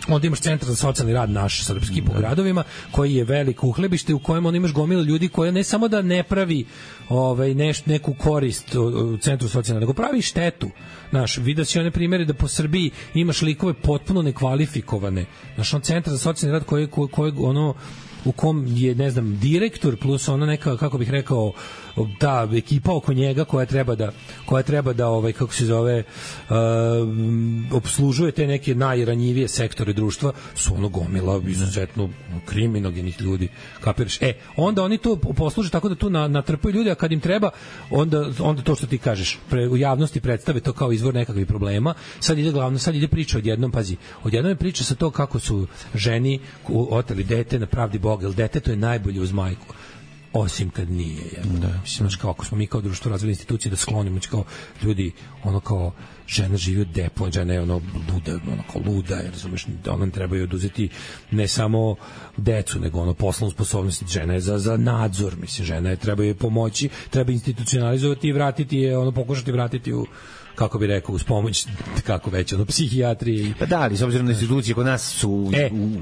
onda imaš Centar za socijalni rad naš srpski po gradovima, koji je veliko uhlebište u kojem imaš gomilu ljudi koja ne samo da ne pravi neku korist u Centru socijalne, nego pravi štetu. Vidio si one primjere da po Srbiji imaš likove potpuno nekvalifikovane. Centar za socijalni rad koji u kom je, ne znam, direktor plus ona neka, kako bih rekao, ta ekipa oko njega koja treba da kako se zove, obslužuje te neke najranjivije sektore društva, su gomila izuzetno kriminogenih ljudi, kapiraš? Onda oni to posluže tako da tu natrpaju ljudi, a kad im treba, onda to što ti kažeš, u javnosti predstave to kao izvor nekakvih problema. Sad ide priča odjednom je priča sa to kako su ženi oteli dete na pravdi Boga, jer dete to je najbolje uz majku. Osim kad nije. Mislim, kao ako smo mi kao društvo razvili institucije da sklonimo, kao ljudi, kao žena živi od depo, žena je luda, razumeš, ona treba joj oduzeti ne samo decu, nego poslovnu sposobnost, žena je za nadzor, mislim, žena je, treba joj pomoći, treba institucionalizovati i vratiti je, pokušati vratiti u, kako bi rekao, uz pomoć, kako već, psihijatrije. Pa da, ali s obzirom na institucije kod nas su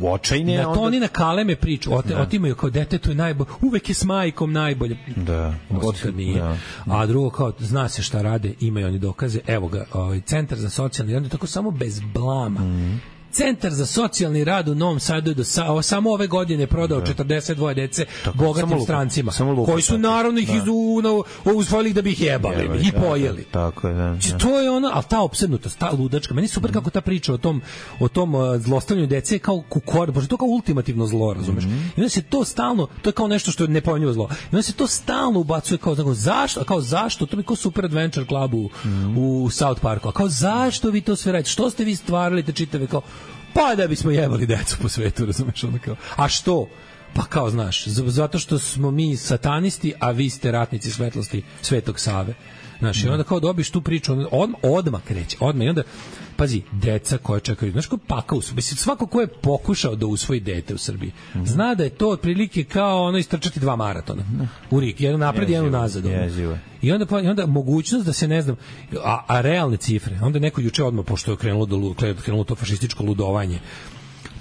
očajne. Da, to oni na kaleme priču, otimaju kao dete, to je najbolje, uvek je s majkom najbolje. Da. Kad nije. Da. A drugo, kao, zna se šta rade, imaju oni dokaze, evo ga, Centar za socijalni rad, tako samo bez blama. Centar za socijalni rad u Novom Sadu je samo ove godine prodao 42 dece bogatim strancima, koji su naravno ih usvojili da bi ih jebali i pojeli. Tako je, da. To je ali ta opsednutost, ta ludačka, meni je super kako ta priča o tom zlostavljanju dece je kao kukor, bože, to kao ultimativno zlo, razumeš? I onda se to stalno, to je kao nešto što je nepojmljivo zlo. I onda se to stalno ubacuje kao zašto, to mi kao Super Adventure Club u South Parku, a kao zašto vi to sve radite, što ste vi stvarali te čitave kao, pa da bismo jebali decu po svetu, razumeš, a što? Pa kao, znaš, zato što smo mi satanisti, a vi ste ratnici svetlosti Svetog Save. Znaš, i onda kao dobiš tu priču, odmah kreće, i onda, pazi, deca koja čekaju, znaš, kao pakao su, mislim, svako ko je pokušao da usvoji dete u Srbiji, zna da je to otprilike kao istrčati 2 maratona u rik, jedan napred, jedan nazad. I onda mogućnost da se, ne znam, a realne cifre, onda neko juče odmah, pošto je krenulo to fašističko ludovanje,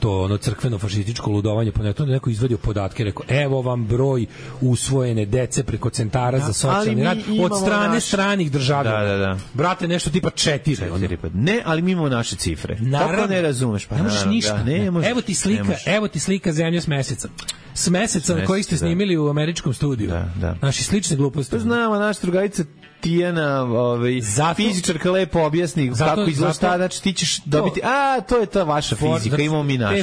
to crkveno fašističko ludovanje, pa neko izvadio podatke, rekao, evo vam broj usvojene dece preko centara za socijalni rad od strane stranih državljana. Da. Brate, nešto tipa 4. Ne, ali mi imamo naše cifre. Kako ne razumeš? Pa ne možeš ništa. Evo ti slika zemlje s meseca. S meseca na koji ste snimili u američkom studiju. Naši slične gluposti. Znamo, naša drugarica Tijana, fizičarka lepo objasni kako izgleda, znači ti ćeš dobiti, to je ta vaša fizika, imamo mi naš.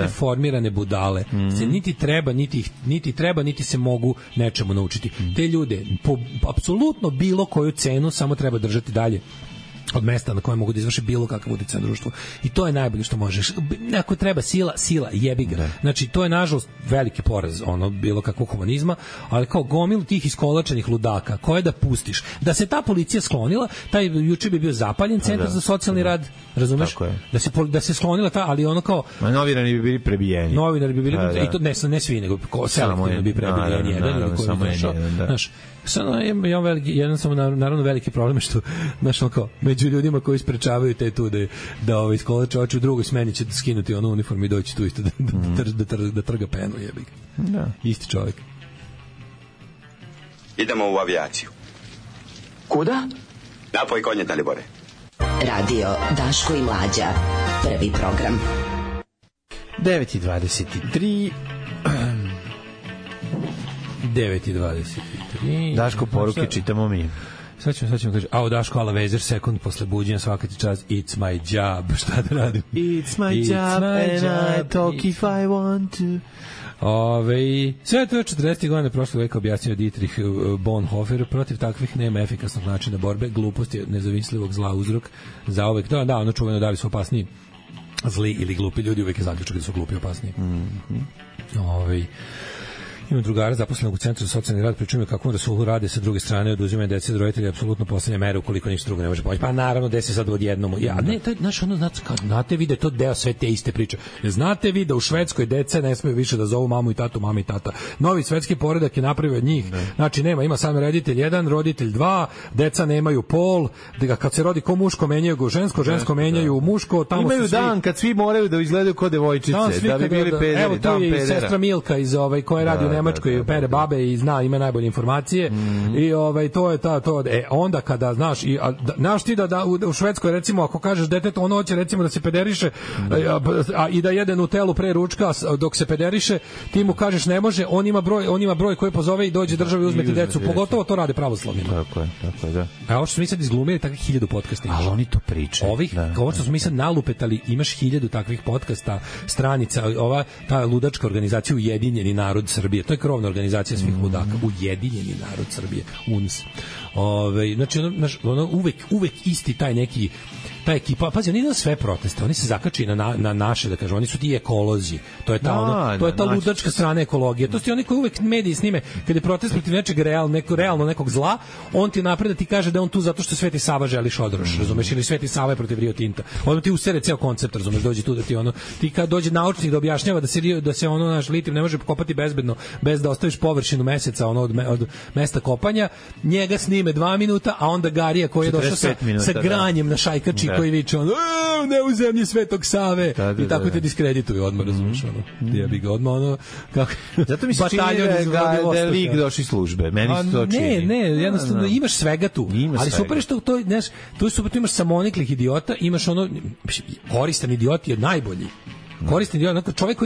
Te formirane budale se niti treba, niti se mogu nečemu naučiti. Te ljude, po apsolutno bilo koju cenu, samo treba držati dalje od mesta na kojem mogu da izvrše bilo kakav uticaj na društvo. I to je najbolje što možeš. Ako treba sila, jebi ga. Znači, to je nažalost veliki poraz bilo kakvog humanizma, ali kao gomil tih iskolačenih ludaka, koje da pustiš. Da se ta policija sklonila, taj juče bi bio zapaljen Centar za socijalni rad, razumeš? Da se sklonila ta, ali kao... Novinari bi bili prebijeni. I to ne svi, nego selektivno bi prebijeni jedan ili koji znaš. Samo imam jedan samo naravno veliki problem što znaš, kao među ljudima koji sprečavaju te tu da iskolače oči, u drugoj smeni će skinuti onu uniformu i doći tu isto da trga penu, jebi ga. Da. Isti čovjek. Idemo u avijaciju. Kuda? Napoj konje, Dalibore. Radio Daško i Mlađa. Prvi program. 9:23 9:23 Daško, poruke čitamo mi. Sad ćemo kaže, Daško, ala vezer, sekund posle buđenja, svaka ti čast, it's my job, šta da radim? It's my job and I talk if I want to. Sve to je 40. godine prošlog veka objasnio Dietrich Bonhoeffer. Protiv takvih nema efikasnog načina borbe, glupost je nezavislivog zla uzrok za uvek. Da, ono čuveno, da li su opasniji zli ili glupi ljudi, uvek je zaključak da su glupi opasniji. Imam drugara zaposlenog u Centru za socijalni rad, pričujem kako rasulu rade sa druge strane, oduzimaju dece od roditelja, apsolutno poslednja mera ukoliko ništa drugo ne može pomoći. Pa naravno, desi sad odjednom. Ne, to je, znaš, ono, znate vi da je to deo sve te iste priče. Znate vi da u Švedskoj deca ne smeju više da zovu mamu i tatu, mama i tata. Novi svetski poredak je napravio od njih. Znači, ima samo roditelj 1, roditelj 2, deca nemaju pol, kad se rodi ko muško, menjaju go žensko, žensko menjaju muško. Tamo imaju dan kad svi moraju da izgledaju kao devojčice, da bi bili pederi. Evo, tu je sestra Milka iz koja radi u Nemačkoj, pere babe i ima najbolje informacije. I to je to. Onda kada znaš ti da u Švedskoj, recimo, ako kažeš detetu ono hoće recimo da se pederiše i da jede Nutellu pre ručka dok se pederiše, ti mu kažeš ne može, on ima broj koji pozove i dođe državi uzmeti decu. Pogotovo to rade pravoslavni. Tako je, da. A ovo što smo mi sad izglumili takvih 1000 podcasta. Ali oni to pričaju. Ovo što smo mi sad nalupetali, imaš 1000 takvih podcasta, stranica, ta ludačka organizacija Ujedinjeni narod Srbije. To je krovna organizacija svih ludaka, Ujedinjeni narod Srbije, UNS. Znači, uvek isti taj neki, ta ekipa, pazi, oni idu sve proteste, oni se zakači na naše, da kažem, oni su ti ekolozi, to je ta ludačka strana ekologije, to su ti oni koji uvek mediji snime, kada je protest protiv nečeg realno nekog zla, on ti napred da ti kaže da on tu zato što Sveti Sava želi šodroš, razumeš, ili Sveti Sava je protiv Rio Tinta, ono ti usere ceo koncept, razumeš, dođe tu da ti ti kad dođe naučnik da objašnjava da se naš litijum ne može kopati bezbedno, bez da ostaviš površinu meseca od mesta kopanja, njega snime 2 minuta, a onda Garija koji je došao sa granjem na šajkači koji viče ne u zemlji Svetog Save i tako te diskredituju odmah, razumiješ, ja bi ga odmah kako zato mi se čini da je lik došli službe, meni se to čini. Ne, jednostavno imaš svega tu, ali super što to je super, tu imaš samoniklih idiota, imaš koristan idiot je najbolji. Koristan idiot, čovjek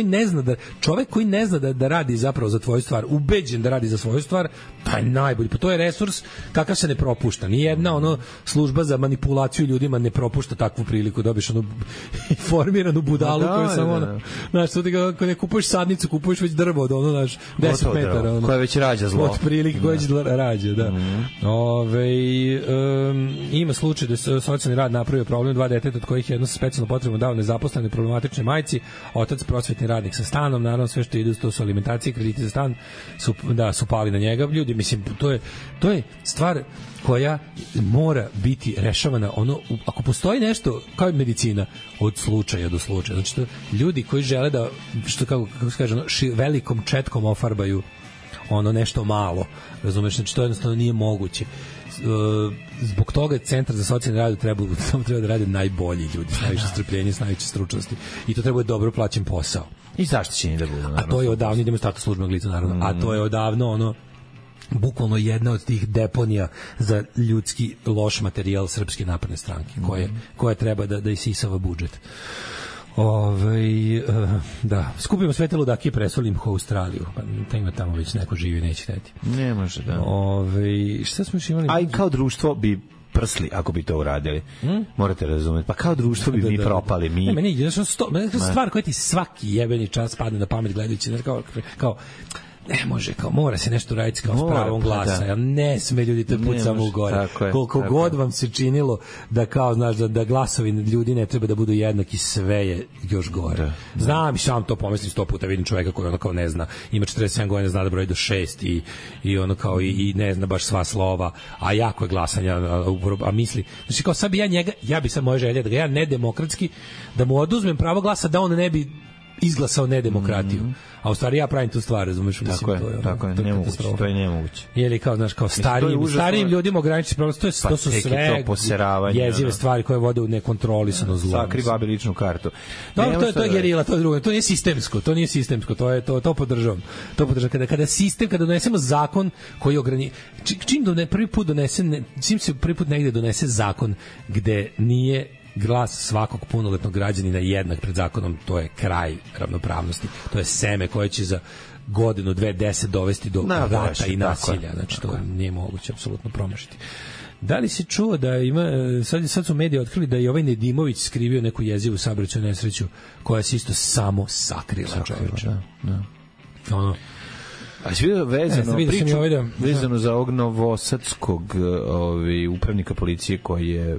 koji ne zna da radi zapravo za tvoju stvar, ubeđen da radi za svoju stvar, taj najbolji. Pa to je resurs kakav se ne propušta. Nijedna služba za manipulaciju ljudima ne propušta takvu priliku, dobiš informiranu budalu koju samo znaš, kada kupuješ sadnicu, kupuješ već drvo od 10 metara. Koja već rađa zlo. Od prilike koja već rađa, da. Ima slučaj da se socijalni rad napravio problem 2 deteta, od kojih jedno sa specijalno potrebno dao nezaposlene problematične majci, otac prosvetni radnik sa stanom, naravno sve što ide to su alimentacije, krediti za stan su pali na njega. Ljudi, mislim, to je stvar koja mora biti rešavana ako postoji nešto kao medicina od slučaja do slučaja. Znači, ljudi koji žele da kako se kaže, velikom četkom ofarbaju nešto malo, razumeš, znači to jednostavno nije moguće. Zbog toga Centar za socijalni rad treba da rade najbolji ljudi, s najviše strpljenja, s najviše stručnosti, i to treba dobro plaćen posao i zaštićeni da budu, naravno. A to je odavno, idemo status službenog lica, naravno, a to je odavno bukvalno jedna od tih deponija za ljudski loš materijal Srpske napredne stranke, koja treba da isisava budžet. Da, skupimo sve te ludake i presolim ih u Australiju. Pa ima tamo već neko živi, neće hteti. Ne može, da. Šta smo još imali? A i kao društvo bi prsli ako bi to uradili. Morate razumeti. Pa kao društvo bi mi propali. Meni stvar koja ti svaki jebeni čas padne na pamet gledajući, kao ne može, kao mora se nešto raditi kao s pravom glasa. Ja ne sme ljudi to put samo u gore. Koliko god vam se činilo da kao, znaš, da glasovi ljudi ne treba da budu jednaki, sve je još gore. Znam i sam to pomislim 100 puta, vidim čoveka koji kao ne zna, ima 47 godina, zna da broji do 6 i kao i ne zna baš sva slova, a jako je glasanja, a misli, znači kao sad bi ja bi sad moja želja da ga ja nedemokratski, da mu oduzmem pravo glasa, da on ne bi izglasao nedemokratiju. A u stvari ja pravim tu stvar, razumeš? Tako je, to je nemoguće. Ili kao, znaš, kao starijim ljudima ograničiti pravo, to su sve jezive stvari koje vode u nekontrolisano zlo. Sakri babi ličnu kartu. Dobro, to je gerila, to je drugo. To nije sistemsko, to podržavam. Kada donesemo zakon koji čim prvi put čim se prvi put negde donese zakon gde nije glas svakog punoletnog građanina jednak pred zakonom, to je kraj ravnopravnosti. To je seme koje će za godinu, 2-10 dovesti do rata i nasilja. Znači, to nije moguće apsolutno promašiti. Da li si čuo da ima, sad su mediji otkrili da je ovaj Nedimović skrivio neku jezivu saobraćajnu nesreću koja se isto samo sakrila, čoveče. Ono. A si vidio vezano za ovog novosadskog upravnika policije koji je...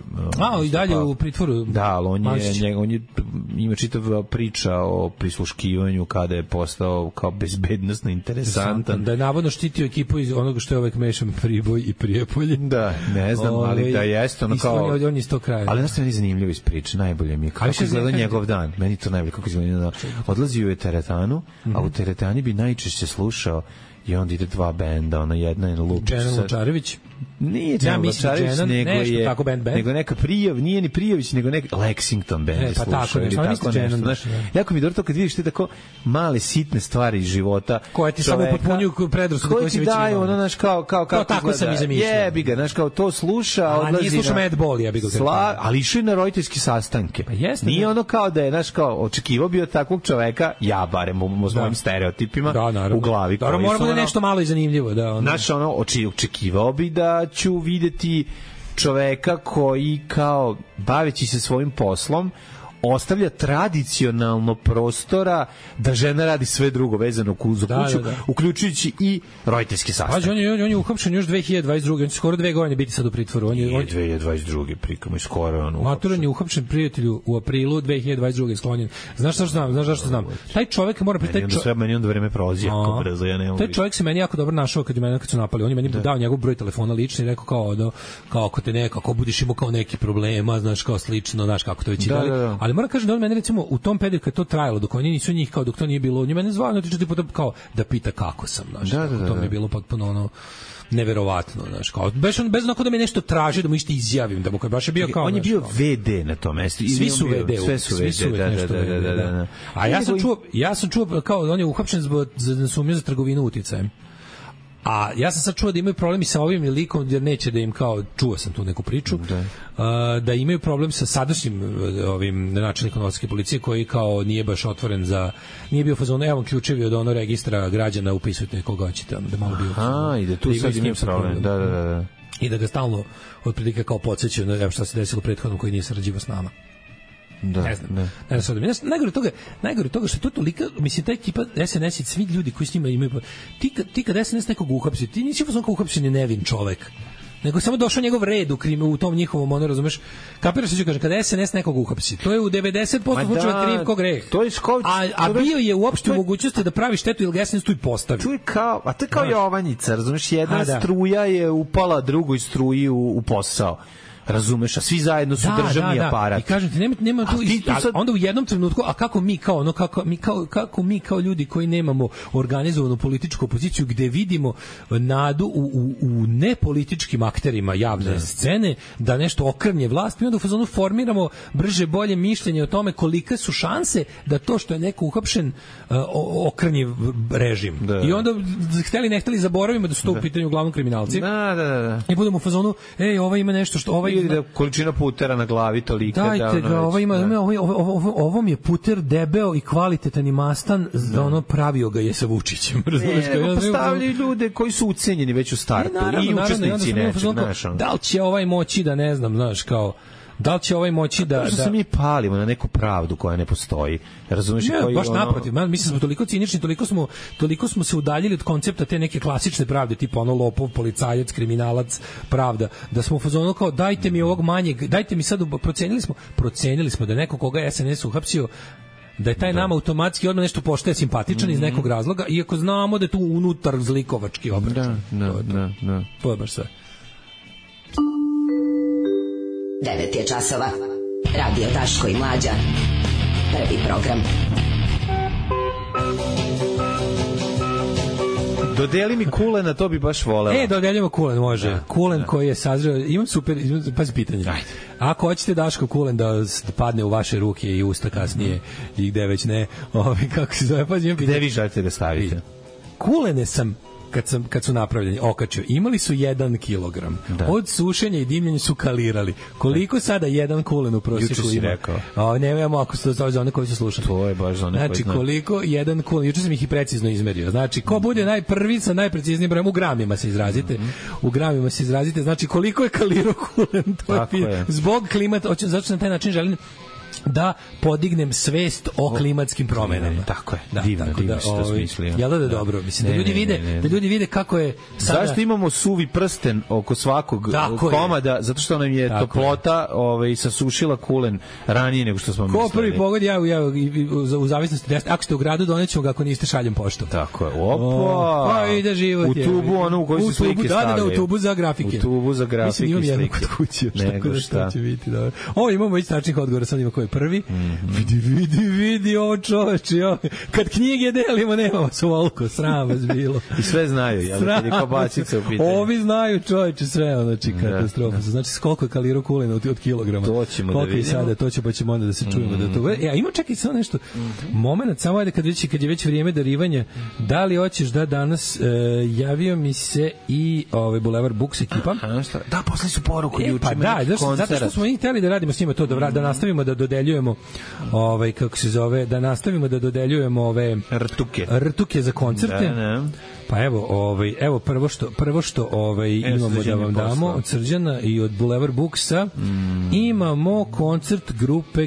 i dalje u pritvoru. Da, ali on ima čitava priča o prisluškivanju kada je postao kao bezbednosno interesantan. Da je navodno štitio ekipu iz onoga što je ovaj mešan Priboj i Prijepolje. Da, ne znam, ali da jeste ono kao... On je iz tog kraja. Ali nešto je zanimljivo iz priče, najbolje mi je kako izgleda njegov dan. Meni to najbolje kako izgleda. Odlazio je teretanu, a u teretani bi najčešće slušao i onda ide dva benda, ona jedna je Lupić. Dženan Lučarević? Nije Dženan Lučarević, nego neka nije ni Prijavić, nego neka Lexington band slušao. Jako mi je dobro to kad vidiš te tako male sitne stvari iz života. Koje ti samo potpunjuju predrasude koje si već imao. Koje ti daju, ono, znaš, kao tako sam i zamišljao. Jebi ga, znaš, kao to sluša, odlazi na... A nije slušao Madball, jebi ga. Ali išao je na roditeljski sastanke. Nije ono kao da je, znaš, kao očekivao bio takvog čoveka, ja barem s mojim stereotipima u glavi. Nešto malo i zanimljivo, da. Znaš, očekivao bi da ću videti čoveka koji kao baveći se svojim poslom ostavlja tradicionalno prostora da žena radi sve drugo vezano za kuću, uključujući i roditeljske sastanke. On je uhapšen još 2022. On će skoro 2 godine biti sad u pritvoru. On je 2022. prikamo i skoro on Maturan je uhapšen, prijatelju, u aprilu 2022. sklonjen. Znaš zašto znam? Taj čovek mora meni onda vreme prolazi jako brzo, ja ne mogu. Taj čovek se meni jako dobro našao kad su napali. On je meni dao njegov broj telefona lični i rekao kao ako te ako budeš imao kao neki problema, znaš, kao slično, znaš kako to već i dalje. Ali moram kažem da on mene recimo u tom periodu kad to trajalo, dok oni nisu njih, kao dok to nije bilo, on je mene zvao, kao da pita kako sam, znaš, to mi je bilo potpuno ono neverovatno, znaš, kao bez onako da me nešto traži da mu išta izjavim, da mu kad baš je bio kao... On je bio VD na tom mestu. Svi su VD, da. A ja sam čuo kao on je uhapšen za sumnju za trgovinu uticajem. A ja sam sad čuo da imaju problemi sa ovim likom, jer neće da im kao, čuo sam tu neku priču, da imaju problem sa sadašnjim ovim načelnikom novosadske policije koji kao nije baš otvoren nije bio fazon, evo ključevi od ono registra građana, upisujte koga hoćete, da malo bio. I da tu sad imaju problem, da. I da ga stalno otprilike kao podsjećaju, evo šta se desilo prethodnom koji nije sarađivao s nama. Ne znam. Najgore toga što to toliko, mislim, ta ekipa SNS i svi ljudi koji s njima imaju, ti kad SNS nekog uhapsi, ti nisi kao uhapšen je nevin čovek, nego samo došao njegov red u tom njihovom, ono, razumeš, kapiraš što ću kažem, kada SNS nekog uhapsi, to je u 90% slučajeva kriv ko greh, a bio je uopšte u mogućnosti da pravi štetu ili ga SNS tu i postavi. To je kao Jovanjica, razumeš, jedna struja je upala drugoj struji u posao. Razumeš, a svi zajedno su državni aparat. I kažem ti, nema tu onda u jednom trenutku, a kako mi kao ljudi koji nemamo organizovanu političku opoziciju gde vidimo nadu u nepolitičkim akterima javne scene da nešto okrnje vlast, mi onda u fazonu formiramo brže bolje mišljenje o tome kolike su šanse da to što je neko uhapšen okrnje režim. I onda hteli ne hteli zaboravimo da su to u pitanju uglavnom kriminalci. I budemo u fazonu, ovaj ima nešto što ovaj da količina putera na glavi tolika dajte ga, ovo mi je puter debeo i kvalitetan i mastan, da ono pravio ga je sa Vučićem. Postavljaju ljude koji su ucenjeni već u startu i učesnici nečeg. Da li će ovaj moći da ne znam, znaš, kao da li će ovaj moći da... To što se mi palimo na neku pravdu koja ne postoji. Razumeš? Ne, baš naprotiv. Mislim smo toliko cinični, toliko smo se udaljili od koncepta te neke klasične pravde, tipa ono lopov, policajac, kriminalac, pravda, da smo u fazonu kao dajte mi ovog manjeg, dajte mi sad, procenili smo da neko koga je SNS uhapsio, da je taj nama automatski odmah nešto poštaje simpatičan iz nekog razloga, iako znamo da je tu unutar zlikovački obračun. To je baš sve. 9 je časova. Radio Daško i Mlađa. Prvi program. Dodeli mi kulena, to bi baš voleo. Dodeljujemo kulen, može. Kulen koji je sazreo, imam super, pazi pitanje. Ajde. Ako hoćete Daško kulen da padne u vaše ruke i usta kasnije i gde već ne, kako se zove, pazi, imam pitanje. Gde vi želite da stavite? Kulene sam kad su napravljeni, okačio, imali su 1 kilogram. Od sušenja i dimljenja su kalirali. Koliko sada jedan kulen u prosjeku ima? Juče si rekao. Nemamo ako se to zove za one koji su slušali. To je baš za one koji znači, koliko jedan kulen, juče sam ih i precizno izmerio. Znači, ko bude najprvi sa najpreciznijim brojem, u gramima se izrazite. U gramima se izrazite. Znači, koliko je kalirao kulen? To je. Zbog klimata, zato što na taj način želim da podignem svest o klimatskim promenama. Tako je. Divno što smislio. Jel da dobro? Mislim, da ljudi vide kako je sada... Zašto imamo suvi prsten oko svakog komada? Zato što nam je toplota sasušila kulen ranije nego što smo mislili. Ko prvi pogodi, ja u zavisnosti, ako ste u gradu, donećemo ga, ako niste šaljem poštom. Tako je. Opa! Pa ide život. U tubu, ono u kojoj se slike stavljaju. Da, u tubu za grafike. U tubu za grafike. Mislim, imam jednu kod kuće. Nego šta? Ovo imamo već tačnih odgovora, sad ima koji prvi. Vidi ovo čoveče. Kad knjige delimo, nemamo svoliko, sram vas bilo. I sve znaju, jel? Kad je kobačica u pitanju. Ovi znaju čoveče sve, znači katastrofa. Znači, koliko je kalirao kulena od kilograma. To ćemo da vidimo. Sada, to će, pa ćemo onda da se čujemo. A ima čekaj samo nešto. Moment, samo ajde kad je već vrijeme darivanja, da li hoćeš da danas javio mi se i Boulevard Books ekipa. Da, poslali su poruku juče. Pa da, zato što smo i hteli da radimo s njima to, da nastavimo da dodeljujemo kako se zove, da nastavimo da dodeljujemo ove rtuke za koncerte. Pa evo prvo što imamo da vam damo od Srđana i od Boulevard Booksa. Imamo koncert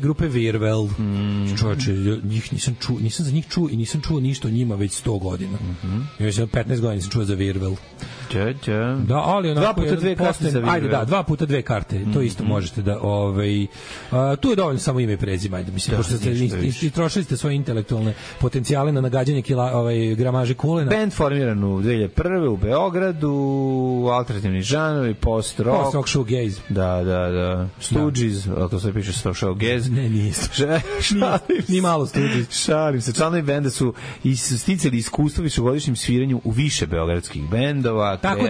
grupe Virvel. Čovječe, nisam za njih čuo i nisam čuo ništa o njima već 100 godina. Još 15 godina sam čuo za Virvel. Da, ali onako 2 puta 2 karte za Virvel. Ajde, 2 puta 2 karte. To isto možete da tu je dovoljno samo ime i prezime, ajde, mislim, pošto ste trošili ste svoje intelektualne potencijale na nagađanje gramaže kulena. Band formiran u 2001. u Beogradu, alternativni žanovi, post-rock, shoegaze. Da. Stooges, to se piše shoegaze. Ne, nije. Ni malo Stooges. Šalim se. Članovi benda su sticali iskustvo višegodišnjim sviranju u više beogradskih bendova. Tako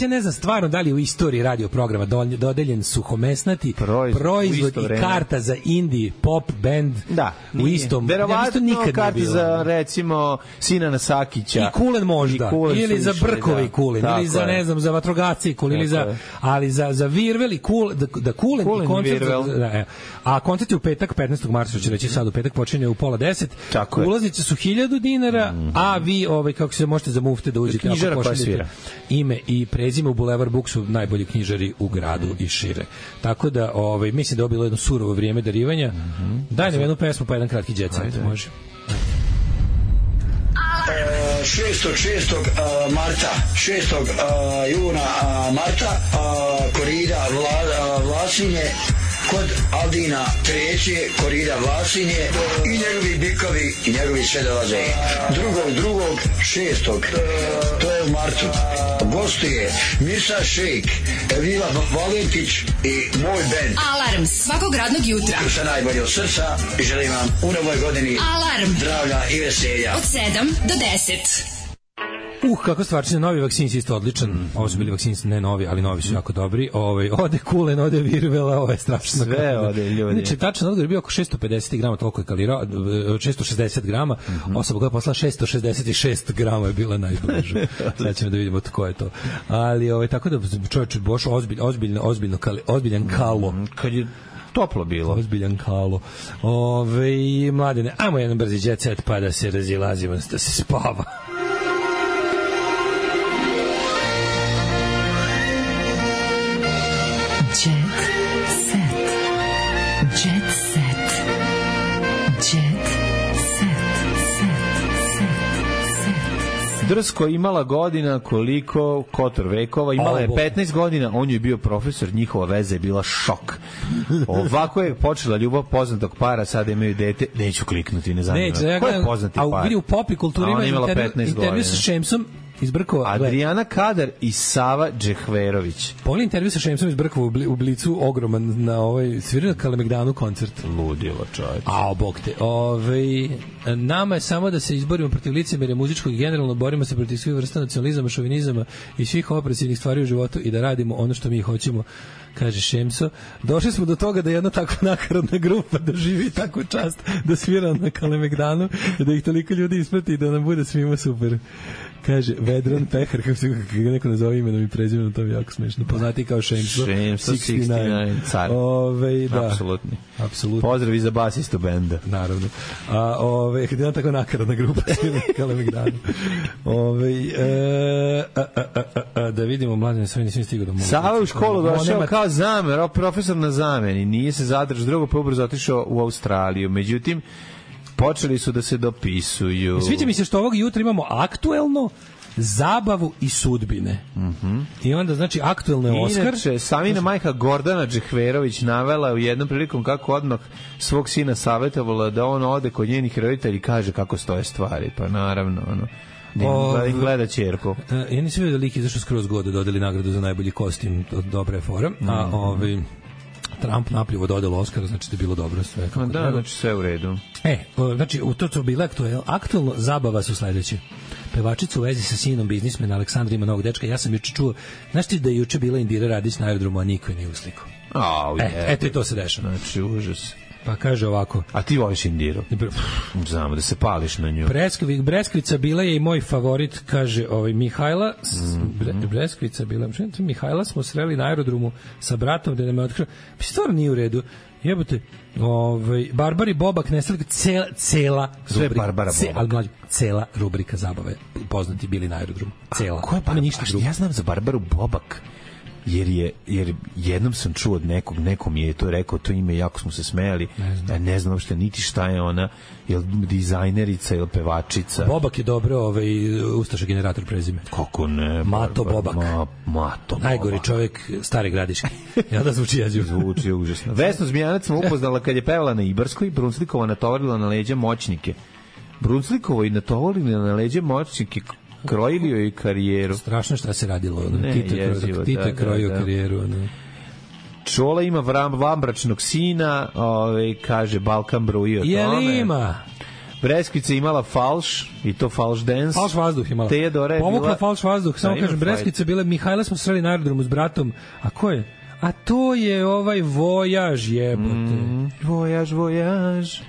ne znam stvarno da li u istoriji radio programa dodeljen suhomesnati proizvod i karta za indie pop band u istom. Verovatno nikad karta za recimo Sinana Sakića. I kulen možda. Ili za brkovi kulen. Ili za, ne znam, za vatrogasci kulen. Ali za Virvel i da kulen i koncert. A koncert je u petak, 15. marta, će reći sad u petak, počinje u 9:30. Ulaznice su 1000 dinara, a vi, kako se možete za mufte da uđete. Knjižara koja svira. Ime i prezime u Boulevard Booksu, najbolji knjižari u gradu i šire. Tako da, mislim da je bilo jedno surovo vrijeme darivanja. Daj nam jednu pesmu pa jedan kratki jet set, može. 6. marta, 6. juna Marta, korida Vlasinje, kod Aldina Treće, korida Vlasinje i njegovi bikovi i njegovi sve dolaze. 2.6. to je u martu. Gostuje Mirsa Šejk, Elvila Valentić i moj band. Alarm svakog radnog jutra. Sa najbolje od srca i želim vam u novoj godini Alarm zdravlja i veselja. Od 7 do 10. Kako stvarčina, novi vakcin je isto odličan. Ovo su bili vakcini, ne novi, ali novi su jako dobri. Ode kulen, ode Virvela, ovo je strašno. Sve ode, ljudi. Znači, tačan odgovor je bio oko 650 grama, toliko je kalirao, 660 grama, osoba koja je poslala 666 grama je bila najbliža. Sad ćemo da vidimo tko je to. Ali, tako da čovječ, boš ozbiljan kalo. Kad je toplo bilo. Ozbiljan kalo. Mladene, ajmo jedan brzi jet set pa da se razilazimo, da se spava. Drsko imala godina koliko Kotor vekova, imala je 15 godina, on je bio profesor, njihova veza je bila šok. Ovako je počela ljubav poznatog para, sada imaju dete, neću kliknuti, ne znam. Ko je poznati par? A u pop kulturi ima intervju sa Šemsom Brkova. Adriana Kadar i Sava Džehverović. Poli intervju sa Šemsom iz Brkova u Blicu, ogroman na svirao na Kalemegdanu koncert. Ludilo, čovječ. Bog te. Nama je samo da se izborimo protiv licemerja muzičkog i generalno borimo se protiv svih vrsta nacionalizama, šovinizama i svih opresivnih stvari u životu i da radimo ono što mi hoćemo, kaže Šemso. Došli smo do toga da jedna takva nakaradna grupa doživi takvu čast da svira na Kalemegdanu, da ih toliko ljudi isprati i da nam bude svima super. Kaže Vedran Pehar, kako se ga neko nazove imenom i prezimenom, to je jako smešno. Poznati kao Šemso 69, car. Da. Apsolutno. Pozdrav i za basistu benda. Naravno. Kada je tako nakaradna grupa Kalemegdanu. Da vidimo, mladen, sve nisam stigao da mogu. Sava u školu došao kao zamer, profesor na zameni. Nije se zadržao, drugo pa ubrzo otišao u Australiju. Međutim, počeli su da se dopisuju. Sviđa mi se što ovog jutra imamo aktuelno, zabavu i sudbine. I onda, znači, aktuelno je Oskar. Inače, Savina majka Gordana Džehverović navela u jednom prilikom kako odmah svog sina savjetovala da on ode kod njenih roditelja i kaže kako stoje stvari. Pa naravno, gleda ćerku. Ja nisam vidio da lik izašao skroz god da dodali nagradu za najbolji kostim, dobra je fora. Trump napljivo dodalo Oskara, znači da je bilo dobro sve. Da, znači sve u redu. Znači, u to bilo aktuelno, zabava su sledeće. Pevačica u vezi sa sinom biznismena Aleksandra ima novog dečka. Ja sam juče čuo, znaš ti da je juče bila Indira Radić na aerodromu, a niko je nije uslikao. Eto i to se dešava. Znači, užas. Pa kaže ovako. A ti voliš Indiru? Znamo da se pališ na nju. Breskvica bila je i moj favorit, kaže Mihajla. Breskvica bila. Mihajla smo sreli na aerodromu sa bratom da nam je otkrio. Stvarno nije u redu. Jebote, Barbari Bobak nestali cela sve Barbara Bobak. Cela rubrika zabave. Poznati bili na aerodromu. Cela. Ko je Barbara? Ja znam za Barbaru Bobak. Jer jednom sam čuo od nekom je to rekao, to ime, jako smo se smejali, ne znam uopšte niti šta je ona, je li dizajnerica ili pevačica. Bobak je dobro, ustaša generator prezime. Kako ne? Mato Bobak. Mato najgori Bobak. Čovjek Stare Gradiške. Ja da zvuči jezivo. Zvuči užasno. Vesnu Zmijanac smo upoznala kad je pevala na Ibarskoj, Brunslikova natovarila na leđa moćnike. Brunslikova i natovarila na leđa moćnike, krojili joj karijeru. Strašno šta se radilo. Tito je krojio karijeru. Čola ima vambračnog sina, kaže Balkan bruji o tome. Je li ima? Breskvica imala falš, i to falš dance. Falš vazduh imala. Teodora je pomukla bila... falš vazduh, samo kažem, Breskvica bila, Mihajla smo sreli na aerodromu s bratom. A ko je? A to je Vojaž, jebote. Vojaž.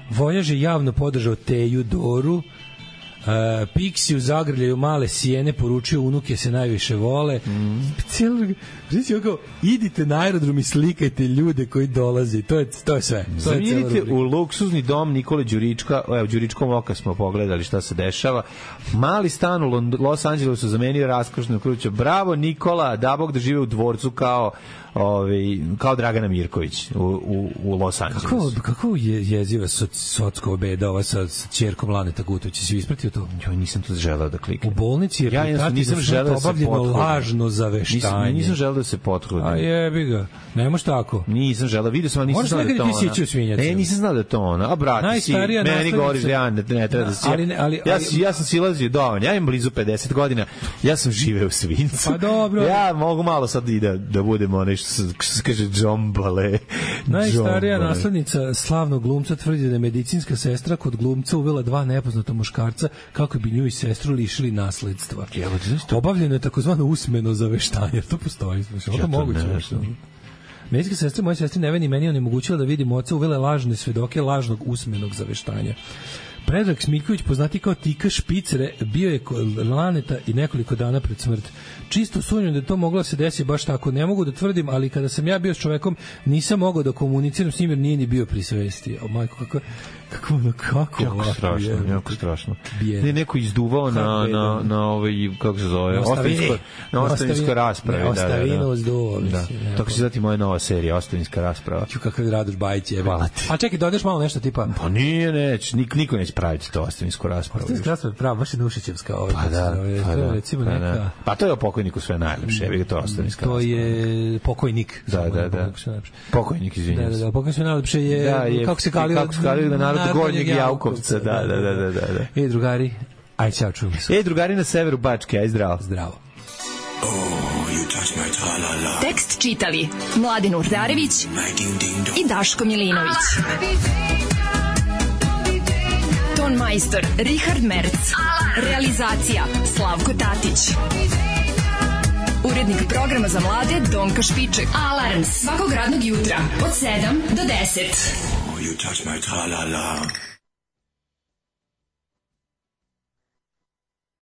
Vojaž je javno podržao Teju Doru. Pixi u zagrljaju male sjene, poručio unuke se najviše vole. Idite na aerodrom i slikajte ljude koji dolaze. To je sve. Idite u luksuzni dom Nikole Đurička. Evo, Đuričkom oka smo pogledali šta se dešava. Mali stan u Los Angelesu zamenio raskošnu kuću. Bravo Nikola, da Bog da žive u dvorcu kao Dragana Mirković u Los Angelesu. Kako je jeziva socko beda ova sa ćerkom Laneta Gutovića? Si ispratio to? Jo, nisam to želeo da kliknem. U bolnici je nisam želeo da se obavljeno lažno zaveštanje. Nisam želeo da se potrudim. A jebi ga. Ne može tako. Nisam želeo, vidio sam, ali nisam znao da je to ona. Nisam znao da je to ona. A brate, si, meni govoriš da ja ne treba da si... Ja sam silazio dovoljno. Ja imam blizu 50 godina. Ja sam živeo u Svincu. Pa dobro. Ja mogu malo sad i da budemo onaj što se kaže džombale. Najstarija naslednica slavnog glumca tvrdi da je medicinska sestra kod glumca uvela 2 nepoznata muškarca kako bi nju i sestru lišili nasledstva. Obavljeno je takozvano usmeno zaveštanje. To postoji. To moguće. Medicinska sestra moje sestri Neveni meni onemogućila da vidim oca, uvela lažne svedoke lažnog usmenog zaveštanja. Predrag Smiljković, poznati kao Tika Špicere, bio je kod Laneta i nekoliko dana pred smrt. Čisto sumnjam da to moglo se desiti baš tako. Ne mogu da tvrdim, ali kada sam ja bio s čovekom, nisam mogao da komuniciram s njim jer nije ni bio pri svesti. O majko, kako jako strašno. Ne, neko izduvao na ovaj, kako se zove, ostavinskoj raspravi. Ostavinu zduo. Tako se zati moja nova serija, Ostavinska rasprava. Kakav Radoš Bajić je. Hvala ti. A čekaj, dodeš malo nešto tipa... Pa neće, niko neće praviti to Ostavinsku raspravu. Ostavinska rasprava je prava, baš je Nušićevska. Pa to je o pokojniku sve najlepše, evo to je Ostavinska rasprava. To je pokojnik. Da. Pokojnik, izvinjam se. Da, pokojnik sve najlepše je, kako se kalio na narod Gornjeg Javkovca, da. Drugari, Aj, čao, čujemo se. Drugari na severu Bačke, aj zdravo. Zdravo. Tekst čitali Mladin Urdarević i Daško Milinović. Ton majstor Richard Merc. Realizacija Slavko Tatić. Urednik programa za mlade Donka Špiček. Alarms svakog radnog jutra od 7 do 10. You touch my tra-la-la.